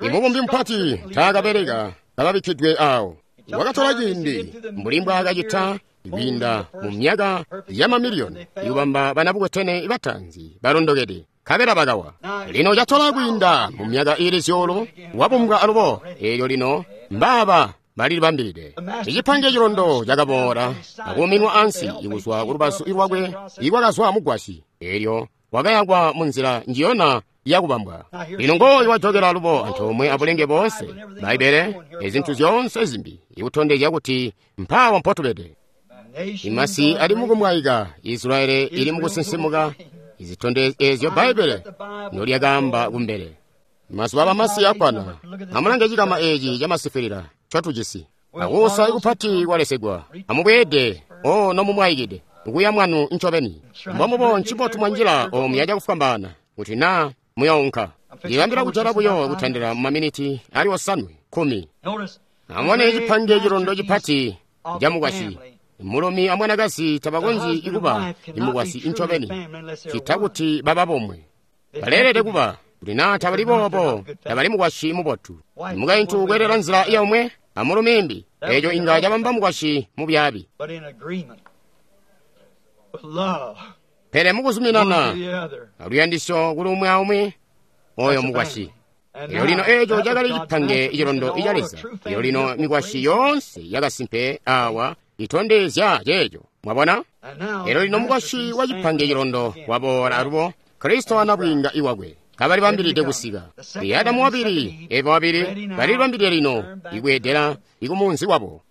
Imubumbi mupati taakabeleka kababikkidwe awo. Wakatola ciindi mbuli mbwaakacita kwiinda mu myaka ya mamiliyoni ikubamba banabukwetene bataanzi balondokede, nkabela bakawa. Lino catola kwiinda mu myaka iili zyuulu wabumbwa alubo, eelyo lino mbaaba balilibambilide. Icipange cilondo cakaboola akuuminwa ansi ikuzwa kulubazu lwakwe ikwakazwa mugwasyi, eelyo wakayakwa munzila njiyona yakubambwa. Lino ngooyu wajokela alubo antoomwe abulenge boonse, Bbaibbele ezintu zyoonse zimbi, ikutondezya kuti mpaawa mpotubede. Imasi ali mukumwaika, Israeli ili mukusinsimuka, izitondezyo eezyo Bbaibbele nolyakaamba kumbele. Mazuba abamasi akkwana. Amulange cikama eeci camasifwilila ncotujisi. Akuusa ikupati kwalesegwa. Amubweede o nomumwaikide kuya mwanu ncobeni. Mbomubo ncibotu mwanjila omuya cakufwambaana kuti naa muyounka. Ndilambila kujala buyo kutandila mumaminiti ali 9, 10. Amubone cipange cilondo cipati camukwasyi. Mulumi amwanakazi tabakonzyi kuba imukwasyi ncobeni cita kuti baba bomwe. Baleelede kuba kuti naa tabali boobo tabali mukwasyi mubotu. Mukaintu kweelela nzila yomwe amulumi imbi, eeco inga cabamba mukwasyi mubyaabi. Pele mukuzuminana aluyandisyo kuli umwi aumwi, oyo mukwasyi. Elyo lino eeco cakali cipange cilondo ca Leza. Elyo lino mikwasyi yoonse yakasimpe awa itondezya ceeco. Mwabona? Elyo lino mukwasyi wa cipange cilondo waboola alubo, Kristo anabwiinga iwakwe kabalibambilide kusika. Adamu wabili, Eva wabili balilibambilide lino ikweedela ikumunzi wabo.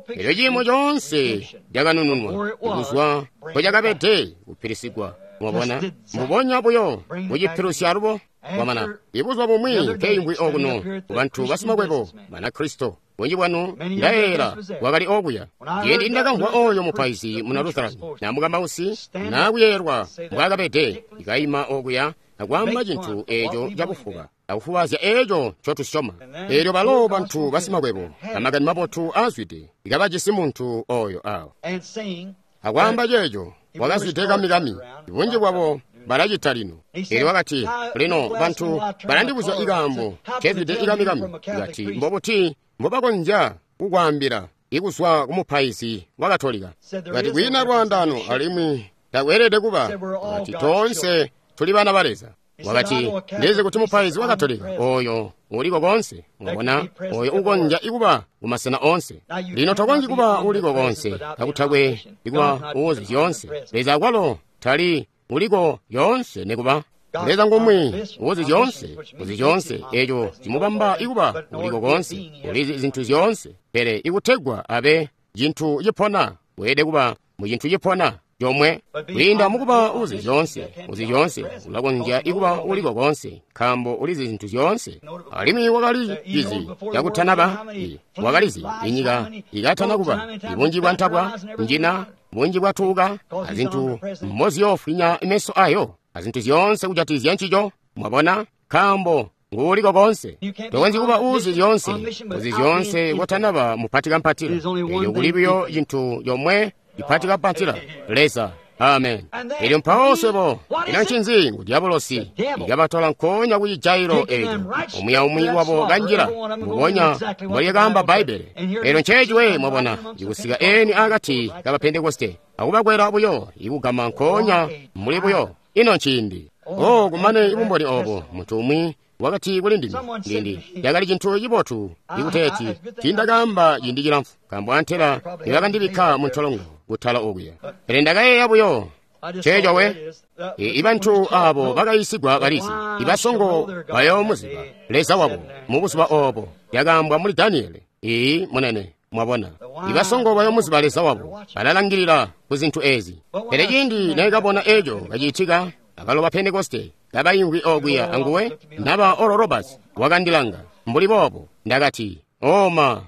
Elyo ciimo coonse cakanununwa ikuzwa mpocakabede kupilisigwa. Mwabona? Mbubonya buyo mucipilusya alubo. Kwamana ibuzuba bumwi nkeimvwi okuno kubantu basimakwebo Banakristo. Bunji bwanu ndayeeyela wakali okuya. Ciindi ndakamvwa oyo mupaizi muna Lutheran na mukambausi nakuyeeyelwa mbwaakabede, ikaima okuya akwaamba cintu eeco cakufuba akufubaazya eeco ncotusyoma. Eelyo balo bantu basimakwebo amakani mabotu aazwide ikabajisi muntu oyo awo akwaamba ceeco wakazwide kamikami. Bunji bwabo balacita lino. Eelyo wakati, lino bantu balandibuzya ikaambo kezwide ikamikami. Kati mbobuti mbobakonzya kukwaambila ikuzwa kumupaizi wa Katolika? Kati kwiina lwaandaano alimwi takweelede kuba. Kati toonse tuli bana ba Leza. Wakati ndizi kuti mupaizi wa Katolika oyo uliko konse, mwabona, oyo ukonzya ikuba kumasena onse. Lino tokonzyi kuba uliko konse kakutakwe ikuba uuzi zyoonse. Leza akwalo tali uliko yoonse nekuba. Leza ngumwi uuzi zyoonse, uzi zyoonse, eeco cimubamba ikuba uliko konse, ulizi zintu zyoonse. Pele ikutegwa abe cintu cipona, weelede kuba mu cintu cipona comwe. Kwiinda mukuba uzi zyoonse, uzi zyoonse, ulakonzya ikuba uliko konse, nkaambo ulizi zintu zyoonse. Alimwi wakali cizi cakutanaba, wakalizi inyika ikatana kuba, ibunji bwa ntabwa, njina, bunji bwatuuka, azintu mboziyoofwinya meso ayo. azintu zyoonse kujatikizya ncico. Mwabona? Nkaambo nguuliko konse. Tokonzyi kuba uuzi zyoonse, uzi zyoonse kotanaba mupati kampatila. Elyo kuli buyo cintu comwe cipati kampatila, Leza. Amen. Elyo mpawo swebo, ino ncinzi? Ngu dyabulosi ikabatola nkoonya ku cijailo eco, omuya umwi wabo kanjila, mbubonya mbolyakaamba Bbaibbele. Elyo nceeci we, mwabona, ikusika eni akati ka Bapentekoste, akubakwela buyo, ikugama nkoonya muli buyo. Ino nciindi. Oh, kumane ibumboni obo, muntu umwi wakati kuli ndime, ndindi yakali cintu cibotu ikuteeti tiindakaamba ciindi cilamfu, nkaambo antela nibakandibikka mu ntolongo kutala okuya. Pele ndakayeeya buyo ceeco we. Ibantu abo bakayiisigwa balizi, ibasongo bayoomuziba Leza wabo mu buzuba obo, yakaambwa muli Daniele. Ii munene, mwabona, ibasongo bayoomuziba Leza wabo, balalangilila ku zintu ezi. Pele ciindi nekabona eco kacitika, akalo ba Pentekoste kabaimvwi okuya anguwe, naba Oral Roberts wakandilanga mbuli boobo. Ndakati, oma,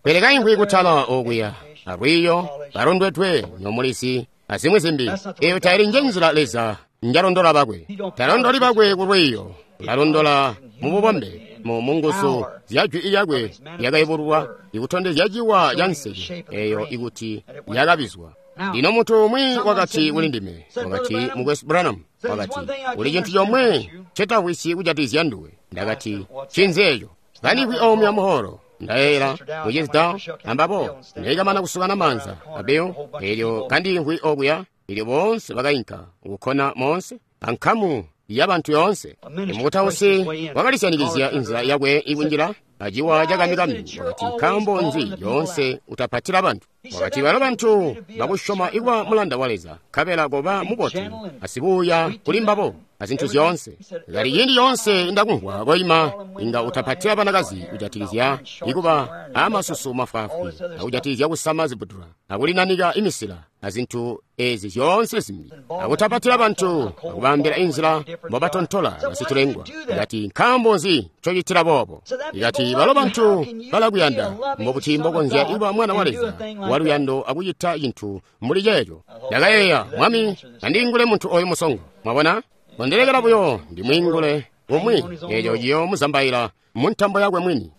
Pele kaimvwi kutala okuya alwiiyo balondwedwe nyomulizi azimwi zimbi. Eyo taili nje nzila Leza njalondola bakwe. Talondoli bakwe ku lwiiyo, ulalondola mu bubombe, mu nguzu zya jwi lyakwe lyakayubululwa, ikutondezya ciwa ca nseke eyo ikuti yakabizwa. Lino muntu umwi wakati kuli ndime, wakati, Mukwesu Branham, wakati, kuli cintu comwe ncetavwisyi kujatikizya nduwe. Ndakati, ncinzi eco? Kanimvwi omwe amuholo, ndayeeyela mucizi Dow ambabo, nekamana kusukana maanza a Bill, elyo kandimvwi okuya, elyo boonse bakainka kukkona moonse, ankamu ya bantu yoonse. Mukutausi wakalisyanikizya inzila yakwe ikunjila aciwa cakamikami. Wakati, nkaambo nzi yoonse utapatila bantu? Wakati, balo bantu bakusyoma ikuba mulanda wa Leza, nkabela koba mubotu asibuuya kuli mbabo azintu zyoonse. Kali ciindi yoonse ndakumvwa koima, inga utapatila banakazi kujatikizya ikuba amasusu mafwaafwi, akujatikizya kusama zibudula, akulinanika imisila, azintu ezi zyoonse zimbi, akutapatila bantu, akubaambila inzila mbobatontola basitulengwa. Ikati, nkaambo nzi ncocitila boobo? Ikati, balo bantu balakuyanda, mbobuti mbokonzya kuba mwana wa Leza waluyando akucita cintu mbuli ceeco? Ndakayeeya, Mwami, andiingule muntu oyu musongo. Mwabona? Kondilekela buyo ndimwiingule umwi, eco ciyoomuzambaila mu ntambo yakwe mwini.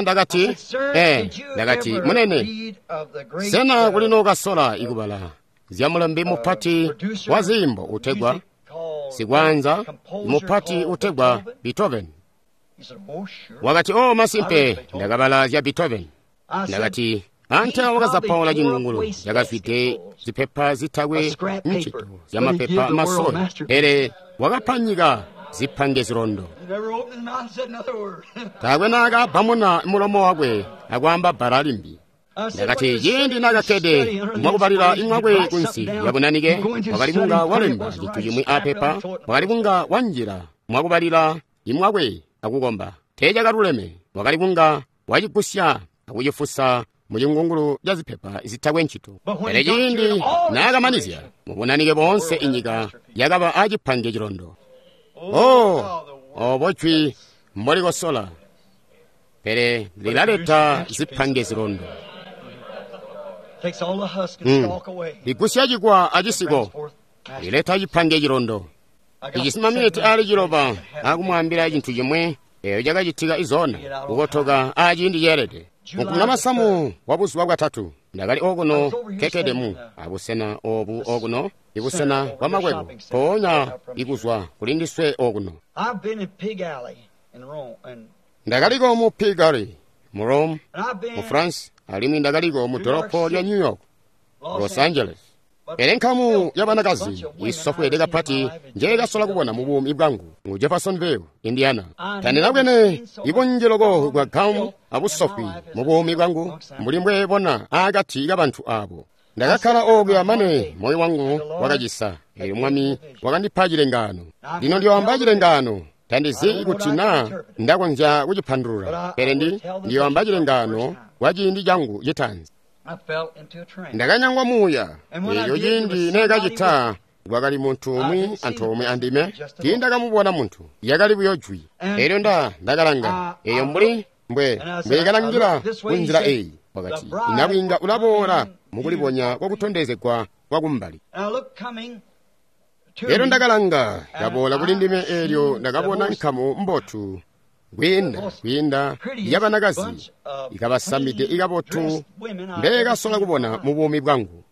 Ndakati, ndakati, munene, sena kuli nookasola ikubala zya mulembi mupati wa ziimbo utegwa sikwaanza mupati utegwa Beethoven? Wakati, oh, masimpe, ndakabala zya Beethoven. Ndakati, antela wakazapaula cingungulu cakazwide zipepa zitakwe ncito zyamapepa masoyi, pele wakapa nyika zipange zilondo. Taakwe naakabbamuna mulomo wakwe akwaamba bbala limbi. Ndakati, ciindi naakakkede mwakubalila imwakwe kunsi yabunanike, wakali kunga walemba cintu cimwi apepa, wakali kunga wanjila mwakubalila imwakwe akukomba. Teecakaluleme, wakali kunga wacigusya akucifusa mu cingungulu ca zipepa zitakwe ncito. Pele ciindi naakamanizya mubunanike boonse, inyika yakaba acipange cilondo. Oh, obo jwi mbolikosola, pele lilaleta zipange zilondo. Ligusya cikwa acisiko, lileta cipange cilondo. Ijisi maminiti aali 6 akumwaambila cintu cimwe eyo cakacitika izona kukotoka aciindi ceelede. Mukumuna masamu wa buzuba bwatatu, ndakali okuno kekkede mu abusena obu okuno, ibusena bwa makwebo, mpoonya ikuzwa kuli ndiswe okuno. Ndakaliko mu Pig Alley mu Rome, mu France, alimwi ndakaliko mu dolopo lya New York, Los Angeles. Pele nkamu ya banakazi isofweede kapati njeekasola kubona mu buumi bwangu mu Jeffersonville, Indiana. Tandinabwene ibunji loko bwa gamu abusofwi mu buumi bwangu mbuli mbwebona akati kabantu abo. Ndakakkala okuya mane moyo wangu wakacisa, elyo Mwami wakandipa cilengaano. Lino ndiyoamba cilengaano. Tandizi kuti naa ndakonzya kucipandulula, pele ndiyoamba cilengaano kwa ciindi cangu citaanzi. Ndakanyangwa muuya, elyo ciindi neekacita kwakali muntu umwi antoomwe andime. Tiindakamubona muntu, yakali buyo jwi. Elyo ndakalanga, eyo mbuli mbweekalangila kunzila eyi. Wakati, inabwiinga ulaboola mukulibonya kwakutondezegwa kwakumbali. Elyo ndakalanga, yaboola kuli ndime, eelyo ndakabona nkamu mbotu kwiinda yabanakazi ikabasamide ikabotu mbekasola kubona mu buumi bwangu.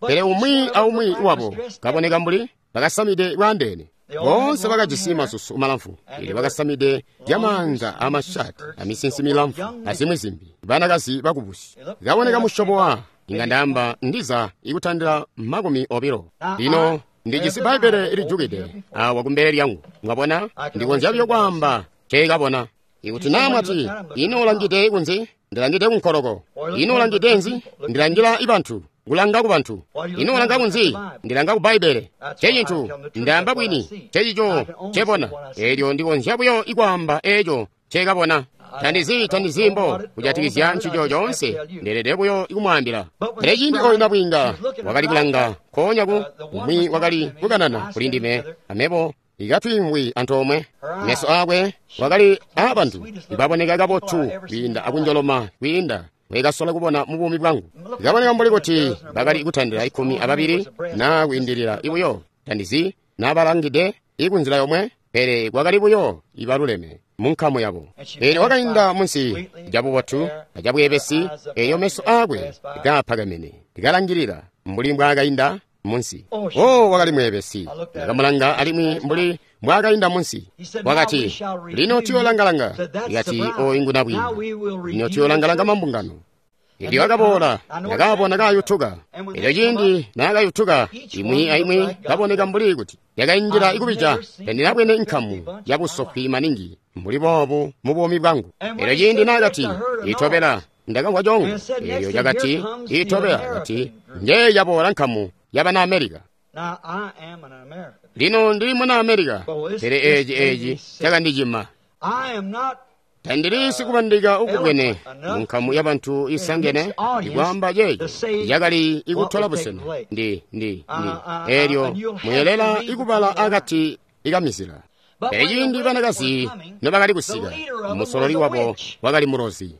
Pele umwi aumwi wabo kaboneka mbuli bakasamide bwandeene. Boonse bakajisi masusu malamfu, elyo bakasamide lyamaanza amashati amisinsi milamfu azimwi zimbi, banakazi bakubusi. Kaboneka musyobo wa inga ndaamba ndiza ikutandila 20. Lino ndijisi Bbaibbele lijukide awa kumbele lyangu, mwabona, ndikonzya buyo kwaamba nceekabona. Ikuti naa mwati, ino ulangide kunzi? Ndilangide kunkoloko. Ino ulangide nzi? Ndilangila ibantu. Kulanga ku bantu. Ino ulanga kunzi? Ndilanga ku Bbaibbele. Ncecintu ndaamba bwini, ncecico ncebona. Eelyo ndikonzya buyo ikwaamba eeco nceekabona. Tandizi mbo kujatikizya ncico coonse, ndeelede buyo ikumwaambila. Pele ciindi oyu nabwiinga wakali kulanga nkoonya ku umwi wakali kukanana kuli ndime, amebo ikatwiimvwi antoomwe. Meso aakwe wakali aabantu ibaboneka kabotu kwiinda akunjoloma kwiinda wekasola kubona mu buumi bwangu. Ikaboneka mbuli kuti bakali kutandila 12 naa kwiindilila ibuyo. Tandizi naabalangide ikunzila yomwe, pele kwakali buyo ibaluleme munkamu yabo. Eelyo wakainda munsi cabubotu acabweebesi, eeyo meso aakwe kaapakamene kalangilila mbuli mbwaakainda munsi. Oh, wakali mweebesi. Ndakamulanga alimwi mbuli mbwaakainda munsi. Wakati, lino tuyoolanga-langa. Ikati, oyu ngu nabwiinga. Lino tuyoolanga-langa mambungano. Elyo akaboola, ndakaabona kaayutuka. Elyo ciindi naakayutuka, imwi aimwi kaboneka mbuli kuti yakainjila ikubija. Tandinabwene nkamu yabusofwi maningi mbuli boobu mu buumi bwangu. Elyo ciindi naakati, itobela, ndakamvwa congo. Elyo cakati, itobela, kati, njeeyi yaboola nkamu yabana Amerika. Lino ndili muna Amerika, pele eeci cakandicima. Tandili sikubandika ukubwene munkamu yabantu isangene ikwaamba ceeco cakali ikutola busena. Ndi eelyo muyelela ikubala akati ikamizila. Pele ciindi banakazi nobakali kusika, musololi wabo wakali mulozi.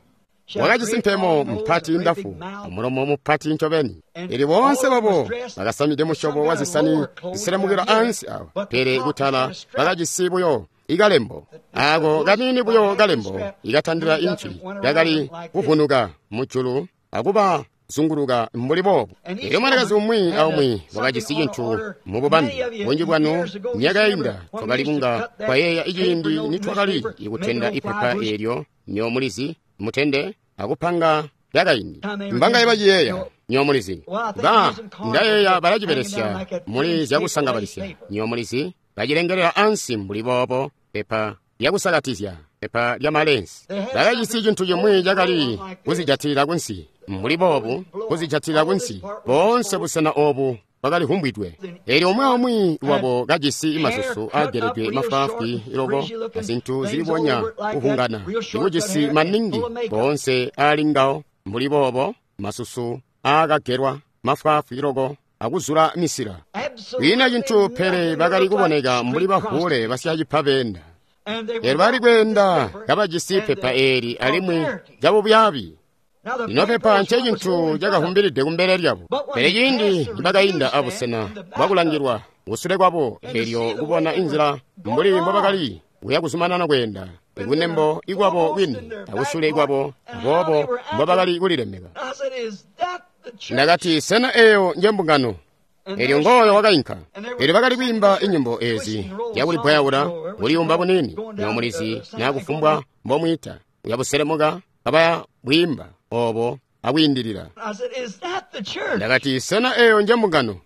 Wakajisi mpemo mpati ndafu, amulomo mupati ncobeni. Elyo boonse babo bakasamide musyobo wa zisani ziselemukila ansi awa, pele kutala bakajisi buyo ikalembo. Ako kaniini buyo kalembo ikatandila inci kakali kuvunuka mujulu akuba zunguluka mbuli boobu. Elyo mwanakazi umwi aumwi wakajisi cintu mu bubambe. Bunji bwanu myaka yainda twakali kunga twayeeya iciindi nitwakali ikutenda ipepa eelyo nyomulizi mutende akupanga yakaindi. Mbanga baciyeeya nyomulizi ba ndayeeya balacibelesya muli zyakusangabalisya nyomulizi bacilengelela ansi mbuli boobo pepa lyakusakatizya pepa lya malensi. Bakajisi cintu cimwi cakali kuzijatilila kunsi mbuli boobu, kuzijatilila kunsi. Boonse busena oobu bakali humbwidwe. Eelyo umwi aumwi wabo kajisi masusu aageledwe mafwaafwi loko azintu zilibonya kuhungana, ikujisi maningi boonse aali ngawo mbuli boobo, masusu aakagelwa mafwaafwi loko akuzula misila. Kwiina cintu pele bakali kuboneka mbuli bavuule basyacipa beenda. Eelyo bakali kweenda kabajisi pepa eeli alimwi cabubyaabi. Lino pepa ncecintu cakahumbilide kumbele lyabo. Pele ciindi nibakainda abusena bwakulangilwa kusule kwabo, eelyo kubona inzila mbuli mbobakali kuya kuzumanana kweenda ikunembo ikwabo kwini akusule ikwabo, aboobo mbobakali kulilemeka. Ndakati, sena eeyo njembungano? Eelyo ngooyo wakainka. Eelyo bakali kwiimba inyimbo eezi yakulipwayaula kuliyumba buniini nyomulizi naa kufumbwa mbomwiita, uyabuselemuka kabaya bwiimba obo akwiindilila. Ndakati, sena eeyo njembungano?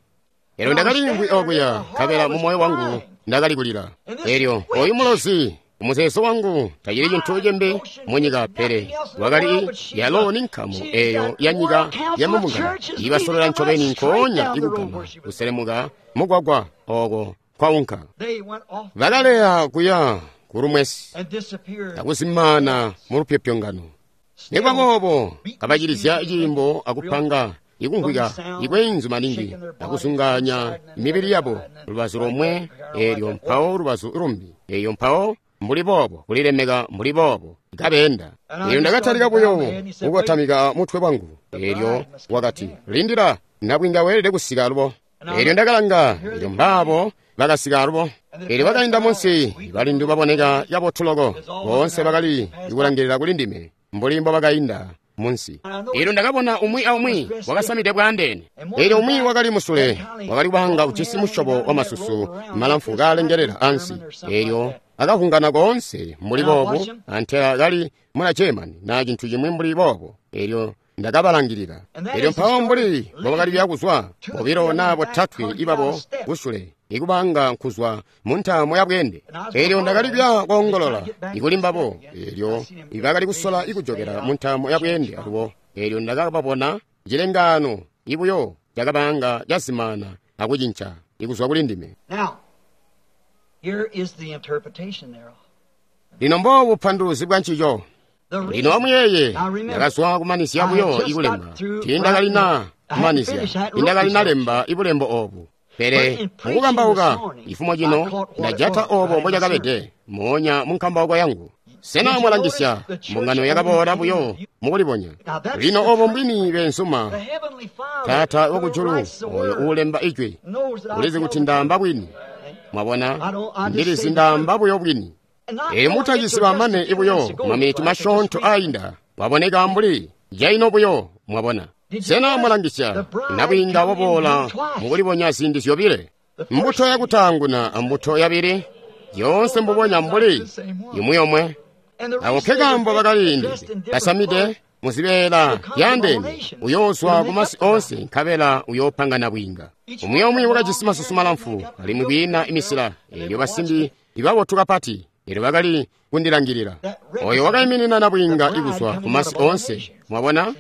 Eelyo ndakaliimvwi okuya, nkabela mu moyo wangu ndakali kulila. Eelyo oyu mulozi umuzeezo wangu tacili cintu cimbi munyika pele wakali yalo ni nkamu eeyo ya nyika ya mumbungano ibasolola ncobeni nkoonya ikugama kuselemuka mugwagwa ooko kwaunka. Bakaleya kuya kulumwesi akuzimaana mu lupyopyongano. Nikuba boobo kabacilizya ciimbo akupanga ikumvwika ikweenzu maningi akuzungaanya mibili yabo lubazu lomwe eelyo mpawo lubazu lumbi eeyo mpawo mbuli boobo kulilemeka mbuli boobo kabeenda. Eelyo ndakatalika buyo kukotamika mutwe wangu. Elyo wakati, lindila, nabwiinga weelede kusika alubo. Elyo ndakalanga, elyo mbaabo bakasika alubo. Elyo bakainda munsi, balindu baboneka kabotu loko. Boonse bakali kulangilila kuli ndime, mbuli mbo bakainda munsi. Elyo ndakabona umwi aumwi wakasamide bwaandeene. Elyo umwi wakali musule, wakali kubanga ujisi musyobo wa masusu malamfu kaalengelela ansi. Elyo akavungana koonse mbuli boobu, antela kali muna German na cintu cimwi mbuli boobo. Elyo ndakabalangilila. Elyo mpawo mbuli mbobakali kuzwa, bobilo naa botatwe ibabo kusule, ikubanga nkuzwa mu ntaamo ya bweende. Elyo ndakali kuya koongolola ikuli mbabo. Elyo bakali kusola ikujokela mu ntaamo ya bweende alubo. Elyo ndakababona cilengaano ibuyo cakabanga cazimaana akucinca ikuzwa kuli ndime. Lino mboobu bupanduluzi bwa ncico. Lino amuyeeye, ndakazwa kumanizya buyo ikulemba. Tiindakalina kumanizya, tiindakalinalemba ibulembo oobu. Pele mukukambauka ifumo cino ndajata oobo mbocakabede moonya munkambauko yangu. Sena mwalangisya mbungano yakaboola buyo mukulibonya. Lino oobo mbwini beenzuma, Taata wakujulu oyo uulemba ijwi ulizi kuti ndaamba bwini. Mwabona, ndilizi ndaamba buyo bwini. Elyo mutacisi mane ibuyo maminiti masyoonto ainda waboneka mbuli jaino buyo. Mwabona, sena mwalangisya nabwiinga waboola mukulibonya ziindi zyobile, mbuto yakutaanguna ambuto yabili, yoonse mbubonya mbuli imwi yomwe. Ako nkekaambo bakaliindide basamide muzibeela byaandeene, uyoozwa kumasi oonse nkabela uyoopanga nabwiinga. Umwi omwe wakajisi masusu malamfu alimwi kwiina imisila. Elyo basimbi ibabotu kapati, elyo bakali kundilangilila. Oyo wakaiminina nabwiinga ikuzwa kumasi oonse. Mwabona,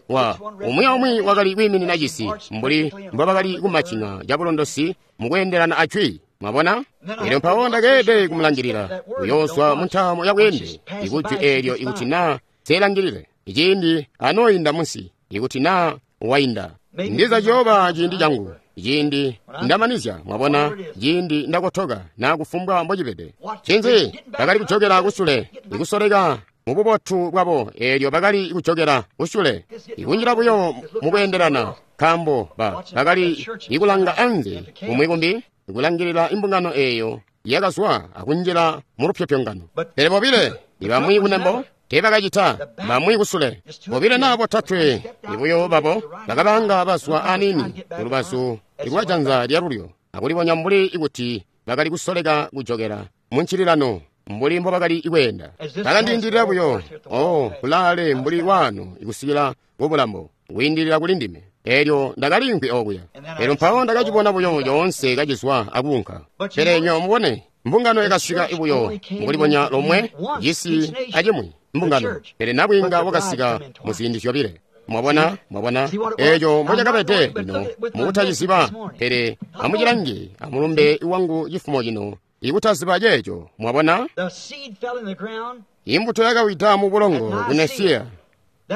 wa umwi aumwi wakali kwiiminina cisi mbuli mbobakali kumacina cabulondosi mukweendelana ajwi. Mwabona, elyo mpawo ndakeelede kumulangilila uyoozwa mu ntaamo ya bweende ikujwi eelyo ikuti naa seelangilile iciindi anooyinda munsi, ikuti naa wainda. Ndiza ciyooba ciindi changu, ciindi ndamanizya. Mwabona, ciindi ndakotoka naa kufumbwa mbocibede. Ncinzi? Bakali kujokela kusule, ikusoleka mububotu bwabo. Eelyo bakali kujokela kusule, ikunjila buyo mukweendelana, nkaambo bakali ikulanga anze kumwi kumbi, ikulangilila imbungano eeyo yakazwa akunjila mu lupyopyongano. Pele bobile ibamwi kunembo teebakacita, bamwi kusule. Bobile naa botatwe ibuyo babo bakabanga bazwa aniini kulubazu lwa janza lyalulyo, akulibonya mbuli ikuti bakali kusoleka kujokela muncililano mbuli mbobakali kweenda. Bakandiindilila buyo, oh, kulaale mbuli waano ikusikila kubulambo, kwiindilila kuli ndime. Elyo ndakaliimvwi okuya. Elyo mpawo ndakacibona buyo coonse kacizwa akuunka. Pele nyo mubone, mbungano yakasika ibuyo mukulibonya lomwe, cisi acimwi mbungano. Pele nabwiinga wakasika muziindi zyobile. Mwabona, mwabona eeco mbocakabede. Lino mukutaciziba, pele amucilange amulumbe wangu cifumo cino ikutaziba ceeco. Mwabona, imbuto yakawida mu bulongo ku Nesiya,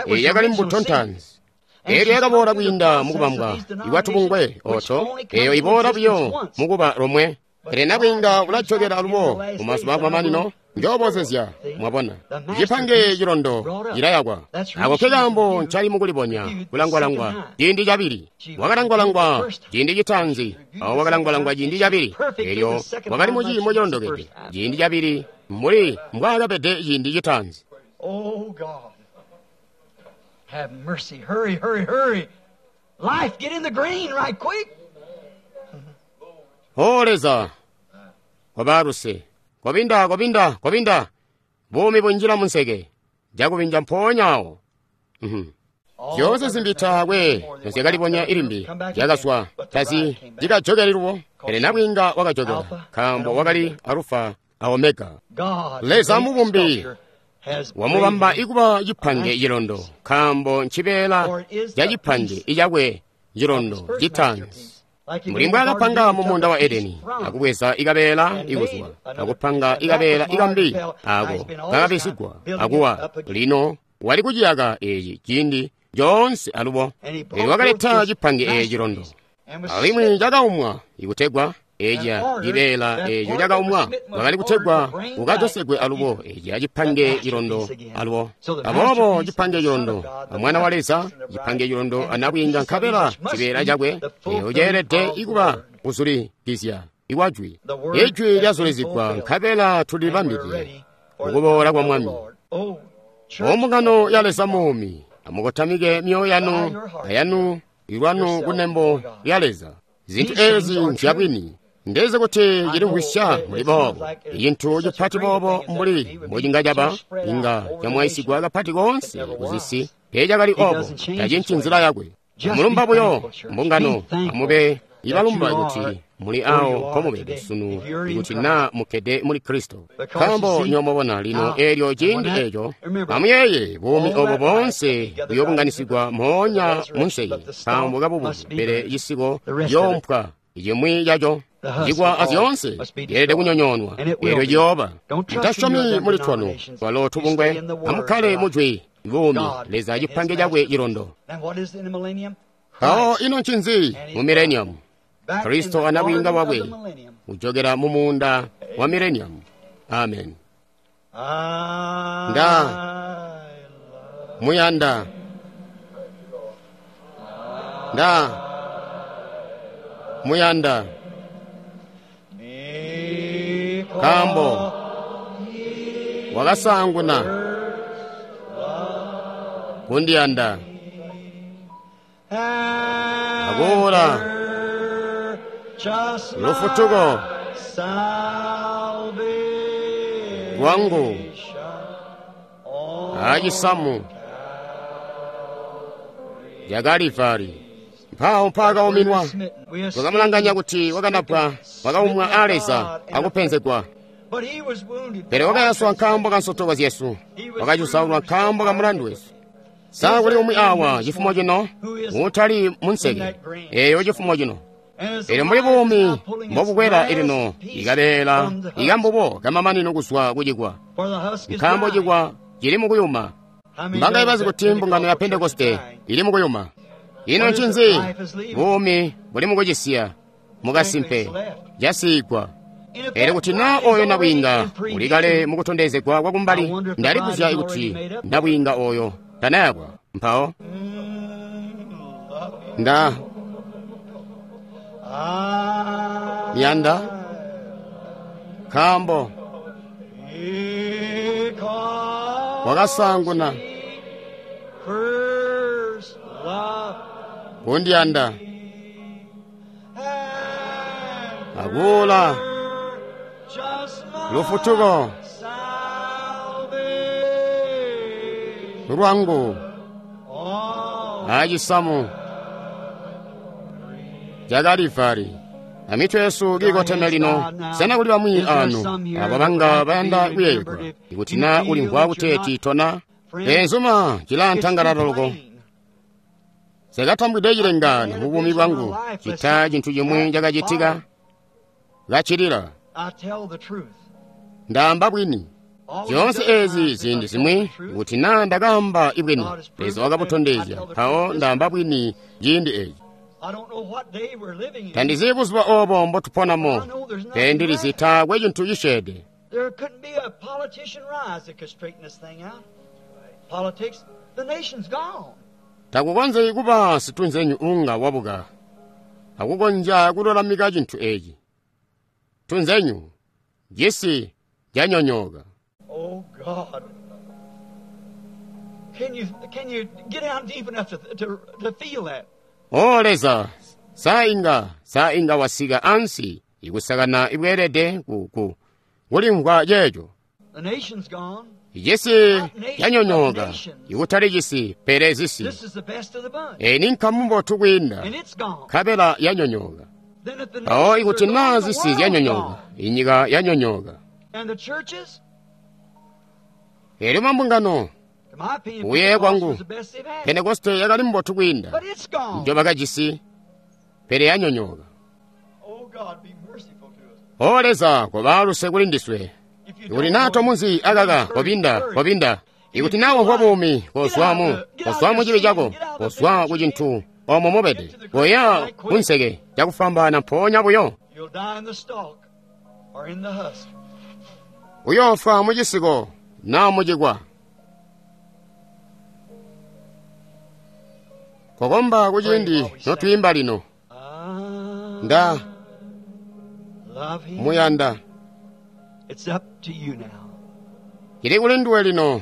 eyi yakali mbuto ntaanzi. Elyo yakaboola kwiinda mukubambwa ikwatubungwe oto, eyo iboola buyo mukuba lomwe. Pele nabwiinga ulajokela alubo mumazuba akumamanino, njoobozezya. Mwabona, cipange cilondo cilayakwa. Ako nkekaambo ncali mukulibonya kulangwalangwa ciindi cabili. Wakalangwalangwa ciindi citaanzi, awo wakalangwalangwa ciindi cabili. Elyo wakali mu ciimo cilondokede ciindi cabili mbuli mbwaakabede ciindi citaanzi. Oh God, have mercy. Hurry, hurry, hurry. Life, get in the green right quick. O Leza, kobaluse, kobinda, kobinda, kobinda. Buumi bunjila munseke, jakubinja mpoonya awo. Zyoonse zimbi taakwe nozyakalibonya ilimbi, zyakazwa tazi zikajokeli lubo. Pele nabwiinga wakajokela, nkaambo wakali Alufa a Omega. Leza mubumbi wamubamba ikuba cipange cilondo, nkaambo ncibeela ca cipange icakwe cilondo citaanzi. Mbuli mbwaakapanga mu muunda wa Edeni, akubweza ikabeela ikuzwa, akupanga ikabeela ikambi ako kakabisigwa akuwa. Lino wali kuciyaka eeci ciindi coonse alubo. Elyo wakaleta cipange eeci cilondo, alimwi cakaumwa ikutegwa Eja cibeela eco cakaumwa wakali kutegwa ukajosegwe alubo eja cipange cilondo alubo. Aboobo cipange cilondo amwana wa Leza, cipange cilondo anabwiinga nkabela cibeela cakwe eco ceelede ikuba kuzulikizya iwajwi. Ijwi lyazulizigwa nkabela tulibambide ukuboola kwa Mwami. Ombungano ya Leza muumi, amukotamike myoyo yanu ayanu ilwanu kunembo lya Leza. Zintu ezi nzyabwini. Ndezi kuti cilimvwisya muli boobo. Icintu cipati boobo mbuli mbocinga caba, inga camwaisigwa kapati koonse kuzisi. Teecakali obo, tacinci nzila yakwe. Mulumba buyo mbungano, amube ibalumba kuti muli awo mpomubede sunu, ikuti naa mukkede muli Kristo. Nkaambo nyomobona lino eelyo ciindi eeco, amuyeeye buumi obo boonse buyoobunganisigwa moonya munseke, nkaambo kabubuke, pele cisiko ciyoompwa cimwi caco. Cikwa azyoonse yeelede kunyonyoonwa, eelyo ciyooba. Mutasyomi muli twanu twalo tubungwe, amukkale mujwi buumi Leza cipange cakwe cilondo. Mpawo ino ncinzi mu mileniamu? Kristo anabwiinga bwakwe kujokera mu muunda wa mileniamu. Amen. Nda muyanda, nda muyanda, nkaambo wakasaanguna kundiyanda akuula lufutuko lwangu acisamu ca Kalivari. Mpawo mpaakauminwa, twakamulanganya kuti wakanapwa, wakaumwa a Leza akupenzegwa. Pele wakayaswa nkaambo ka nsotoko zyesu, wakacusaulwa nkaambo ka mulandu wesu. Sa kuli umwi awa cifumo cino utali munseke eyo cifumo cino? Elyo mbuli buumi mbobukwela ilino ikabeela ikambubo kamamanino kuzwa kucikwa, nkaambo cikwa cili mukuyuma. Mbanga ibazi kuti mbungano ya Pentekoste ili mukuyuma. Ino ncinzi? Buumi buli mukucisiya mukasimpe casiigwa. Elyo kuti naa oyo nabwiinga uli kale mukutondezegwa kwakumbali, ndalibuzya kuti nabwiinga oyo tanayakwa. Mpawo nda miyanda nkaambo wakasaanguna kundiyanda akuula lufutuko lwangu acisamu ca Kalivari. Amitwe yesu kiikoteme lino. Sena kuli bamwi anu abo banga bayanda kuyeeyegwa ikuti naa ulimvwa kuteeti tona? Eenzuma cilaantangalala loko. Sekatambwide cilengano mu buumi bwangu cita cintu cimwi cakacitika kacilila. Ndaamba bwini. Zyoonse ezi ziindi zimwi kuti naa ndakaamba ibwini, Leza wakabutondezya, mpawo ndaamba bwini ciindi eci. Tandizi buzuba obo mbotuponamo, pele ndilizi taakwe cintu cisyeede. Takukonzeki kuba situnzenyu unga wabuka akukonzya kululamika cintu eci. Tunzenyu cisi canyonyooka. Oh God. Can you get down deep enough to feel that? O Leza, saa inga wasika ansi ikusakana ibweelede kulimvwa ceeco. The nation's gone. Cisi canyonyooka, ikutali cisi pele zisi. This is the best of the bunch. Eyi ni nkamu mbotu kwiinda, And it's gone. nkabela yanyonyooka. Then if the Mpawo nations ikuti are gone, naa the zisi world's zyanyonyooka, gone. inyika yanyonyooka. And the churches, Elyo mambungano, in my opinion, Kuyeeya Pentecost kwangu, was the best they've had. Pentekoste yakali mbotu kwiinda But it's gone. njo bakajisi, pele yanyonyooka. Oh God, be merciful to us. O Leza, koba luse kuli ndiswe. If you Ikuti don't naa know tomuzi akaka, kobinda, kobinda. Ikuti naa wamvwa buumi, kozwamu, kozwamu cibi cako, kozwa ku cintu omo mubede. Koya kunseke cakufwambaana mpoonya buyo. Uyoofwa mucisiko naa mucikwa. Kokomba kuciindi notwiimba lino. Nda muyanda. Cili kuli nduwe lino.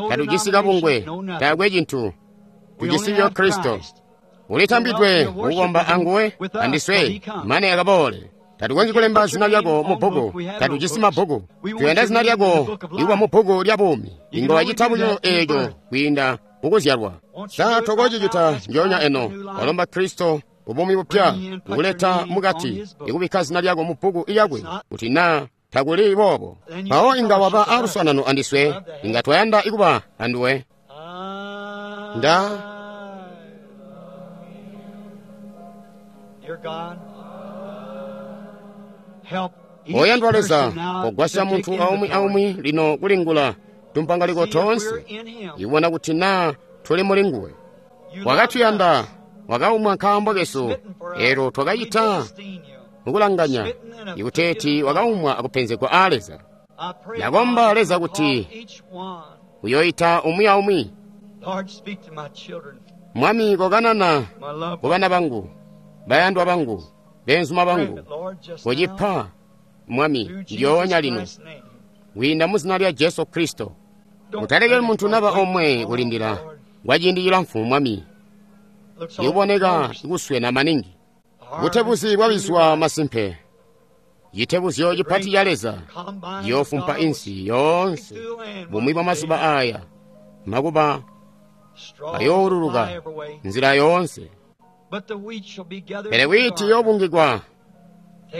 Tatujisi kabungwe, taakwe cintu. Tujisi buyo Kristo. Ulitambidwe kukomba anguwe andiswe mane akaboole. Tatukonzyi kulemba zina lyako mu bbuku, tatujisi mabbuku. Tuyanda zina lyako ikuba mu bbuku lya buumi. Inga wacita buyo eeco kwiinda mukuzyalwa. Sa tokocicita njoonya eno? Walomba Kristo ubuumi bupya, ukuleta mukati, ikubikka zina lyako mu bbuku lyakwe, kuti naa takuli boobo, mpawo inga waba aluswaanano andiswe, inga twayanda ikuba anduwe. Nda Oyandwa Leza, kogwasya muntu aumwi aumwi lino kulingula tumpangaliko toonse, ibona kuti naa tuli muli nguwe. Wakatuyanda, wakaumwa nkaambo kesu, elo twakacita mukulanganya ikuteeti wakaumwa akupenzegwa aa Leza. Ndakomba Leza kuti uyoita umwi aumwi. Mwami, kokanana ku bana bangu, bayandwa bangu, beenzuma bangu, kocipa Mwami ndyoonya lino kwiinda mu zina lya Jesu Kristo. Mutalekeli muntu naba omwe kulindila kwa ciindi cilamfu, Mwami. Ikuboneka kuswena maningi. Butebuzi bwabizwa masimpe. Citebuzyo cipati ca Leza ciyoofumpa insi yoonse bumwi bwa mazuba aya, makuba ayooluluka nzila yoonse. Pele wiiti yoobungikwa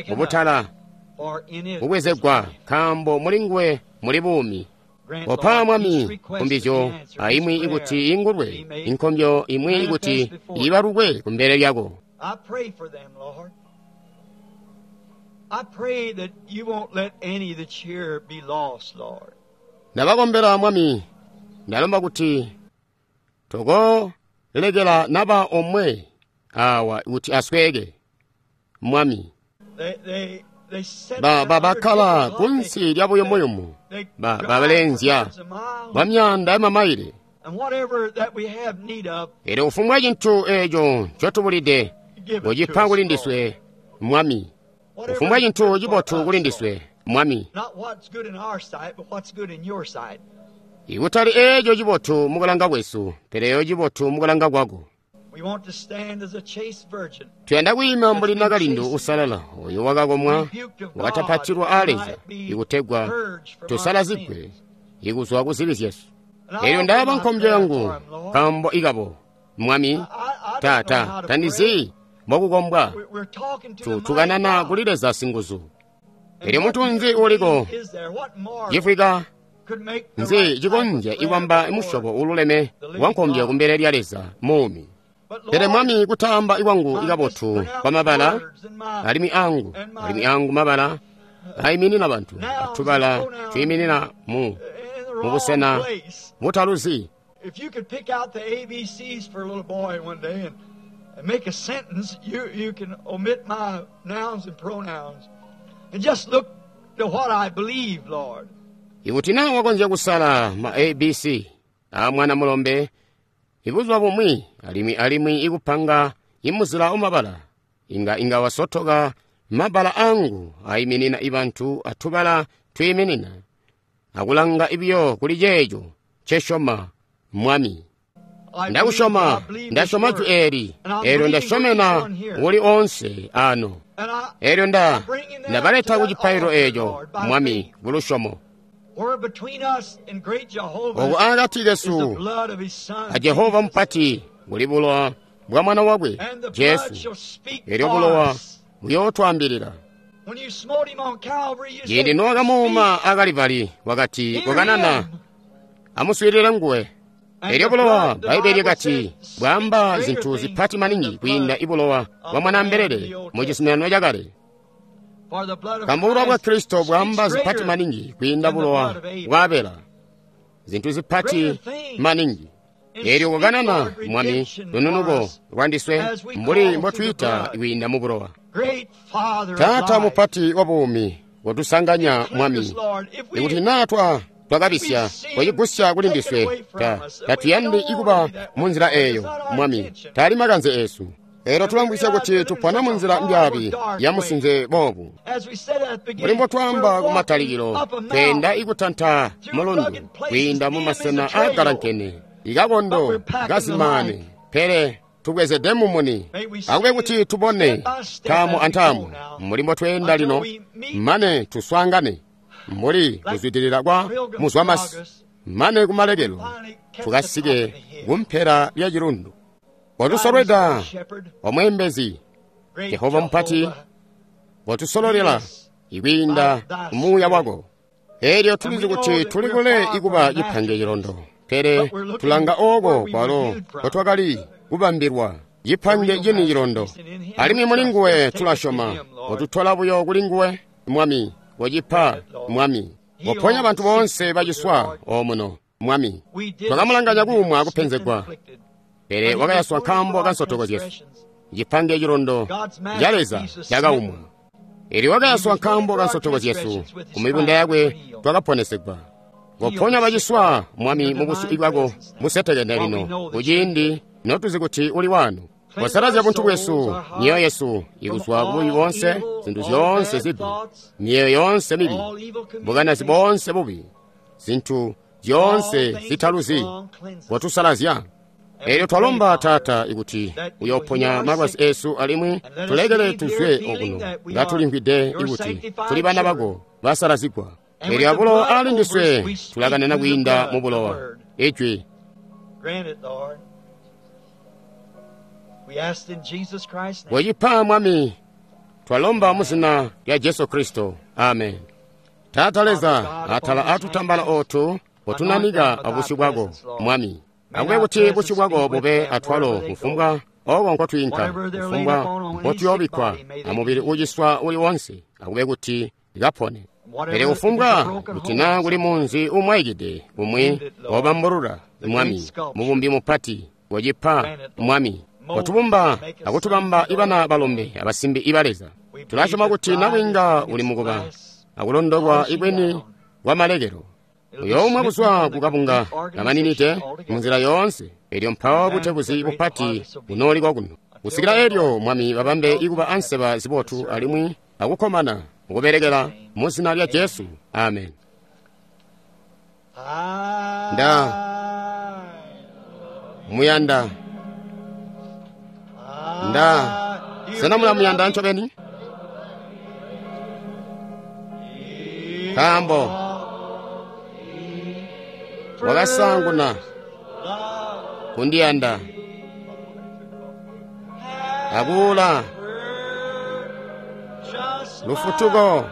mubutala kubwezegwa, nkaambo muli nguwe muli buumi. Kopa Mwami nkumbizyo aimwi ikuti ingulwe, inkombyo imwi ikuti ibalukwe kumbele lyako. Ndabakombela Mwami, ndalomba kuti tokolekela naba omwe awa kuti asweke. Mwami, bakkala kunsi lya buyumuyumu, babalenzya bwa myaanda yamamaile. Elyo kufumbwa cintu eeco ncotubulide, kocipa kuli ndiswe, Mwami. Kufumbwa cintu cibotu kuli ndiswe, Mwami. Ikutali eeco cibotu mukulanga kwesu, pele eeco cibotu mukulanga kwako. Tuyanda kwiima mbuli nakalindu usalala oyo wakakomwa wakatapatilwa aa Leza ikutegwa tusalazigwe ikuzwa ku zibi zyesu. Elyo ndaaba nkombyo yangu nkaambo ikabo, Mwami. Tata, tandizi mbokukombwa. Tukanana kuli Leza singuzu. Elyo muntu nzi uliko cifwika nzi cikonzya ikwamba musyobo ululeme wa nkombyo kumbele lya Leza muumi. Pele Mwami, kutaamba ikwangu ikabotu kwa mabala alimwi angu mabala aiminina bantu, atubala twiiminina mu busena butaluzi. Ikuti naa wakonzya kusala ma ABC a mwana mulombe ibuzuba bumwi alimwi ikupanga imuzila umabala, inga wasotoka mabala angu aiminina ibantu atubala twiiminina, akulanga ibiyo kuli ceeco ncesyoma, Mwami. Ndakusyoma, ndasyoma jwi eeli, eelyo ndasyomena uli oonse ano. Eelyo ndabaleta ku cipaililo eeco, Mwami, kulusyomo. Oku akati kesu a Jehova mupati kuli bulowa bwa mwana wakwe Jesu. Elyo bulowa buyootwaambilila. Ciindi nowakamuuma a Kalivali, wakati, "Kokanana, amuswiilile nguwe." Elyo bulowa, Bbaibeli lyakati, bwaamba zintu zipati maningi kwiinda ibulowa bwa mwanaambelele mu cizuminano cakale. Nkaambo bulowa bwa Kristo bwaamba zipati maningi kwiinda bulowa bwa Abela, zintu zipati maningi. Eelyo kokanana, Mwami, lununuko lwandiswe mbuli mbotwiita kwiinda mu bulowa. Taata mupati wa buumi, kotusanganya, Mwami. Ikuti naa twakabisya, kocigusya kuli ndiswe. Tatuyandi ikuba mu nzila eeyo, Mwami. Taali makanze eesu. Eelyo tulamvwisya kuti tupona mu nzila mbyaabi ya musinze boobu. Mbuli mbotwaamba kumatalikilo, tweenda ikutanta mulundu kwiinda mu masena aagalankene, ikakondo kazimaane, pele tubwezede mumuni. Akube kuti tubone ntaamu antaamu mbuli mbotweenda lino, mane tuswaangane mbuli kuzwidilila kwa muzwamasi, mane kumalekelo tukasike kumpela lya cilundu. Kotusolweda, omweembezi, Jehova mupati, kotusololela ikwiinda muuya wako. Eelyo tulizi kuti tuli kule ikuba cipange cilondo, pele tulanga ooko kwalo kotwakali kubambilwa cipange cini cilondo. Alimwi muli nguwe tulasyoma, kotutola buyo kuli nguwe, Mwami, kocipa, Mwami. Koponya bantu boonse baciswa omuno, Mwami. Twakamulanganya kuumwa akupenzegwa, pele wakayaswa nkaambo ka nsotoko zyesu. Cipange cilondo ca Leza cakaumwa. Eelyo wakayaswa nkaambo ka nsotoko zyesu, ku mibunda yakwe twakaponesegwa. Koponya baciswa, Mwami, mu busyu bwako busetekene lino, kuciindi notuzi kuti uli wano. Kosalazya buntu bwesu, myoyo yesu ikuzwa ku bubi boonse, zintu zyoonse zibi, myoyo yoonse mibi, bukanazi boonse bubi, zintu zyoonse zitaluzi. Kotusalazya. Eelyo twalomba, Taata, ikuti uyooponya malwazi eesu alimwi tulekele tuzwe okuno ngatulimvwide ikuti tuli bana bako basalazigwa. Eelyo abulowa aali ndiswe tulakanana kwiinda mu bulowa. Ijwi. Wecipa, Mwami, twalomba mu zina lya Jesu Kristo. Amen. Taata Leza, atala atutambala ootu kotunanika abusyu bwako, Mwami. Akube kuti busyu bwako bube atwalo kufumbwa oko nkotwiinka, kufumbwa nkotuyoobikkwa amubili uuciswa uli wonse, akube kuti kapone. Pele kufumbwa kuti naa kuli munzi uumwaikide umwi wabambulula, Mwami, mubumbi mupati, kocipa, Mwami. Kotubumba akutubamba ibana balombe abasimbi iba Leza. Tulasyoma kuti nabwiinga uli mukuba akulondolwa ikweni kwa malekelo. Uyoomwa kuzwa kukabunga kamaninide munzila yoonse, eelyo mpawo butebuzi bupati bunooli kwakuno. Kusikila eelyo, Mwami, babambe ikuba anseba zibotu alimwi akukkomana mukubelekela mu zina lya Jesu. Amen. Nda muyanda. Nda sena mulamuyanda ncobeni? Nkaambo wakasaanguna kundiyanda akuula lufutuko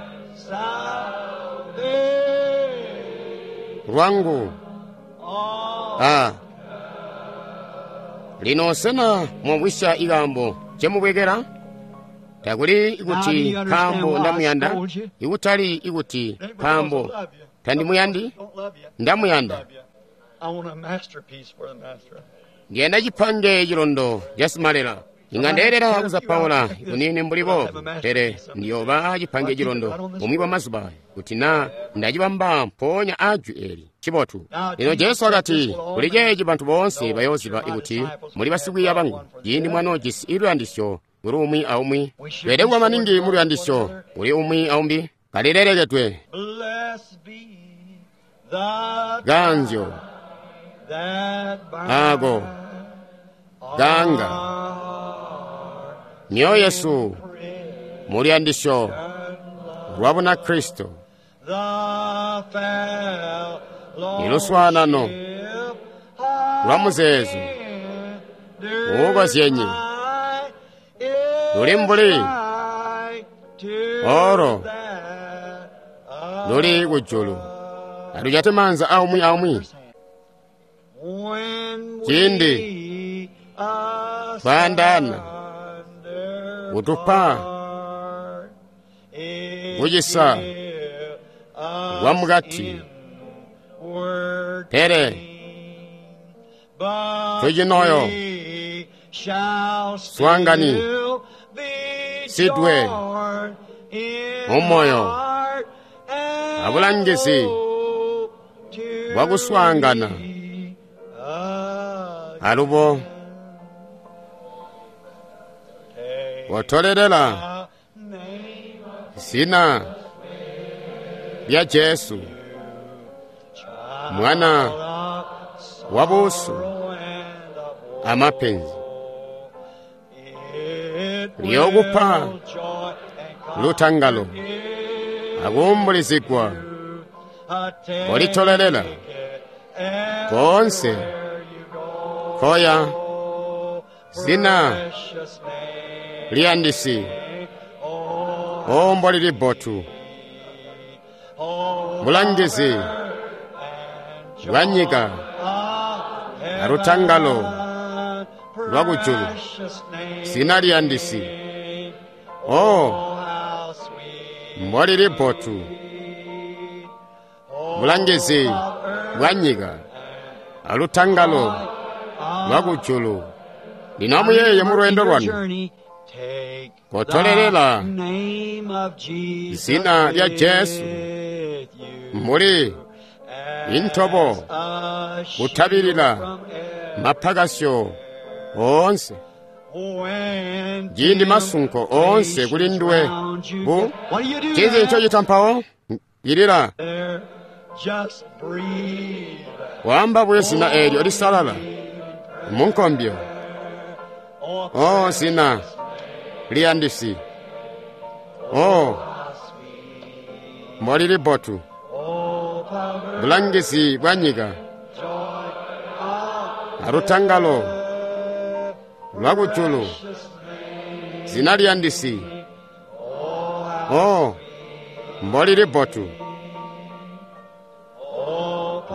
lwangu. Lino sena mwamvwisya ikaambo ncemubwekela? Takuli kuti nkaambo ndamuyanda, ikutali ikuti nkaambo tandimuyandi, ndamuyanda. Ndiyanda cipange cilondo ca simalela. Inga ndeelela kuzapaula kuniini mbuli boobu, pele ndiyooba cipange cilondo bumwi bwa mazuba kuti naa ndacibamba mpoonya ajwi eli. Cibotu. Lino Jesu wakati, kuli ceeci bantu boonse bayooziba ikuti muli basikwiiya bangu, ciindi mwanoojisi luyandisyo kuli umwi aumwi. Tweelede kuba maningi mu luyandisyo kuli umwi aumbi, kalilelekedwe. Kaanzyo ako ganga myoyo yesu mu luyandisyo lwa Bunakristo, iluswaanano lwa muzeezo uukozyenye luli mbuli oro luli kujulu. Atujate maanza aumwi aumwi ciindi twaandaana, kutupa kucisa kwa mukati, pele Tucinoyo swaangani sidwe mumoyo abulangizi bwakuswaangana alubo kotolelela zina lya Jesu mwana wa busu amapenzi lyokupa lutangalo akuumbulizigwa kolitolelela koonse koya zina liyandisi ombo lili bbotu bulangizi bwa nyika alutangalo lwakujulu zina liyandisi o mbolili bbotu bulangizi bwa nyika alutangalo lwakujulu. Lino amuyeeye mu lweendo lwanu kotolelela zina lya Jesu mbuli intobo kutabilila mapakasyo oonse ciindi masunko oonse kuli nduwe bu cizi ncocita mpawo ilila waamba buyo zina eelyo lisalala munkombyo. O zina liyandisi, o mbolili bbotu bulangizi bwa nyika alutangalo lwakujulu zina liyandisi, o mbolili bbotu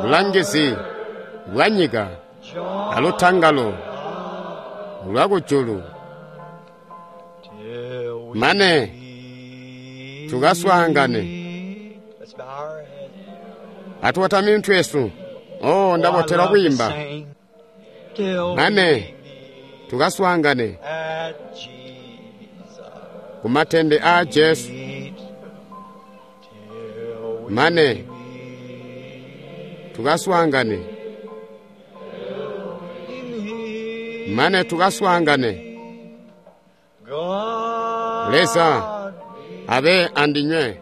bulangizi bwa nyika alutangalo lwakujulu. Mane tukaswaangane atuwatami mitwe yesu. O ndabotela kwiimba mane tukaswaangane kumatende a Jesu. Mane tukaswaangane, mane tukaswaangane. Leza abe andinywe.